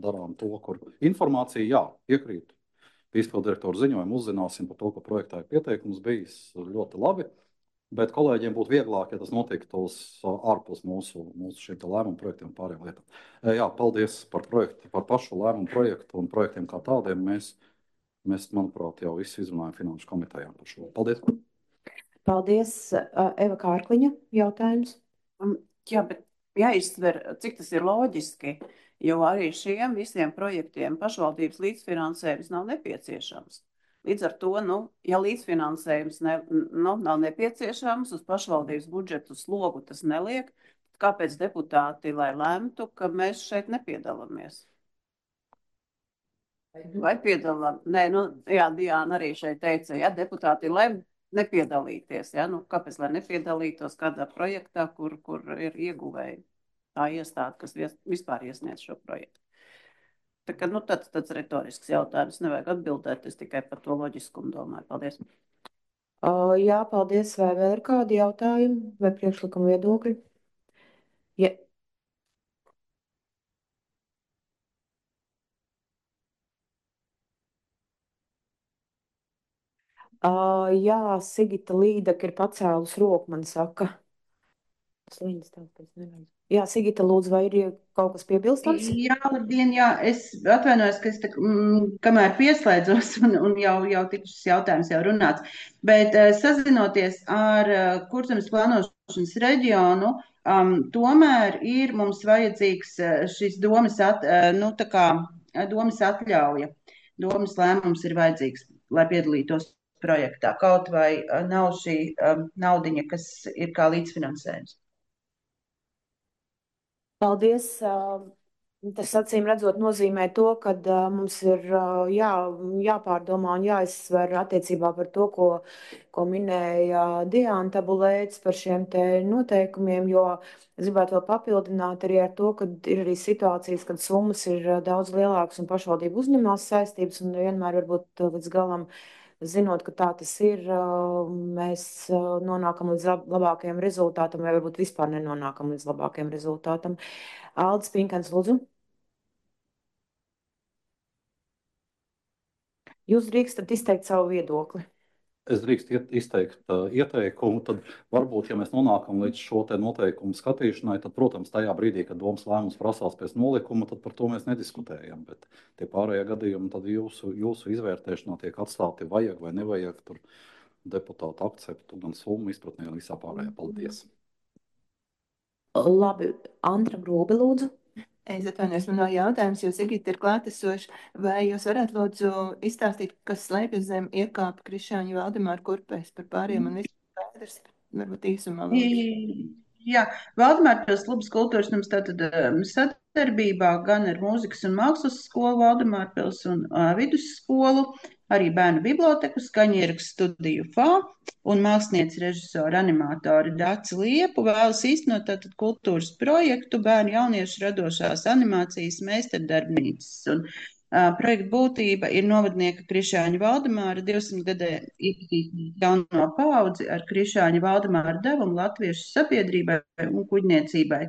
darām to, kur informācija, jā, piekrītu. Izpildu direktoru ziņojumu uzzināsim par to, ka projektā ir pieteikums bijis ļoti labi. Bet kolēģiem būtu vieglāk, ja tas notiktos ārpus mūsu šiem lēmumu projektiem un pārējām lietām. Jā, paldies par pašu lēmumu projektu un projektiem kā tādiem. Mēs, manuprāt, jau visu izrunājam Finanšu komitejām par šo. Paldies! Paldies, Eva Kārkliņa, jautājums. Jā, bet jāizsver, cik tas ir loģiski, jo arī šiem visiem projektiem pašvaldības līdzfinansējums nav nepieciešams. Līdz ar to, ja līdzfinansējums nav nepieciešams, uz pašvaldības budžetu slogu tas neliek, kāpēc deputāti, lai lemtu, ka mēs šeit nepiedalāmies? Vai piedalām? Nē, jā, Diāna arī šeit teica, ja deputāti lem nepiedalīties, ja, kāpēc, lai nepiedalītos kādā projektā, kur ir ieguvēji tā iestāde, kas vispār iesniedz šo projektu. Tā kā, tāds retorisks jautājums, nevajag atbildēt, es tikai par to loģiskumu domāju. Paldies. Jā, paldies. Vai vēl ir kādi jautājumi vai priekšlikuma viedokļi? Ja. Jā, Sigita Līdaka ir pacēlus roku, man saka. Jā, Sigita, lūdzu, vai ir kaut kas piebilstams? Jā, labdien, jā, es atvainojos, ka es kamēr pieslēdzos un jau šis jautājums jau runāts, bet sazinoties ar Kurzemes plānošanas reģionu, tomēr ir mums vajadzīgs šis domas atļauja. Domas lēmums ir vajadzīgs, lai piedalītos projektā, kaut vai nav šī naudiņa, kas ir kā līdzfinansējums. Paldies. Tas acīm redzot nozīmē to, ka mums ir jāpārdomā un jāizsver attiecībā par to, ko minēja Diāna Tabulēts par šiem te noteikumiem, jo es gribētu vēl papildināt arī ar to, ka ir arī situācijas, kad summas ir daudz lielākas un pašvaldība uzņemās saistības un vienmēr varbūt līdz galam zinot, ka tā tas ir, mēs nonākam līdz labākajam rezultātam, vai varbūt vispār nenonākam līdz labākajam rezultātam. Aldis Pinkans, lūdzu. Jūs drīkstat izteikt savu viedokli. Es drīkstu izteikt ieteikumu, tad varbūt, ja mēs nonākam līdz šo te noteikumu skatīšanai, tad, protams, tajā brīdī, kad domas lēmums prasās pēc nolikuma, tad par to mēs nediskutējam. Bet tie pārējie gadījumi, tad jūsu izvērtēšanā tiek atstāti vajag vai nevajag tur deputātu akceptu, gan summu izpratnē, gan visā pārējā. Paldies! Labi, Antra Grobe, lūdzu. Es atvainojos, man nav jautājums, jo Sigita ir klātesoša. Vai jūs varētu lūdzu izstāstīt, kas slēpjas zem iekāpa Krišāņa Valdemāra kurpēs par pāriem un viss skaidrs? Varbūt īsumā lūdzu. Jā, Valdemārpils klubs kultūras nams tātad sadarbībā gan ar mūzikas un mākslas skolu Valdemārpils un vidusskolu, arī bērnu biblioteku, skaņierakstu studiju FA un mākslinieci režisori animatori Daci Liepu vēlas īstenot tātad kultūras projektu bērnu jauniešu radošās animācijas meistardarbnīcas. Un projekta būtība ir novadnieka Krišāņa Valdemāra 200 gadē iepazīstināt jauno paudzi ar Krišāņa Valdemāra devumu latviešu sabiedrībai un kuģniecībai,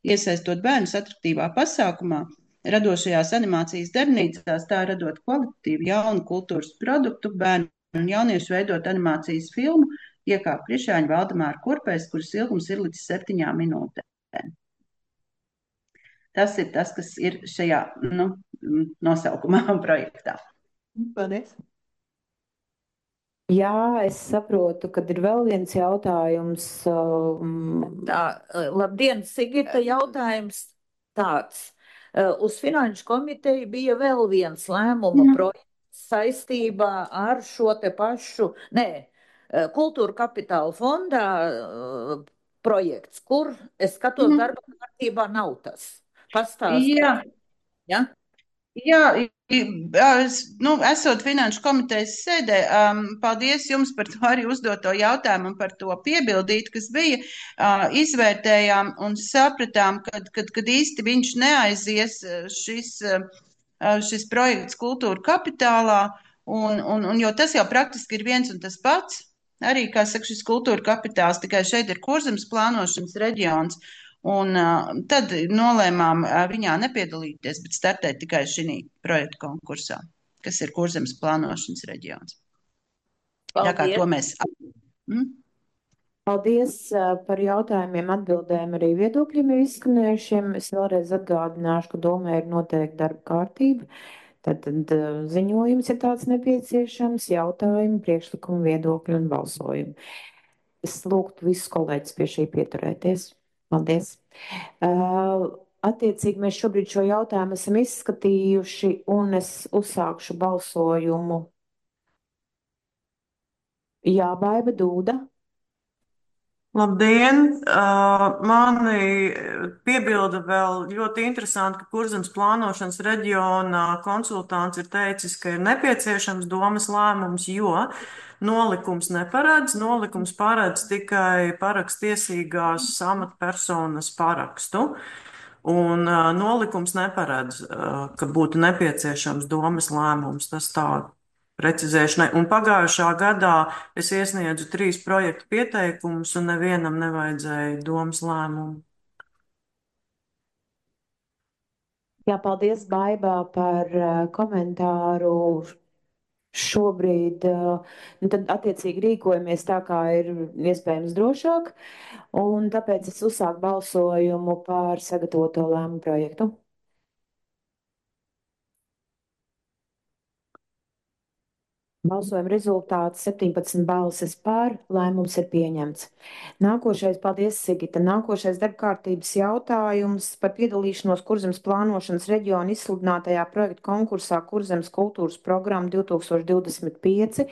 iesaistot bērnus atraktīvā pasākumā, radošajās animācijas darbnīcās, tā radot kvalitatīvu jaunu kultūras produktu, bērnu un jauniešu veidot animācijas filmu, iekāp Krišāņa Valdemāra kurpēs, kuras ilgums ir līdz 7 minūtēm. Tas ir tas, kas ir šajā nosaukumā un projektā. Paldies! Jā, es saprotu, kad ir vēl viens jautājums. Labdien, Sigita, jautājums tāds. Uz Finanšu komiteju bija vēl viens lēmuma projekts saistībā ar šo te pašu, Kultūra kapitāla fondā projekts, kur es skatos darba kārtībā nav tas. Pastāstīt. Jā. Jā, esot Finanšu komitejas sēdē, paldies jums par to arī uzdoto jautājumu un par to piebildīt, kas bija. Izvērtējām un sapratām, kad īsti viņš neaizies šis projekts Kultūra kapitālā, jo tas jau praktiski ir viens un tas pats. Arī, kā saka, šis Kultūra kapitāls, tikai šeit ir Kurzemes plānošanas reģions. Un tad nolēmām viņā nepiedalīties, bet startēt tikai šī projekta konkursā, kas ir Kurzemes plānošanas reģions. Tā kā to mēs. Paldies par jautājumiem, atbildēm, arī viedokļiem ir izskanējušiem. Es vēlreiz atgādināšu, ka domē ir noteikti darba kārtība. Tad ziņojums ir tāds nepieciešams, jautājumi, priekšlikumi, viedokļi un balsojumi. Es lūgtu visus kolēģis pie šī pieturēties. Paldies. Attiecīgi mēs šobrīd šo jautājumu esam izskatījuši un es uzsākšu balsojumu. Jā, Baiba Dūda. Labdien! Mani piebilda vēl ļoti interesanti, ka Kurzemes plānošanas reģiona konsultants ir teicis, ka ir nepieciešams domas lēmums, jo nolikums neparedz. Nolikums paredz tikai parakstiesīgās amatpersonas parakstu. Un nolikums neparedz, ka būtu nepieciešams domas lēmums. Tas tā precizēšanai. Un pagājušā gadā es iesniedzu 3 projektu pieteikumus, un nevienam nevajadzēja domas lēmumu. Jā, paldies, Baibā, par komentāru. Šobrīd tad attiecīgi rīkojamies tā, kā ir iespējams drošāk, un tāpēc es uzsāku balsojumu par sagatavoto lēmumu projektu. Balsojuma rezultāts 17 balsis pār, lēmums ir pieņemts. Nākošais, paldies, Sigita. Nākošais darbkārtības jautājums par piedalīšanos Kurzemes plānošanas reģiona izsludinātajā projekta konkursā Kurzemes kultūras programma 2025.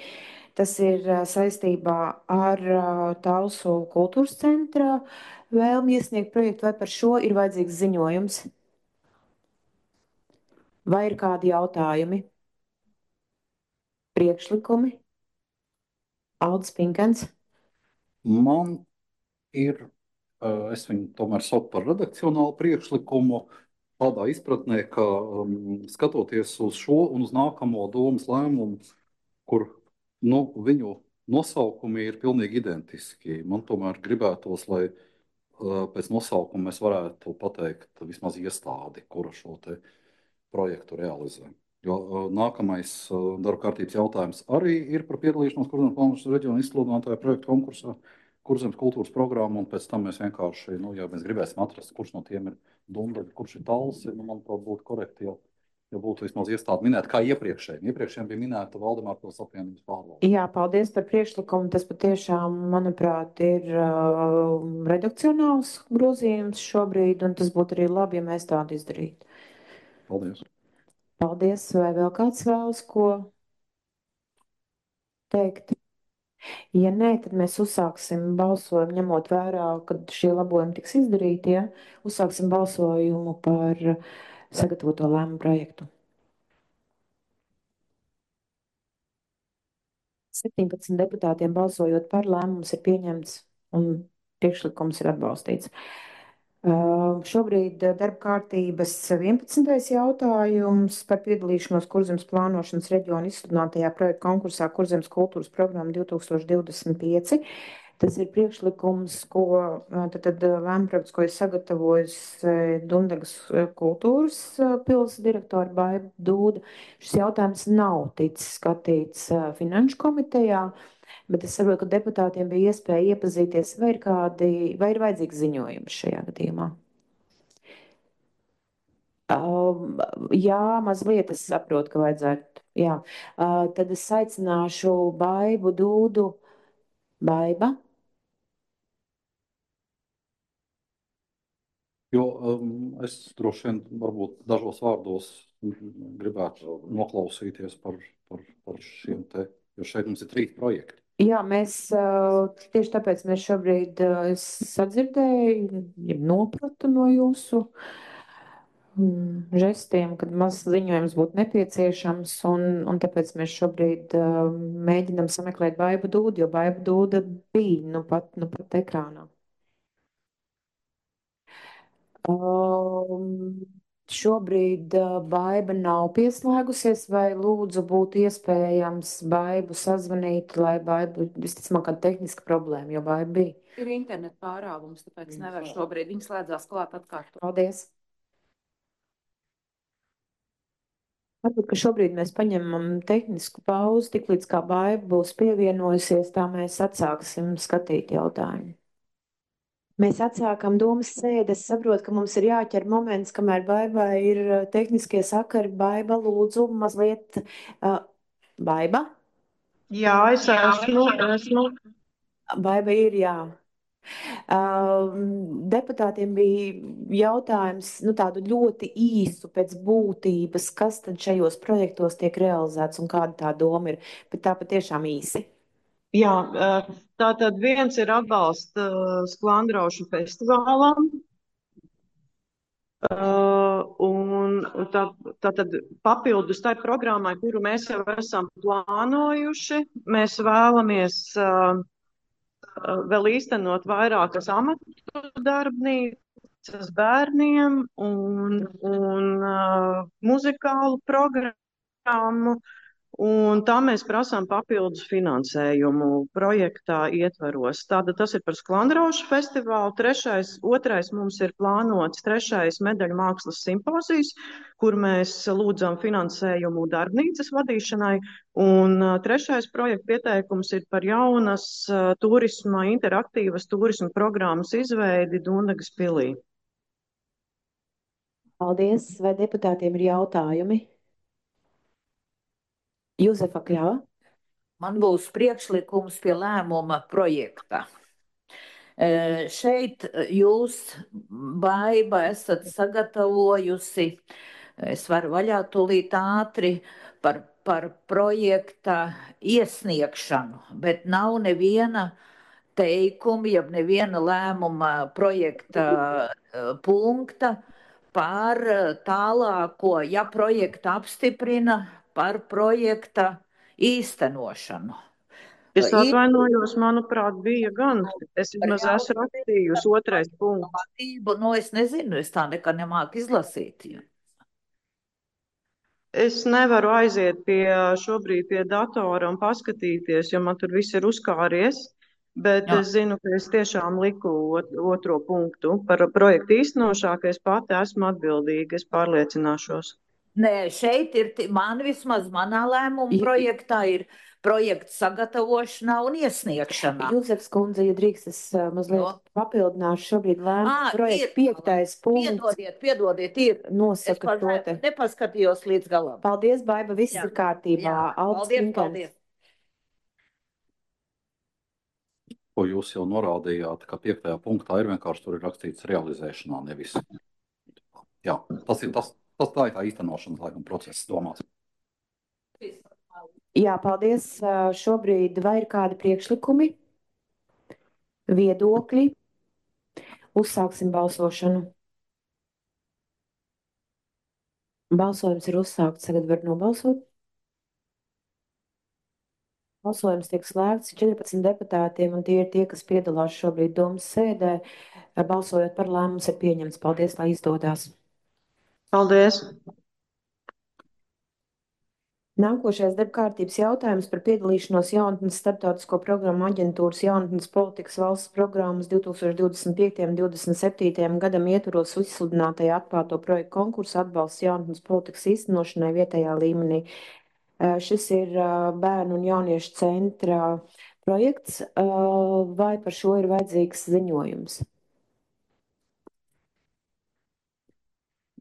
Tas ir saistībā ar Talsu kultūras centra vēlmi iesniegt projektu, vai par šo ir vajadzīgs ziņojums? Vai ir kādi jautājumi? Priekšlikumi? Aldis Pinkans. Man ir, es viņu tomēr saucu par redakcionālu priekšlikumu, tādā izpratnē, ka skatoties uz šo un uz nākamo domas lēmumu, kur Viņu nosaukumi ir pilnīgi identiski. Man tomēr gribētos, lai pēc nosaukuma mēs varētu pateikt vismaz iestādi, kura šo te projektu realizē. Jo nākamais darba kārtības jautājums arī ir par piedalīšanos Kurzemes plānošanas reģiona izsludinātāja projektu konkursā, Kurzemes kultūras programmu, un pēc tam mēs vienkārši, ja mēs gribēsim atrast, kurš no tiem ir Dundaga, kurš ir Talsi, manuprāt, būtu korekti, ja būtu vismaz iestādi minēta, kā iepriekšējiem. Iepriekšējiem bija minēta Valdemāra pils apvienības pārvalde. Jā, paldies par priekšlikumu. Tas patiešām, manuprāt, ir redakcionāls grozījums šobrīd, un tas būtu arī labi, ja mēs tādu izdarītu. Paldies. Paldies. Vai vēl kāds vēlas ko teikt? Ja nē, tad mēs uzsāksim balsojumu, ņemot vērā, kad šie labojumi tiks izdarīti, ja? Uzsāksim balsojumu par sagatavoto lēmumu projektu. 17 deputātiem balsojot par, lēmums ir pieņemts un priekšlikums ir atbalstīts. Šobrīd darba kārtības 11. jautājums par piedalīšanos Kurzemes plānošanas reģiona izsludinātajā projekta konkursā Kurzemes kultūras programma 2025. Tas ir priekšlikums, ko tad lēmprojekts, ko ir sagatavojis Dundagas kultūras pils direktora Baiba Dūda. Šis jautājums nav ticis skatīts finanšu komitejā, bet es saprotu, ka deputātiem bija iespēja iepazīties, vai ir vajadzīgs ziņojums šajā gadījumā. Jā, mazliet es saprotu, ka vajadzētu. Jā. Tad es aicināšu Baibu Dūdu. Baiba? Jo es droši vien varbūt dažos vārdos gribētu noklausīties par šiem te, jo šeit mums ir 3 projekti. Jā, mēs tieši tāpēc mēs šobrīd sadzirdēju, nopratu no jūsu žestiem, kad mazs ziņojums būtu nepieciešams, un tāpēc mēs šobrīd mēģinam sameklēt Baibu Dūdu, jo Baiba Dūda bija nu pat ekrānā. Šobrīd Baiba nav pieslēgusies, vai lūdzu būtu iespējams Baibu sazvanīt, lai Baiba, visticamāk, kāda tehniska problēma, jo Baiba bija. Ir internet pārāvums, tāpēc nevar šobrīd. Viņi slēdzās klāt atkārtot. Paldies. Varbūt, ka šobrīd mēs paņemam tehnisku pauzi, tik līdz kā Baiba būs pievienojusies, tā mēs atsāksim skatīt jautājumu. Mēs atsākam domas sēdi. Es saprotu, ka mums ir jāķer moments, kamēr Baibai ir tehniskie sakari. Baiba, lūdzu, mazliet. Baiba? Jā, es esmu. Baiba ir, jā. Deputātiem bija jautājums, tādu ļoti īsu pēc būtības, kas tad šajos projektos tiek realizēts un kāda tā doma ir, bet tā patiešām īsi. Jā, tātad viens ir atbalsts Sklandraušu festivālam, un tātad papildus tai programmai, kuru mēs jau esam plānojuši, mēs vēlamies vēl īstenot vairākas amatu darbnīcas bērniem un muzikālu programmu. Un tā mēs prasām papildus finansējumu projektā ietvaros. Tātad tas ir par Sklandraušu festivālu. Otrais mums ir plānots 3. medaļu mākslas simpozijas, kur mēs lūdzam finansējumu darbnīcas vadīšanai. Un 3. projekta pieteikums ir par jaunas turisma, interaktīvas turisma programmas izveidi Dundagas pilī. Paldies. Vai deputātiem ir jautājumi? Juzefa Kļava. Man būs priekšlikums pie lēmuma projekta. Šeit jūs, Baiba, esat sagatavojusi, es varu vaļā tūlīt ātri, par projekta iesniegšanu, bet nav neviena teikuma, jeb neviena lēmuma projekta punkta par tālāko, ja projekta apstiprina, par projekta īstenošanu. Es atvainojos, manuprāt, bija gan. Es vismaz esmu rakstījusi 2. punkts. Es nezinu, es tā nekad nemāku izlasīt. Es nevaru aiziet šobrīd pie datora un paskatīties, jo man tur viss ir uzkāries. Bet Jā. es zinu, ka es tiešām liku otro punktu par projektu īstenošanu, ka es pati esmu atbildīga. Es pārliecināšos. Nē, šeit ir, man vismaz manā lēmuma projektā ir projekta sagatavošanā un iesniegšanā. Jūzefs kundze, ja drīkst, es mazliet papildināšu šobrīd lēmumu projektu 5. punkts. Piedodiet, ir. Nosaka to te. Nepaskatījos līdz galam. Paldies, Baiba, viss Jā. ir kārtībā. Jā. Aldis Paldies, Pinkens. paldies. Ko jūs jau norādījāt, ka 5. punktā ir vienkārši tur ir rakstīts realizēšanā, nevis. Jā, tas ir tā ir tā īstenošanas laikam process domās. Jā, paldies. Šobrīd vai ir kādi priekšlikumi, viedokļi? Uzsāksim balsošanu. Balsojums ir uzsākts, tagad var nobalsot. Balsojums tiek slēgts 14 deputātiem, un tie ir tie, kas piedalās šobrīd domas sēdē. Balsojot par lēmums ir pieņemts. Paldies, lai izdodās. Paldies! Nākošais darbkārtības jautājums par piedalīšanos jaunatnes starptautisko programmu aģentūras jaunatnes politikas valsts programmas 2025. un 2027. gadam ietvaros izsludinātajā atklāto projektu konkursu atbalsts jaunatnes politikas īstenošanai vietējā līmenī. Šis ir bērnu un jauniešu centra projekts, vai par šo ir vajadzīgs ziņojums?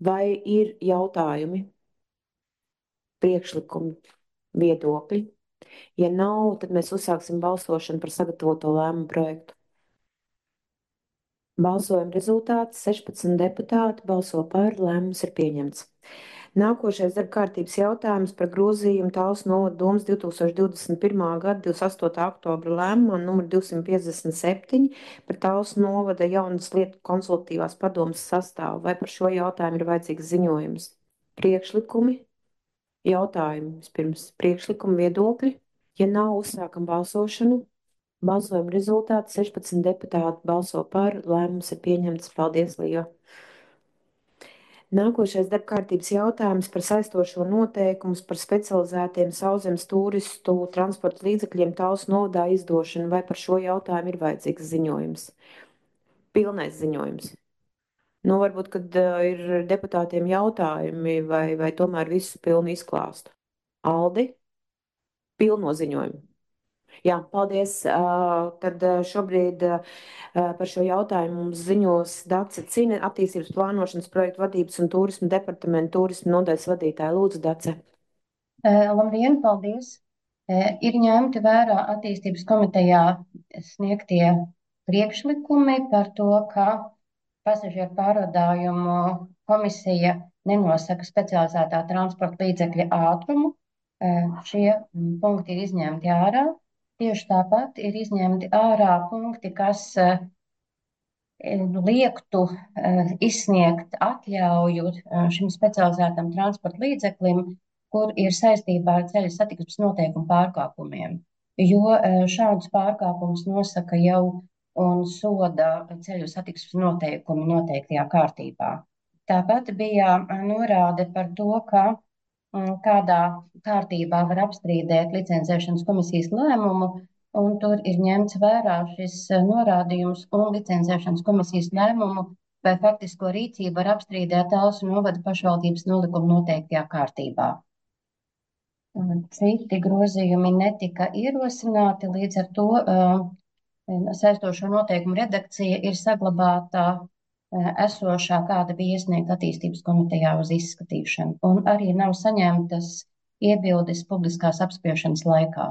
Vai ir jautājumi, priekšlikumi, viedokļi? Ja nav, tad mēs uzsāksim balsošanu par sagatavoto lēmumu projektu. Balsojuma rezultāts 16 deputāti balso par, lēmums ir pieņemts. Nākošais darbkārtības jautājums par grozījumu Talsu novada domas 2021. gada 28. oktobra lēmumā numur 257 par Talsu novada jaunas lietu konsultatīvās padomas sastāvu. Vai par šo jautājumu ir vajadzīgs ziņojums? Priekšlikumi, jautājumi, vispirms priekšlikumi, viedokļi. Ja nav, uzsākam balsošanu. Balsojuma rezultāts 16 deputāti balso par, lēmums ir pieņemts. Paldies, Līva! Nākošais darbkārtības jautājums par saistošo noteikumus par specializētiem sauszemes turistu transporta līdzekļiem Talsu novadā izdošanu. Vai par šo jautājumu ir vajadzīgs ziņojums? Pilnais ziņojums. Nu, varbūt, kad ir deputātiem jautājumi vai tomēr visu pilnu izklāstu. Aldi? Pilno ziņojumu. Jā, paldies. Tad šobrīd par šo jautājumu mums ziņos Dace Cine, attīstības plānošanas projektu vadības un turismu departamentu turismu nodaļas vadītāja. Lūdzu, Dace. Labdien, paldies. Ir ņemti vērā attīstības komitejā sniegtie priekšlikumi par to, ka pasažieru pārvadājumu komisija nenosaka specializētā transporta līdzekļa ātrumu. Šie punkti ir izņemti ārā. Tieši tāpat ir izņemti ārā punkti, kas liektu izsniegt atļauju šim specializētam transporta līdzeklim, kur ir saistībā ar ceļu satiksmes noteikumu pārkāpumiem. Jo šādus pārkāpumus nosaka jau un soda ceļu satiksmes noteikumi noteiktajā kārtībā. Tāpat bija norāde par to, ka kādā kārtībā var apstrīdēt licencēšanas komisijas lēmumu, un tur ir ņemts vērā šis norādījums un licencēšanas komisijas lēmumu vai faktisko rīcību var apstrīdēt Talsu novada pašvaldības nolikuma noteiktajā kārtībā. Citi grozījumi netika ierosināti, līdz ar to saistošo noteikumu redakcija ir saglabāta esošā, kāda bija iesniegta attīstības komitejā uz izskatīšanu, un arī nav saņemtas iebildes publiskās apspriešanas laikā.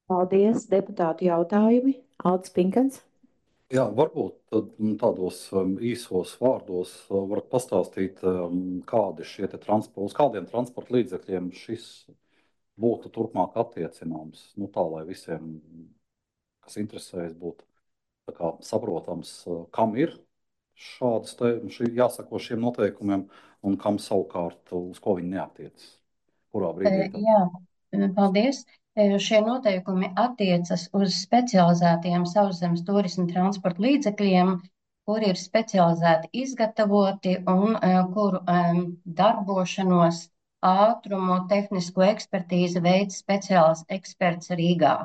Paldies, deputātu jautājumi. Aldis Pinkens. Jā, varbūt tādos īsos vārdos varat pastāstīt, kādi šie uz kādiem transporta līdzekļiem šis būtu turpmāk attiecināms, tā lai visiem, kas interesējas, būtu tā kā saprotams, kam ir jāsako šiem noteikumiem un kam savukārt uz ko viņi neatiecas. Kurā brīdī? Jā, paldies. Šie noteikumi attiecas uz specializētiem sauszemes turisma transporta līdzekļiem, kuri ir specializēti izgatavoti un kuru darbošanos, ātrumu, tehnisko ekspertīzi veids speciāls eksperts Rīgā.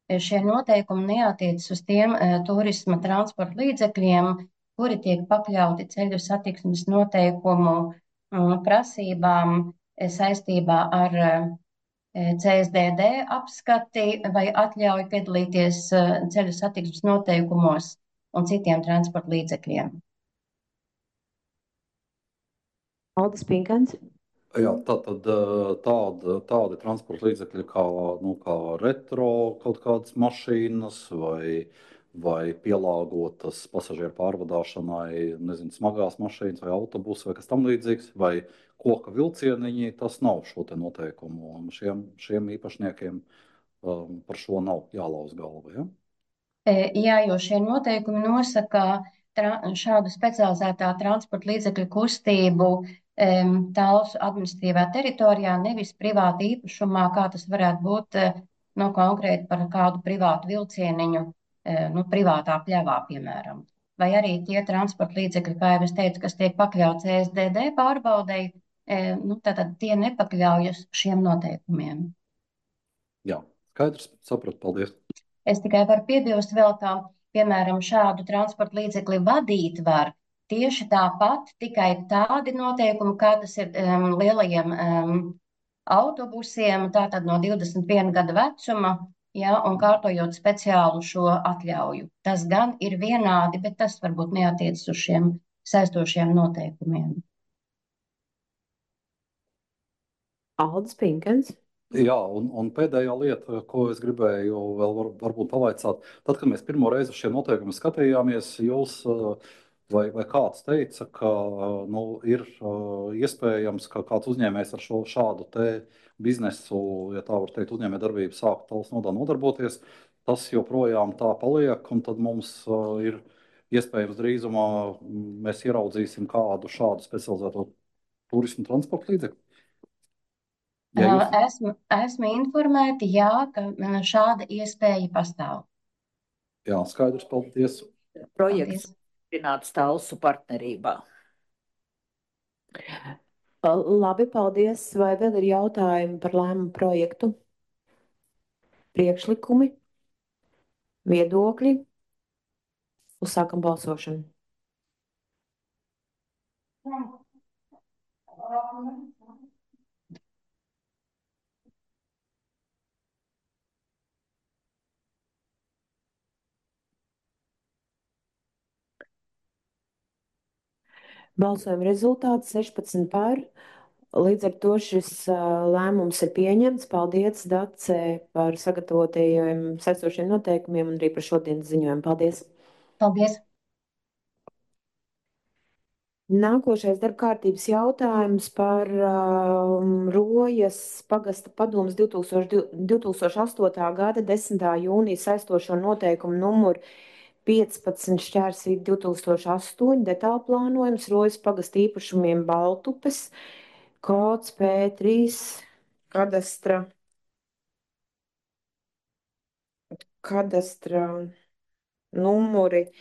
Šie noteikumi neatiecas uz tiem turisma transporta līdzekļiem, kuri tiek pakļauti ceļu satiksmes noteikumu prasībām saistībā ar CSDD apskati vai atļauju piedalīties ceļu satiksmes noteikumos un citiem transporta līdzekļiem. Aldis Pinkans. Jā, tādi transporta līdzekļi kā retro kaut kādas mašīnas vai pielāgotas pasažieru pārvadāšanai, nezinu, smagās mašīnas vai autobusi vai kas tam līdzīgs, vai koka vilcieniņi, tas nav šo te noteikumu. Un šiem īpašniekiem par šo nav jālauz galva, ja? Jā, jo šie noteikumi nosaka šādu specializētā transporta līdzekļu kustību Talsu administratīvā teritorijā, nevis privāta īpašumā, kā tas varētu būt konkrēti par kādu privātu vilcieniņu, privātā pļavā, piemēram. Vai arī tie transporta līdzekļi, kā jau es teicu, kas tiek pakļauts CSDD pārbaudei, tātad tie nepakļaujas šiem noteikumiem. Jā, skaidrs, sapratu, paldies. Es tikai varu piebilst vēl, ka, piemēram, šādu transporta līdzekli vadīt var tieši tāpat, tikai tādi noteikumi, kā tas ir lielajiem autobusiem, tātad no 21 gada vecuma, ja, un kārtojot speciālu šo atļauju. Tas gan ir vienādi, bet tas varbūt neatiecas uz šiem saistošiem noteikumiem. Aldis Pinkans. Jā, un pēdējā lieta, ko es gribēju vēl varbūt pavaicāt, tad, kad mēs pirmo reizi uz šiem noteikumiem skatījāmies, jūs vai kāds teica, ka ir iespējams, ka kāds uzņēmējs ar šādu te biznesu, ja tā var teikt, uzņēmē darbību sākt Talsu nodā nodarboties, tas joprojām tā paliek, un tad mums ir iespējams drīzumā mēs ieraudzīsim kādu šādu specializēto turismu transporta līdzekli. Ja jūs... Esmu informēta, jā, ka šāda iespēja pastāv. Jā, skaidrs, paldies. Projekts apstiprināts Talsu partnerībā. Labi, paldies. Vai vēl ir jautājumi par lēmumu projektu? Priekšlikumi? Viedokļi? Uzsākam balsošanu. Balsojuma rezultāts 16 par. Līdz ar to šis lēmums ir pieņemts. Paldies, Dace, par sagatavotajiem saistošiem noteikumiem un arī par šodienas ziņojumu. Paldies! Paldies! Nākošais darba kārtības jautājums par Rojas pagasta padomes 2008. gada 10. jūnija saistošo noteikumu numuru 15/2008 detāla plānojums Rojas pagasta īpašumiem Baltupes, kods P3 kadastra numuri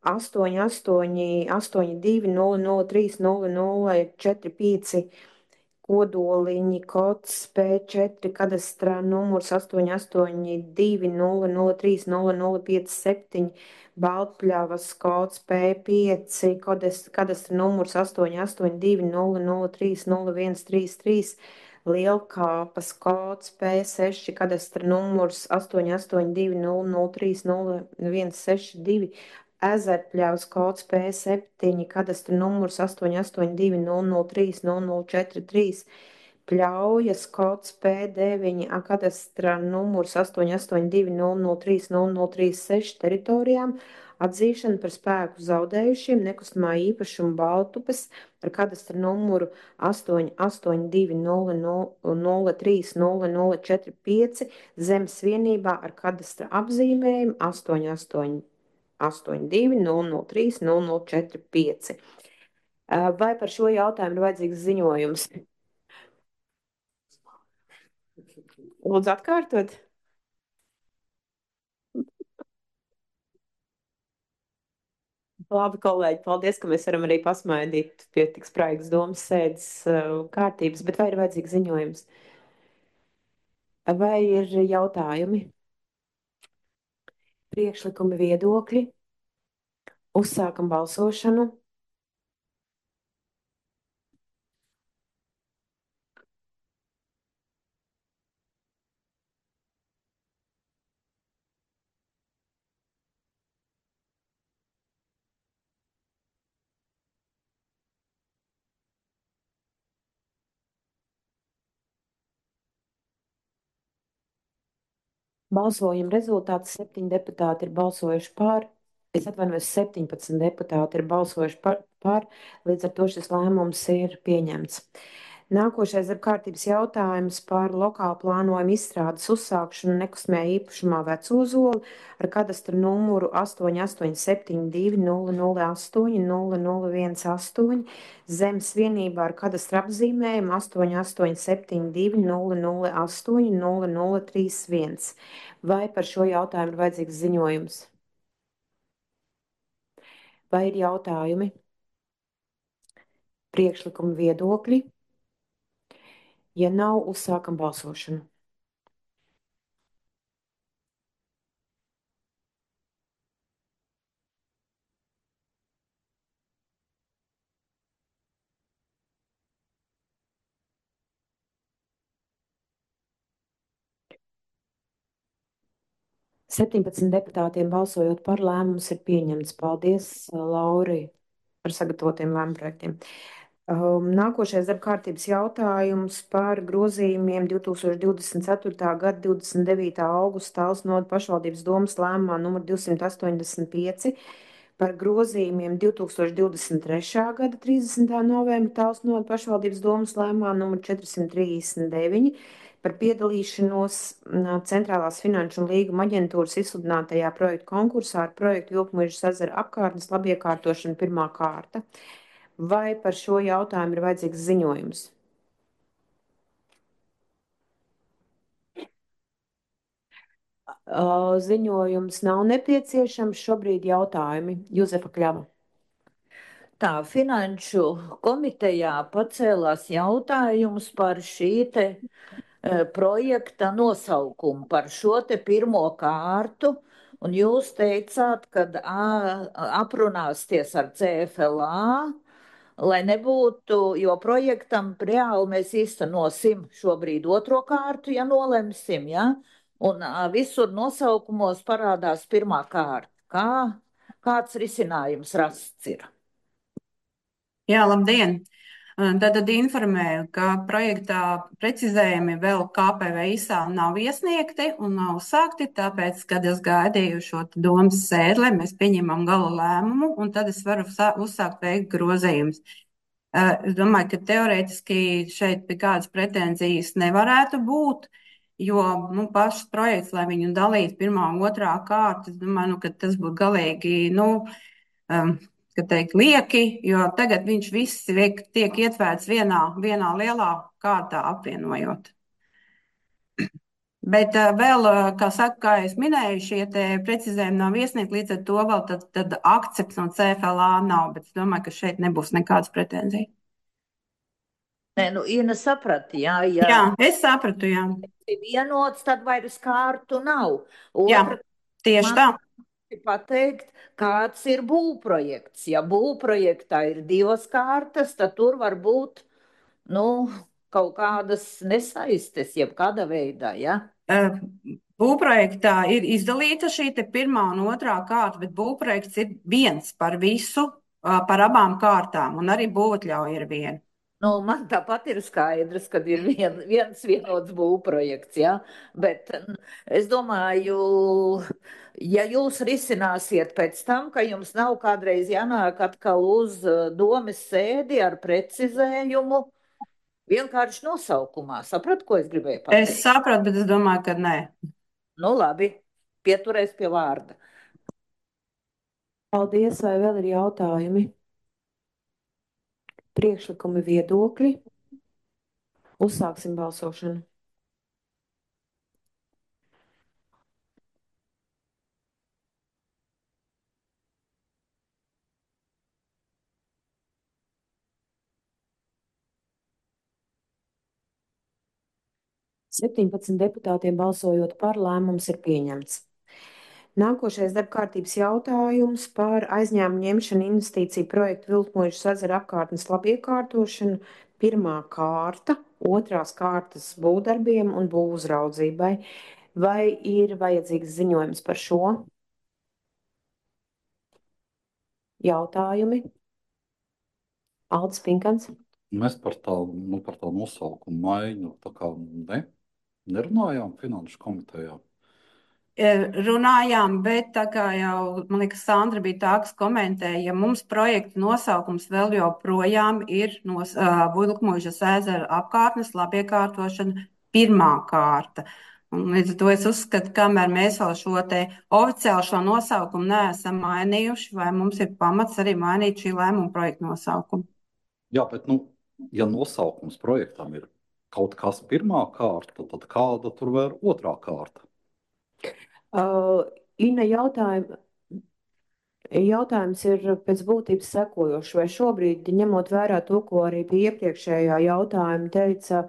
8882003004 kodoliņi, kods P4 kadastra numurs 8820030057, Baltpļavas kods P5 kadastra numurs 8820030133, Lielkāpas kods P6 kadastra numurs 8820030162, Ezerpļavas kods P7 kadastra numurs 8820030043, Pļaujas kods P9 kadastra numurs 8820030036 teritorijām atzīšana par spēku zaudējušiem nekustamā īpašuma Baltupes ar kadastra numuru 8820030045 zemes vienībā ar kadastra apzīmējumu 8882003045. Vai par šo jautājumu ir vajadzīgs ziņojums? Lūdzu atkārtot. Labi, kolēģi, paldies, ka mēs varam arī pasmaidīt pie tik spraigas domas sēdes kārtības, bet vai ir vajadzīgs ziņojums? Vai ir jautājumi, priekšlikumi, viedokļi? Uzsākam balsošanu. Balsojuma rezultāts 7 deputāti ir balsojuši par. Es atvainojos, 17 deputāti ir balsojuši par, līdz ar to šis lēmums ir pieņemts. Nākošais ir kārtības jautājums par lokālu plānojumu izstrādes uzsākšanu nekustamajā īpašumā Vecozoli ar kadastra numuru 8872008018 zemes vienībā ar kadastra apzīmējumu 8872008031. Vai par šo jautājumu ir vajadzīgs ziņojums? Vai ir jautājumi, priekšlikumi, viedokļi? Ja nav, uzsākam balsošanu. Septiņpadsmit deputātiem balsojot par, lēmums ir pieņemts. Paldies, Lauri, par sagatavotiem lēmumu projektiem. Nākošais darba kārtības jautājums par grozījumiem 2024. gada 29. augusta Talsnoda pašvaldības domas lēmumā numur 285 par grozījumiem 2023. gada 30. novembra Talsnoda pašvaldības domas lēmumā numur 439 par piedalīšanos Centrālās finanšu un līguma aģentūras izsludinātajā projektu konkursā ar projektu Jūpmuižas ezera apkārtnes labiekārtošana pirmā kārta. Vai par šo jautājumu ir vajadzīgs ziņojums? Ziņojums nav nepieciešams. Šobrīd jautājumi. Juzefa Kļava. Tā finanšu komitejā pacēlās jautājums par šī te projekta nosaukumu, par šo te pirmo kārtu, un jūs teicāt, kad aprunāsties ar CFLA, lai nebūtu, jo projektam reāli mēs īstenosim šobrīd otro kārtu, ja nolemsim, ja? Un visur nosaukumos parādās pirmā kārta. Kāds risinājums rasts ir? Jā, labdien! Tad informēju, ka projektā precizējumi vēl KPVISā nav iesniegti un nav uzsākti, tāpēc, kad es gaidīju šo domas sēdi, lai mēs pieņemam gala lēmumu, un tad es varu uzsākt veikt grozījumus. Es domāju, ka teorētiski šeit pie kādas pretenzijas nevarētu būt, jo pašs projekts, lai viņu dalītu pirmā un otrā kārta, es domāju, ka tas būtu galīgi, kad teikt, lieki, jo tagad viņš viss tiek ietverts vienā lielā kārtā apvienojot. Bet vēl, kā es minēju, šie te precizējumi nav iesniegti, līdz ar to vēl tad akcepts no CFLA nav, bet es domāju, ka šeit nebūs nekādas pretenzijas. Nē, Ina saprata, jā. Jā, es sapratu, jā. Vienots, tad vairs kārtu nav. Jā, tieši tā. Pateikt, kāds ir būvprojekts. Ja būvprojektā ir divas kārtas, tad tur var būt, kaut kādas nesaistes, jebkāda veidā, ja? Būvprojektā ir izdalīta šī te pirmā un otrā kārta, bet būvprojekts ir viens par visu, par abām kārtām, un arī būvatļauja ir viena. Man tāpat ir skaidrs, ka ir viens vienots būvprojekts, ja? Bet es domāju, ja jūs risināsiet pēc tam, ka jums nav kādreiz jānāk atkal uz domes sēdi ar precizējumu, vienkārši nosaukumā. Sapratu, ko es gribēju pateikt? Es sapratu, bet es domāju, ka nē. Labi, pieturēs pie vārda. Paldies, vai vēl ir jautājumi? Priekšlikumi, viedokļi. Uzsāksim balsošanu. 17 deputātiem balsojot par, lēmums ir pieņemts. Nākošais darbkārtības jautājums par aizņēmumu ņemšanu investīciju projektu Vilkmožas ezera apkārtnes labiekārtošanu. Pirmā kārta, otrās kārtas būvdarbiem un būvuzraudzībai. Vai ir vajadzīgs ziņojums par šo? Jautājumi? Aldis Pinkans. Mēs par tā nosaukumu maiņu nerunājām finanšu komitejā. Runājām, bet tā kā jau, man liekas, Sandra bija tā, kas komentēja, ja mums projekta nosaukums vēl joprojām ir Vilkmožas ezera apkārtnes labiekārtošana pirmā kārta. Un līdz ar to es uzskatu, kamēr mēs vēl šo te oficiāli šo nosaukumu neesam mainījuši, vai mums ir pamats arī mainīt šī lēmuma projekta nosaukumu. Jā, bet, ja nosaukums projektam ir kaut kas pirmā kārta, tad kāda tur vēl otrā kārta? Inna, jautājums ir pēc būtības sekojošs. Vai šobrīd, ņemot vērā to, ko arī pie iepriekšējā jautājuma teica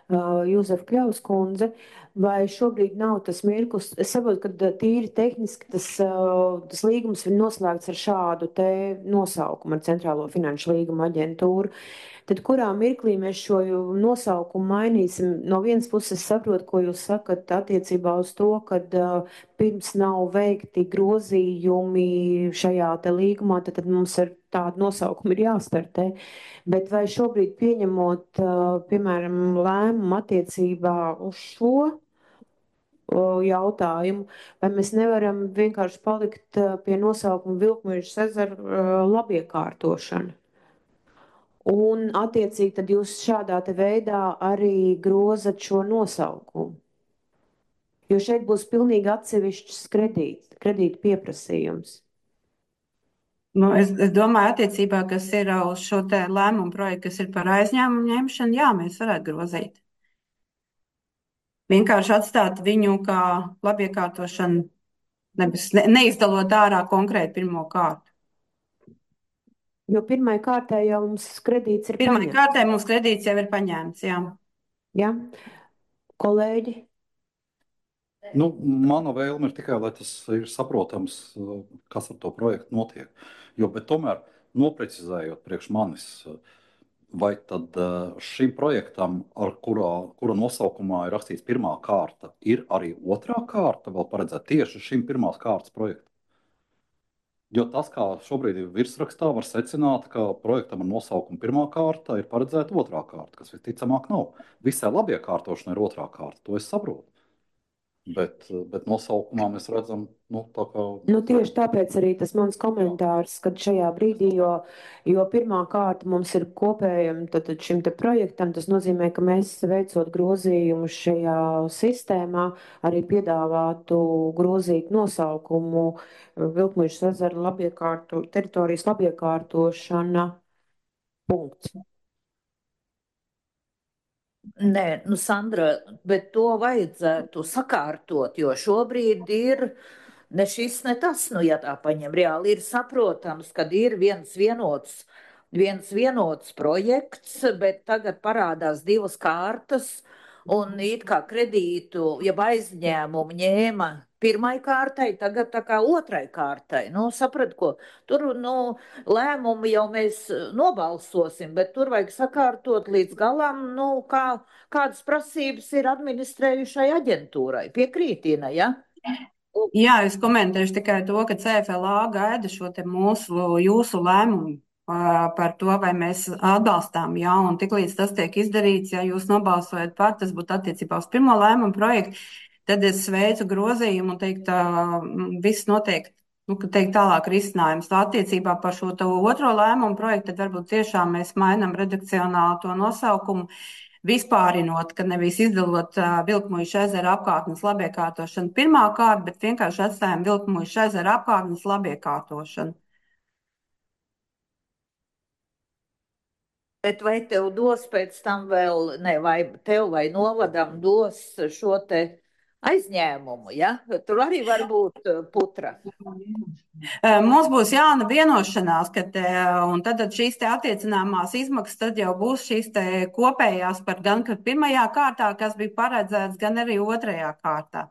Jūzefa Kļavas kundze, vai šobrīd nav tas mirklis? Es saprotu, ka tīri tehniski tas līgums ir noslēgts ar šādu te nosaukumu, ar Centrālo finanšu līguma aģentūru. Tad kurā mirklī mēs šo nosaukumu mainīsim? No vienas puses saprotu, ko jūs sakat attiecībā uz to, ka pirms nav veikti grozījumi šajā te līgumā, tad mums ar tādu nosaukumu ir jāstartē. Bet vai šobrīd pieņemot, piemēram, lēmumu attiecībā uz šo jautājumu, vai mēs nevaram vienkārši palikt pie nosaukuma Vilkmožas ezera labiekārtošana? Un, attiecīgi, tad jūs šādā te veidā arī grozat šo nosaukumu. Jo šeit būs pilnīgi atsevišķs kredīta pieprasījums. Es domāju, attiecībā, kas ir uz šo te lēmumu projektu, kas ir par aizņēmumu ņemšanu, jā, mēs varētu grozīt. Vienkārši atstāt viņu kā labiekārtošanu, neizdalot ārā konkrēti pirmo kārtu. Jo pirmai kārtai jau mums kredīts ir paņemts. Pirmai kārtai mums kredīts jau ir paņemts, jā. Jā. Kolēģi? Mana vēlme ir tikai, lai tas ir saprotams, kas ar to projektu notiek. Bet tomēr, noprecizējot priekš manis, vai tad šim projektam, kura nosaukumā ir rakstīts pirmā kārta, ir arī otrā kārta vēl paredzēta tieši šim pirmās kārtas projektam? Jo tas, kā šobrīd ir virsrakstā, var secināt, ka projektam ar nosaukumu pirmā kārta ir paredzēta otrā kārta, kas visticamāk nav. Visai labiekārtošanai ir otrā kārta, to es saprotu. Bet nosaukumā mēs redzam, tā kā. Tieši tāpēc arī tas mans komentārs, kad šajā brīdī, jo pirmā kārta mums ir kopējam tad šim te projektam, tas nozīmē, ka mēs veicot grozījumus šajā sistēmā arī piedāvātu grozīt nosaukumu Vilkmožas ezera teritorijas labiekārtošana. Punkts. Nē, Sandra, bet to vajadzētu sakārtot, jo šobrīd ir ne šis, ne tas, ja tā paņem reāli, ir saprotams, ka ir viens vienots projekts, bet tagad parādās divas kārtas, un it kā kredītu, ja aizņēmumu ņēma pirmai kārtai, tagad tā kā otrai kārtai. Saprat, ko? Tur, lēmumu jau mēs nobalsosim, bet tur vajag sakārtot līdz galam, kādas prasības ir administrējušai aģentūrai. Piekrītina, ja? Jā, es komentēšu tikai to, ka CFLA gaida šo te jūsu lēmumu par to, vai mēs atbalstām, jā, un tiklīdz tas tiek izdarīts, ja jūs nobalsojat par, tas būtu attiecībā uz pirmo lēmumu projektu, tad es veicu grozījumu un teikt, viss noteikti, teikt tālāk risinājums. Attiecībā par šo otro lēmumu projektu, tad varbūt tiešām mēs mainam redakcionāli to nosaukumu, vispārinot, ka nevis izdalot Vilkmožas ezera apkārtnes labiekārtošanu pirmā kārta, bet vienkārši atstājam Vilkmožas ezera apkārtnes labiekārtošanu. Bet vai tev dos pēc tam vēl, vai tev vai novadam dos šo te aizņēmumu, ja? Tur arī var būt putra. Mums būs jauna vienošanās, un tad šīs te attiecināmās izmaksas tad jau būs šīs te kopējās par gan pirmajā kārtā, kas bija paredzēts, gan arī otrajā kārtā.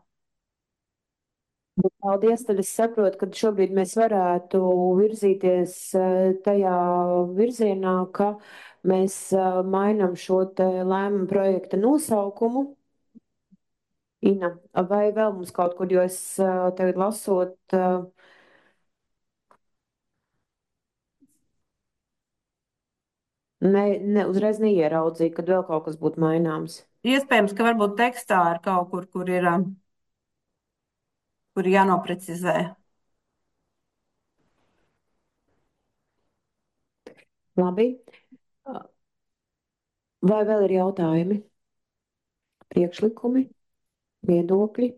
Paldies, tad es saprotu, ka šobrīd mēs varētu virzīties tajā virzienā, ka mēs mainam šo te lēmumu projekta nosaukumu. Ina, vai vēl mums kaut kur, jo es tagad lasot, uzreiz neieraudzīju, kad vēl kaut kas būtu maināms. Iespējams, ka varbūt tekstā ir kaut kur, kur ir jānoprecizē. Labi. Vai vēl ir jautājumi? Priekšlikumi? Viedokļi?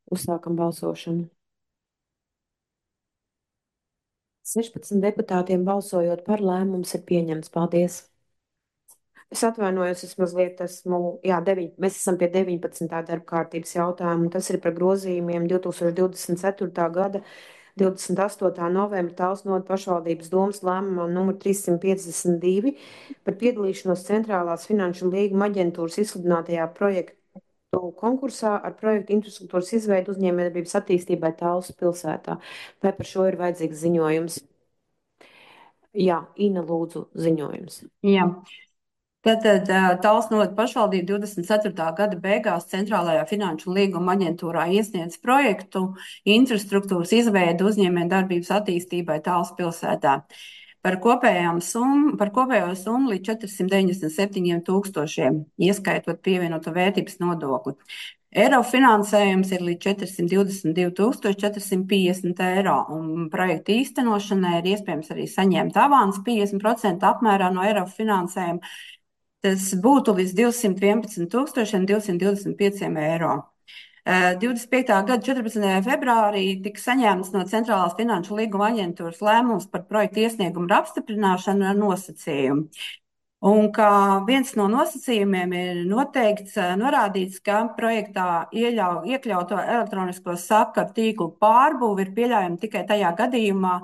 Uzsākam balsošanu. 16 deputātiem balsojot par, lēmums ir pieņemts. Paldies. Es atvainojos, es mazliet mēs esam pie 19. darba kārtības jautājumu. Tas ir par grozījumiem 2024. gada 28. novembra Talsnodu pašvaldības domes lēmumā numur 352 par piedalīšanos Centrālās finanšu līguma aģentūras izsludinātajā projektu konkursā ar projektu infrastruktūras izveidu uzņēmējdarbības attīstībai Talsu pilsētā. Vai par šo ir vajadzīgs ziņojums? Jā, Ina, lūdzu, ziņojums. Jā. Tātad Talsnodu pašvaldība 24. gada beigās Centrālajā finanšu līguma aģentūrā iesniedz projektu infrastruktūras izveidu uzņēmējdarbības attīstībai Talsu pilsētā par kopējo summu līdz 497 000, ieskaitot pievienoto vērtības nodokli. Eiro finansējums ir līdz 422 450 eiro, un projekta īstenošanai ir iespējams arī saņemt avans 50% apmērā no eiro finansējuma. Tas būtu līdz 211 225 eiro. 25. gada 14. februārī tika saņemts no Centrālās finanšu līguma aģentūras lēmums par projektu iesniegumu ar apstiprināšanu ar nosacījumu. Un kā viens no nosacījumiem ir norādīts, ka projektā iekļauto elektronisko sakaru tīklu pārbūve ir pieļaujama tikai tajā gadījumā,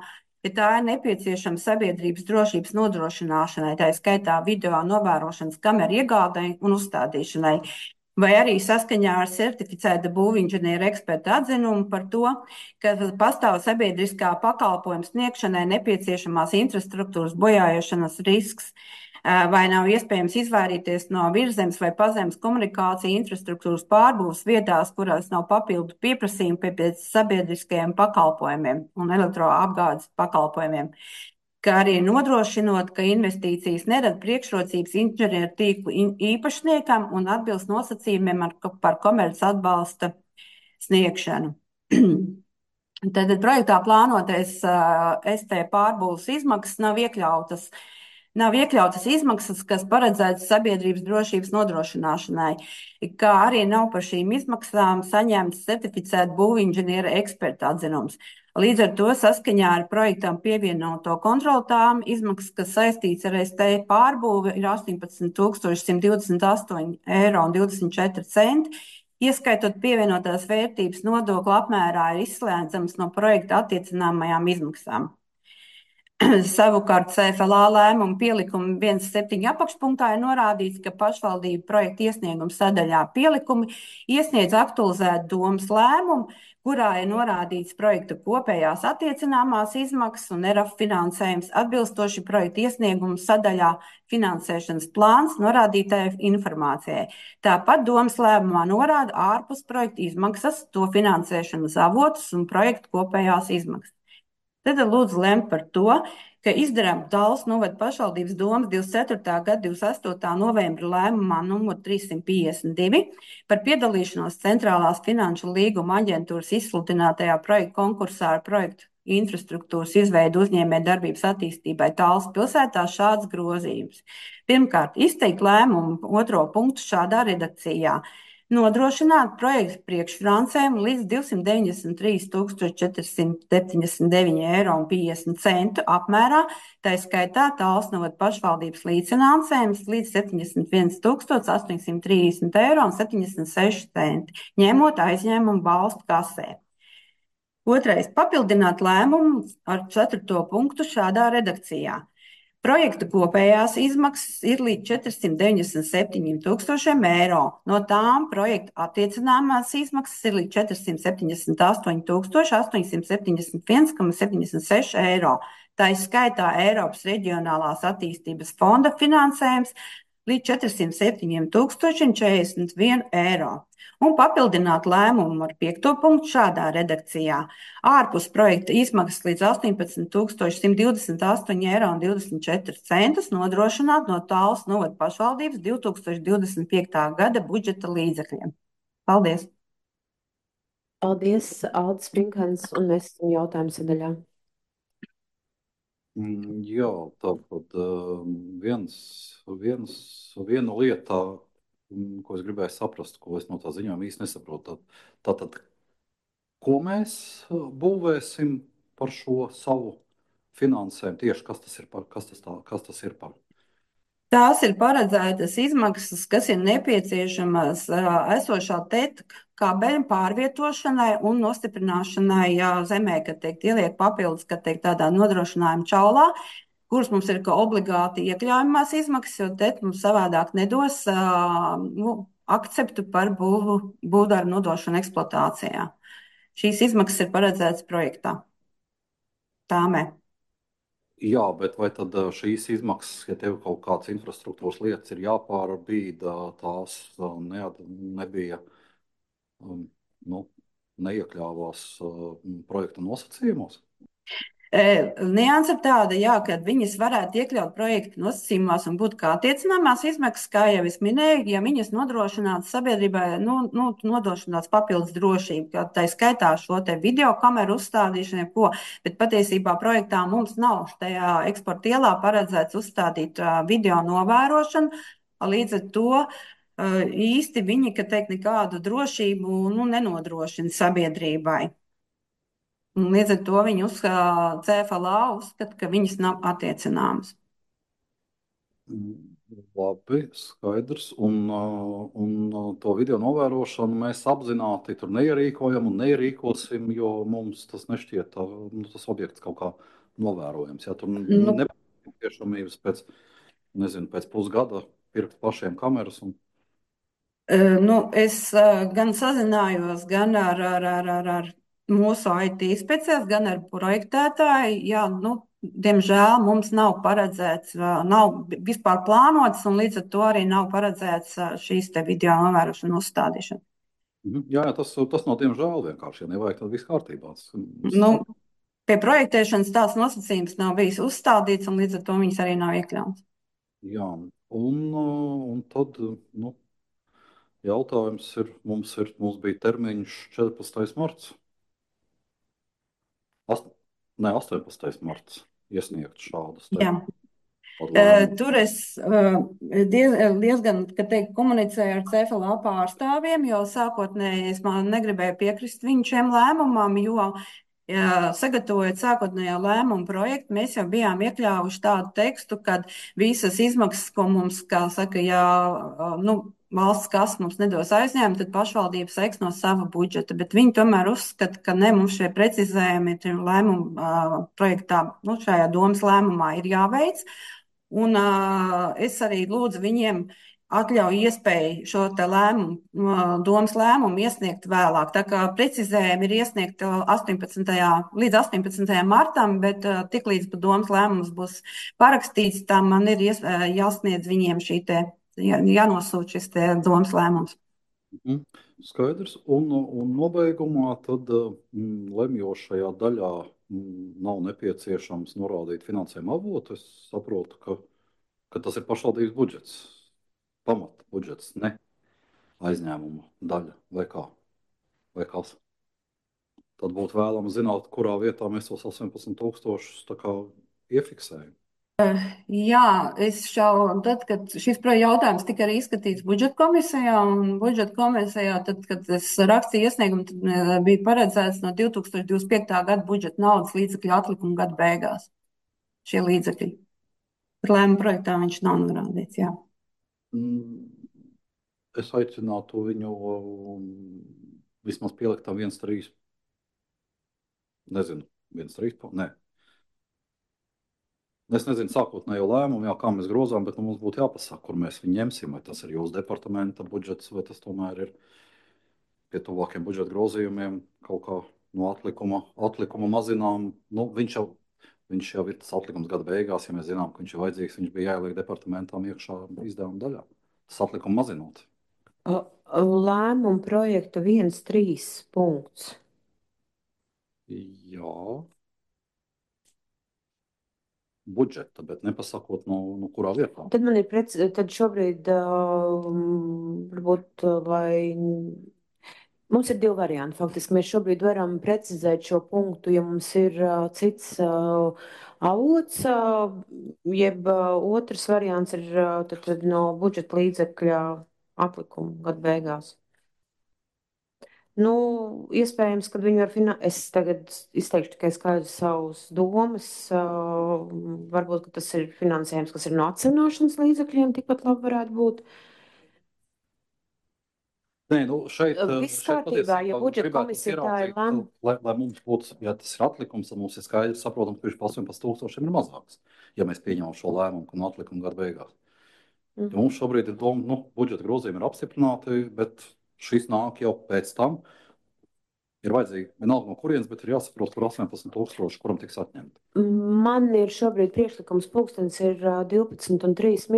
ja tā ir nepieciešama sabiedrības drošības nodrošināšanai, tā skaitā video novērošanas kameru iegādai un uzstādīšanai, vai arī saskaņā ar certificēta būvinženieru eksperta atzinumu par to, ka pastāv sabiedriskā pakalpojuma sniegšanai nepieciešamās infrastruktūras bojājošanas risks, vai nav iespējams izvairīties no virzemes vai pazemes komunikācija infrastruktūras pārbūves vietās, kurās nav papildu pieprasījumu pēc sabiedriskajiem pakalpojumiem un elektroapgādes pakalpojumiem, kā arī nodrošinot, ka investīcijas nerada priekšrocības inženieru tīklu īpašniekam un atbilst nosacījumiem par komerces atbalsta sniegšanu. Tad projektā plānotais ST pārbūves izmaksas nav iekļautas izmaksas, kas paredzētas sabiedrības drošības nodrošināšanai, kā arī nav par šīm izmaksām saņemts certificēta būvinženiera eksperta atzinums. Līdz ar to saskaņā ar projektam pievienoto kontroltām izmaksas, kas saistīts ar ST pārbūvi, ir 18 128 eiro un 24 centi, ieskaitot pievienotās vērtības nodokli apmērā ir izslēdzams no projekta attiecināmajām izmaksām. Savukārt CFLA lēmuma pielikuma 1.7 apakšpunktā ir norādīts, ka pašvaldība projekta iesnieguma sadaļā pielikumi iesniedz aktualizētu domes lēmumu, kurā ir norādīts projekta kopējās attiecināmās izmaksas un ERAF finansējums atbilstoši projekta iesnieguma sadaļā finansēšanas plāns norādītajai informācijai. Tāpat domes lēmumā norāda ārpus projekta izmaksas, to finansēšanas avotus un projekta kopējās izmaksas. Tad lūdzu lemt par to, ka izdarām Talsnodu pašvaldības domes 24. gada 28. novembra lēmumā numur 352 par piedalīšanos Centrālās finanšu līguma aģentūras izsludinātajā projektu konkursā ar projektu infrastruktūras izveidu uzņēmējdarbības attīstībai Talsu pilsētā šāds grozījums. Pirmkārt, izteikt lēmumu 2. punktu šādā redakcijā. nodrošināt projektu priekšfinansējumu līdz 293 479,50 € apmērā, tā skaitā Talsu novada pašvaldības līdzfinansējums līdz 71 830,76 €, ņemot aizņēmumu valstu kasē. Otrais - papildināt lēmumu ar 4. punktu šādā redakcijā. Projekta kopējās izmaksas ir līdz 497 000 €. No tām projekta attiecināmās izmaksas ir līdz 478 871,76 €. Tā izskaitā Eiropas Reģionālās attīstības fonda finansējums līdz 407 041 €. Un papildināt lēmumu ar 5. punktu šādā redakcijā. Ārpus projekta izmaksas līdz 18 128,24 € nodrošināt no Talsu novada pašvaldības 2025. gada budžeta līdzekļiem. Paldies! Paldies, Aldis Prinkans, un mēs esam jautājumu sadaļā. Jā, tātad viena lieta, ko es gribēju saprast, ko es no tā ziņojuma īsti nesaprotu. Tātad, ko mēs būvēsim par šo savu finansējumu? Tieši kas tas ir par? Tās ir paredzētas izmaksas, kas ir nepieciešamas esošā TET kabeļa pārvietošanai un nostiprināšanai zemē, kad tiek ieliek papildus, kad tiek tādā nodrošinājuma čaulā, kuras mums ir kā obligāti iekļaujamās izmaksas, jo TET mums savādāk nedos akceptu par būvdarbu nodošanu eksploatācijā. Šīs izmaksas ir paredzētas projektā. Tāmē. Jā, bet vai tad šīs izmaksas, ja tev kaut kādas infrastruktūras lietas ir jāpārbīda, tās nebija, neiekļāvās projekta nosacījumos? Nianse ir tāda, jā, ka viņas varētu iekļaut projekta nosacījumos un būt kā attiecināmās izmaksas, kā jau es minēju, ja viņas nodrošinātu sabiedrībai, nodrošinātu papildus drošību, kā tā skaitā šo te video kameru uzstādīšanu, bet patiesībā projektā mums nav tajā eksporta ielā paredzēts uzstādīt video novērošanu, līdz ar to īsti viņi, ka teikt, nekādu drošību nenodrošina sabiedrībai. Un līdz ar to viņi CFLA uzskata, ka viņas nav attiecināmas. Labi, skaidrs. Un to video novērošanu mēs apzināti tur neierīkojam un neierīkosim, jo mums tas nešķiet tas objekts kaut kā novērojams. Ja tur nepieciešamības pēc pusgada pirkt pašiem kameras. Es gan sazinājos gan ar mūsu IT speciālists, gan ar projektētāju. Jā, diemžēl mums nav paredzēts, nav vispār plānots, un līdz ar to arī nav paredzēts šīs te video novērošana uzstādīšana. Jā, tas nav diemžēl vienkārši, ja nevajag, tad viss kārtībā. Pie projektēšanas tāds nosacījums nav bijis uzstādīts, un līdz ar to viņas arī nav iekļauts. Jā, un tad, jautājums ir, mums bija termiņš 14. marts. 18. marts iesniegt šādas. Jā. Tur es diezgan, komunicēju ar CFLA pārstāvjiem, jo sākotnēji es negribēju piekrist viņu šiem lēmumam, jo sagatavojot sākotnējo lēmumu projektu, mēs jau bijām iekļāvuši tādu tekstu, ka visas izmaksas, ko mums, kā saka, valsts kas mums nedos aizņēmumu, tad pašvaldības seks no sava budžeta, bet viņi tomēr uzskata, ka mums šie precizējumi lēmumu projektā, šajā domas lēmumā ir jāveic, un es arī lūdzu viņiem atļauj iespēju šo te lēmumu, domas lēmumu iesniegt vēlāk. Tā kā precizējumi ir iesniegti līdz 18. martam, bet tiklīdz domas lēmums būs parakstīts, tā man ir jāsniedz viņiem jānosūt šis te domas lēmums. Skaidrs. Un nobeigumā tad lemjošajā daļā nav nepieciešams norādīt finansējuma avotu. Es saprotu, ka tas ir pašvaldības budžets, pamata budžets, ne aizņēmuma daļa vai kā? Vai kas? Tad būtu vēlams zināt, kurā vietā mēs tos 18 000 tā kā iefiksējam. Jā, tad, kad šis jautājums tika arī izskatīts budžeta komisijā, un budžeta komisijā, tad, kad es rakstīju iesniegumu, tad bija paredzēts no 2025. gada budžeta naudas līdzekļu atlikuma gada beigās. Šie līdzekļi. Par lēmumu projektā viņš nav norādīts, jā. Es aicinātu viņu vismaz pielikt tam 1,3. Nezinu, 1,3. Nē. Es nezinu sākotnējo lēmumu, kā mēs grozām, bet mums būtu jāpasaka, kur mēs viņu ņemsim. Vai tas ir jūsu departamenta budžets, vai tas tomēr ir pie tuvākiem budžeta grozījumiem kaut kā no atlikuma mazinām. Nu, viņš jau ir tas atlikums gada beigās, ja mēs zinām, ka viņš ir vajadzīgs, viņš bija jāieliek departamentām iekšā izdevuma daļā. Tas atlikuma mazinot. Lēmumu projekta 1,3 punkts. Jā. Budžeta, bet nepasakot no kurā vietā. Tad man ir tad šobrīd varbūt, lai mums ir divi varianti. Faktiski mēs šobrīd varam precizēt šo punktu, ja mums ir cits avots, jeb otrs variants ir tad no budžeta līdzekļa atlikuma gada beigās. Nu, iespējams, ka viņi var es tagad izteikšu tikai skaidru savus domas. Varbūt, ka tas ir finansējums, kas ir no atsevināšanas līdzekļiem, tikpat labi varētu būt. Nē, nu šeit Viss kārtībā, ja budžeta komisija tā ir lēma. Lai mums būtu, ja tas ir atlikums, tad mums ir skaidrs saprotam, ka viņš pa 18,000 ir mazāks, ja mēs pieņemam šo lēmumu, ka no atlikuma gada beigās. Ja mums šobrīd ir doma, budžeta grozījumi ir apstiprināti, bet šis nāk jau pēc tam. Ir vajadzīgi vienalga no kurienes, bet ir jāsaprot, kur 18,000, kuram tiks atņemti. Man ir šobrīd priekšlikums, pulkstenis ir 12:03.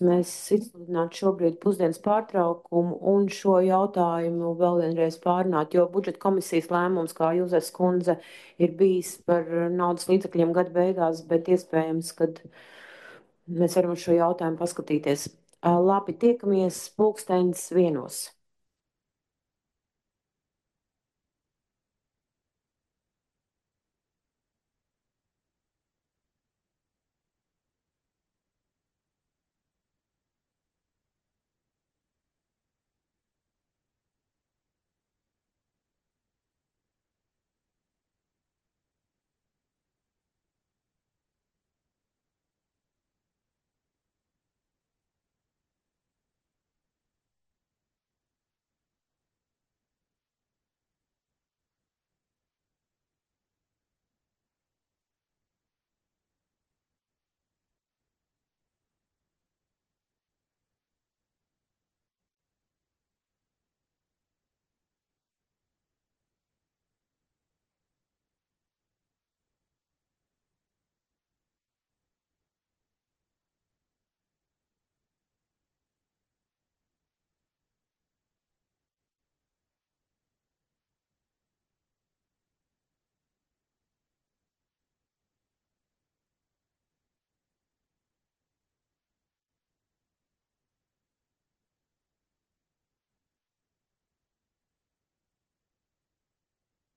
Mēs izsludinātu šobrīd pusdienas pārtraukumu un šo jautājumu vēl vienreiz pārunāt, jo budžeta komisijas lēmums, kā Jūzes kundze, ir bijis par naudas līdzekļiem gada beigās, bet iespējams, kad mēs varam uz šo jautājumu paskatīties. Labi, tiekamies pulkstenis 1.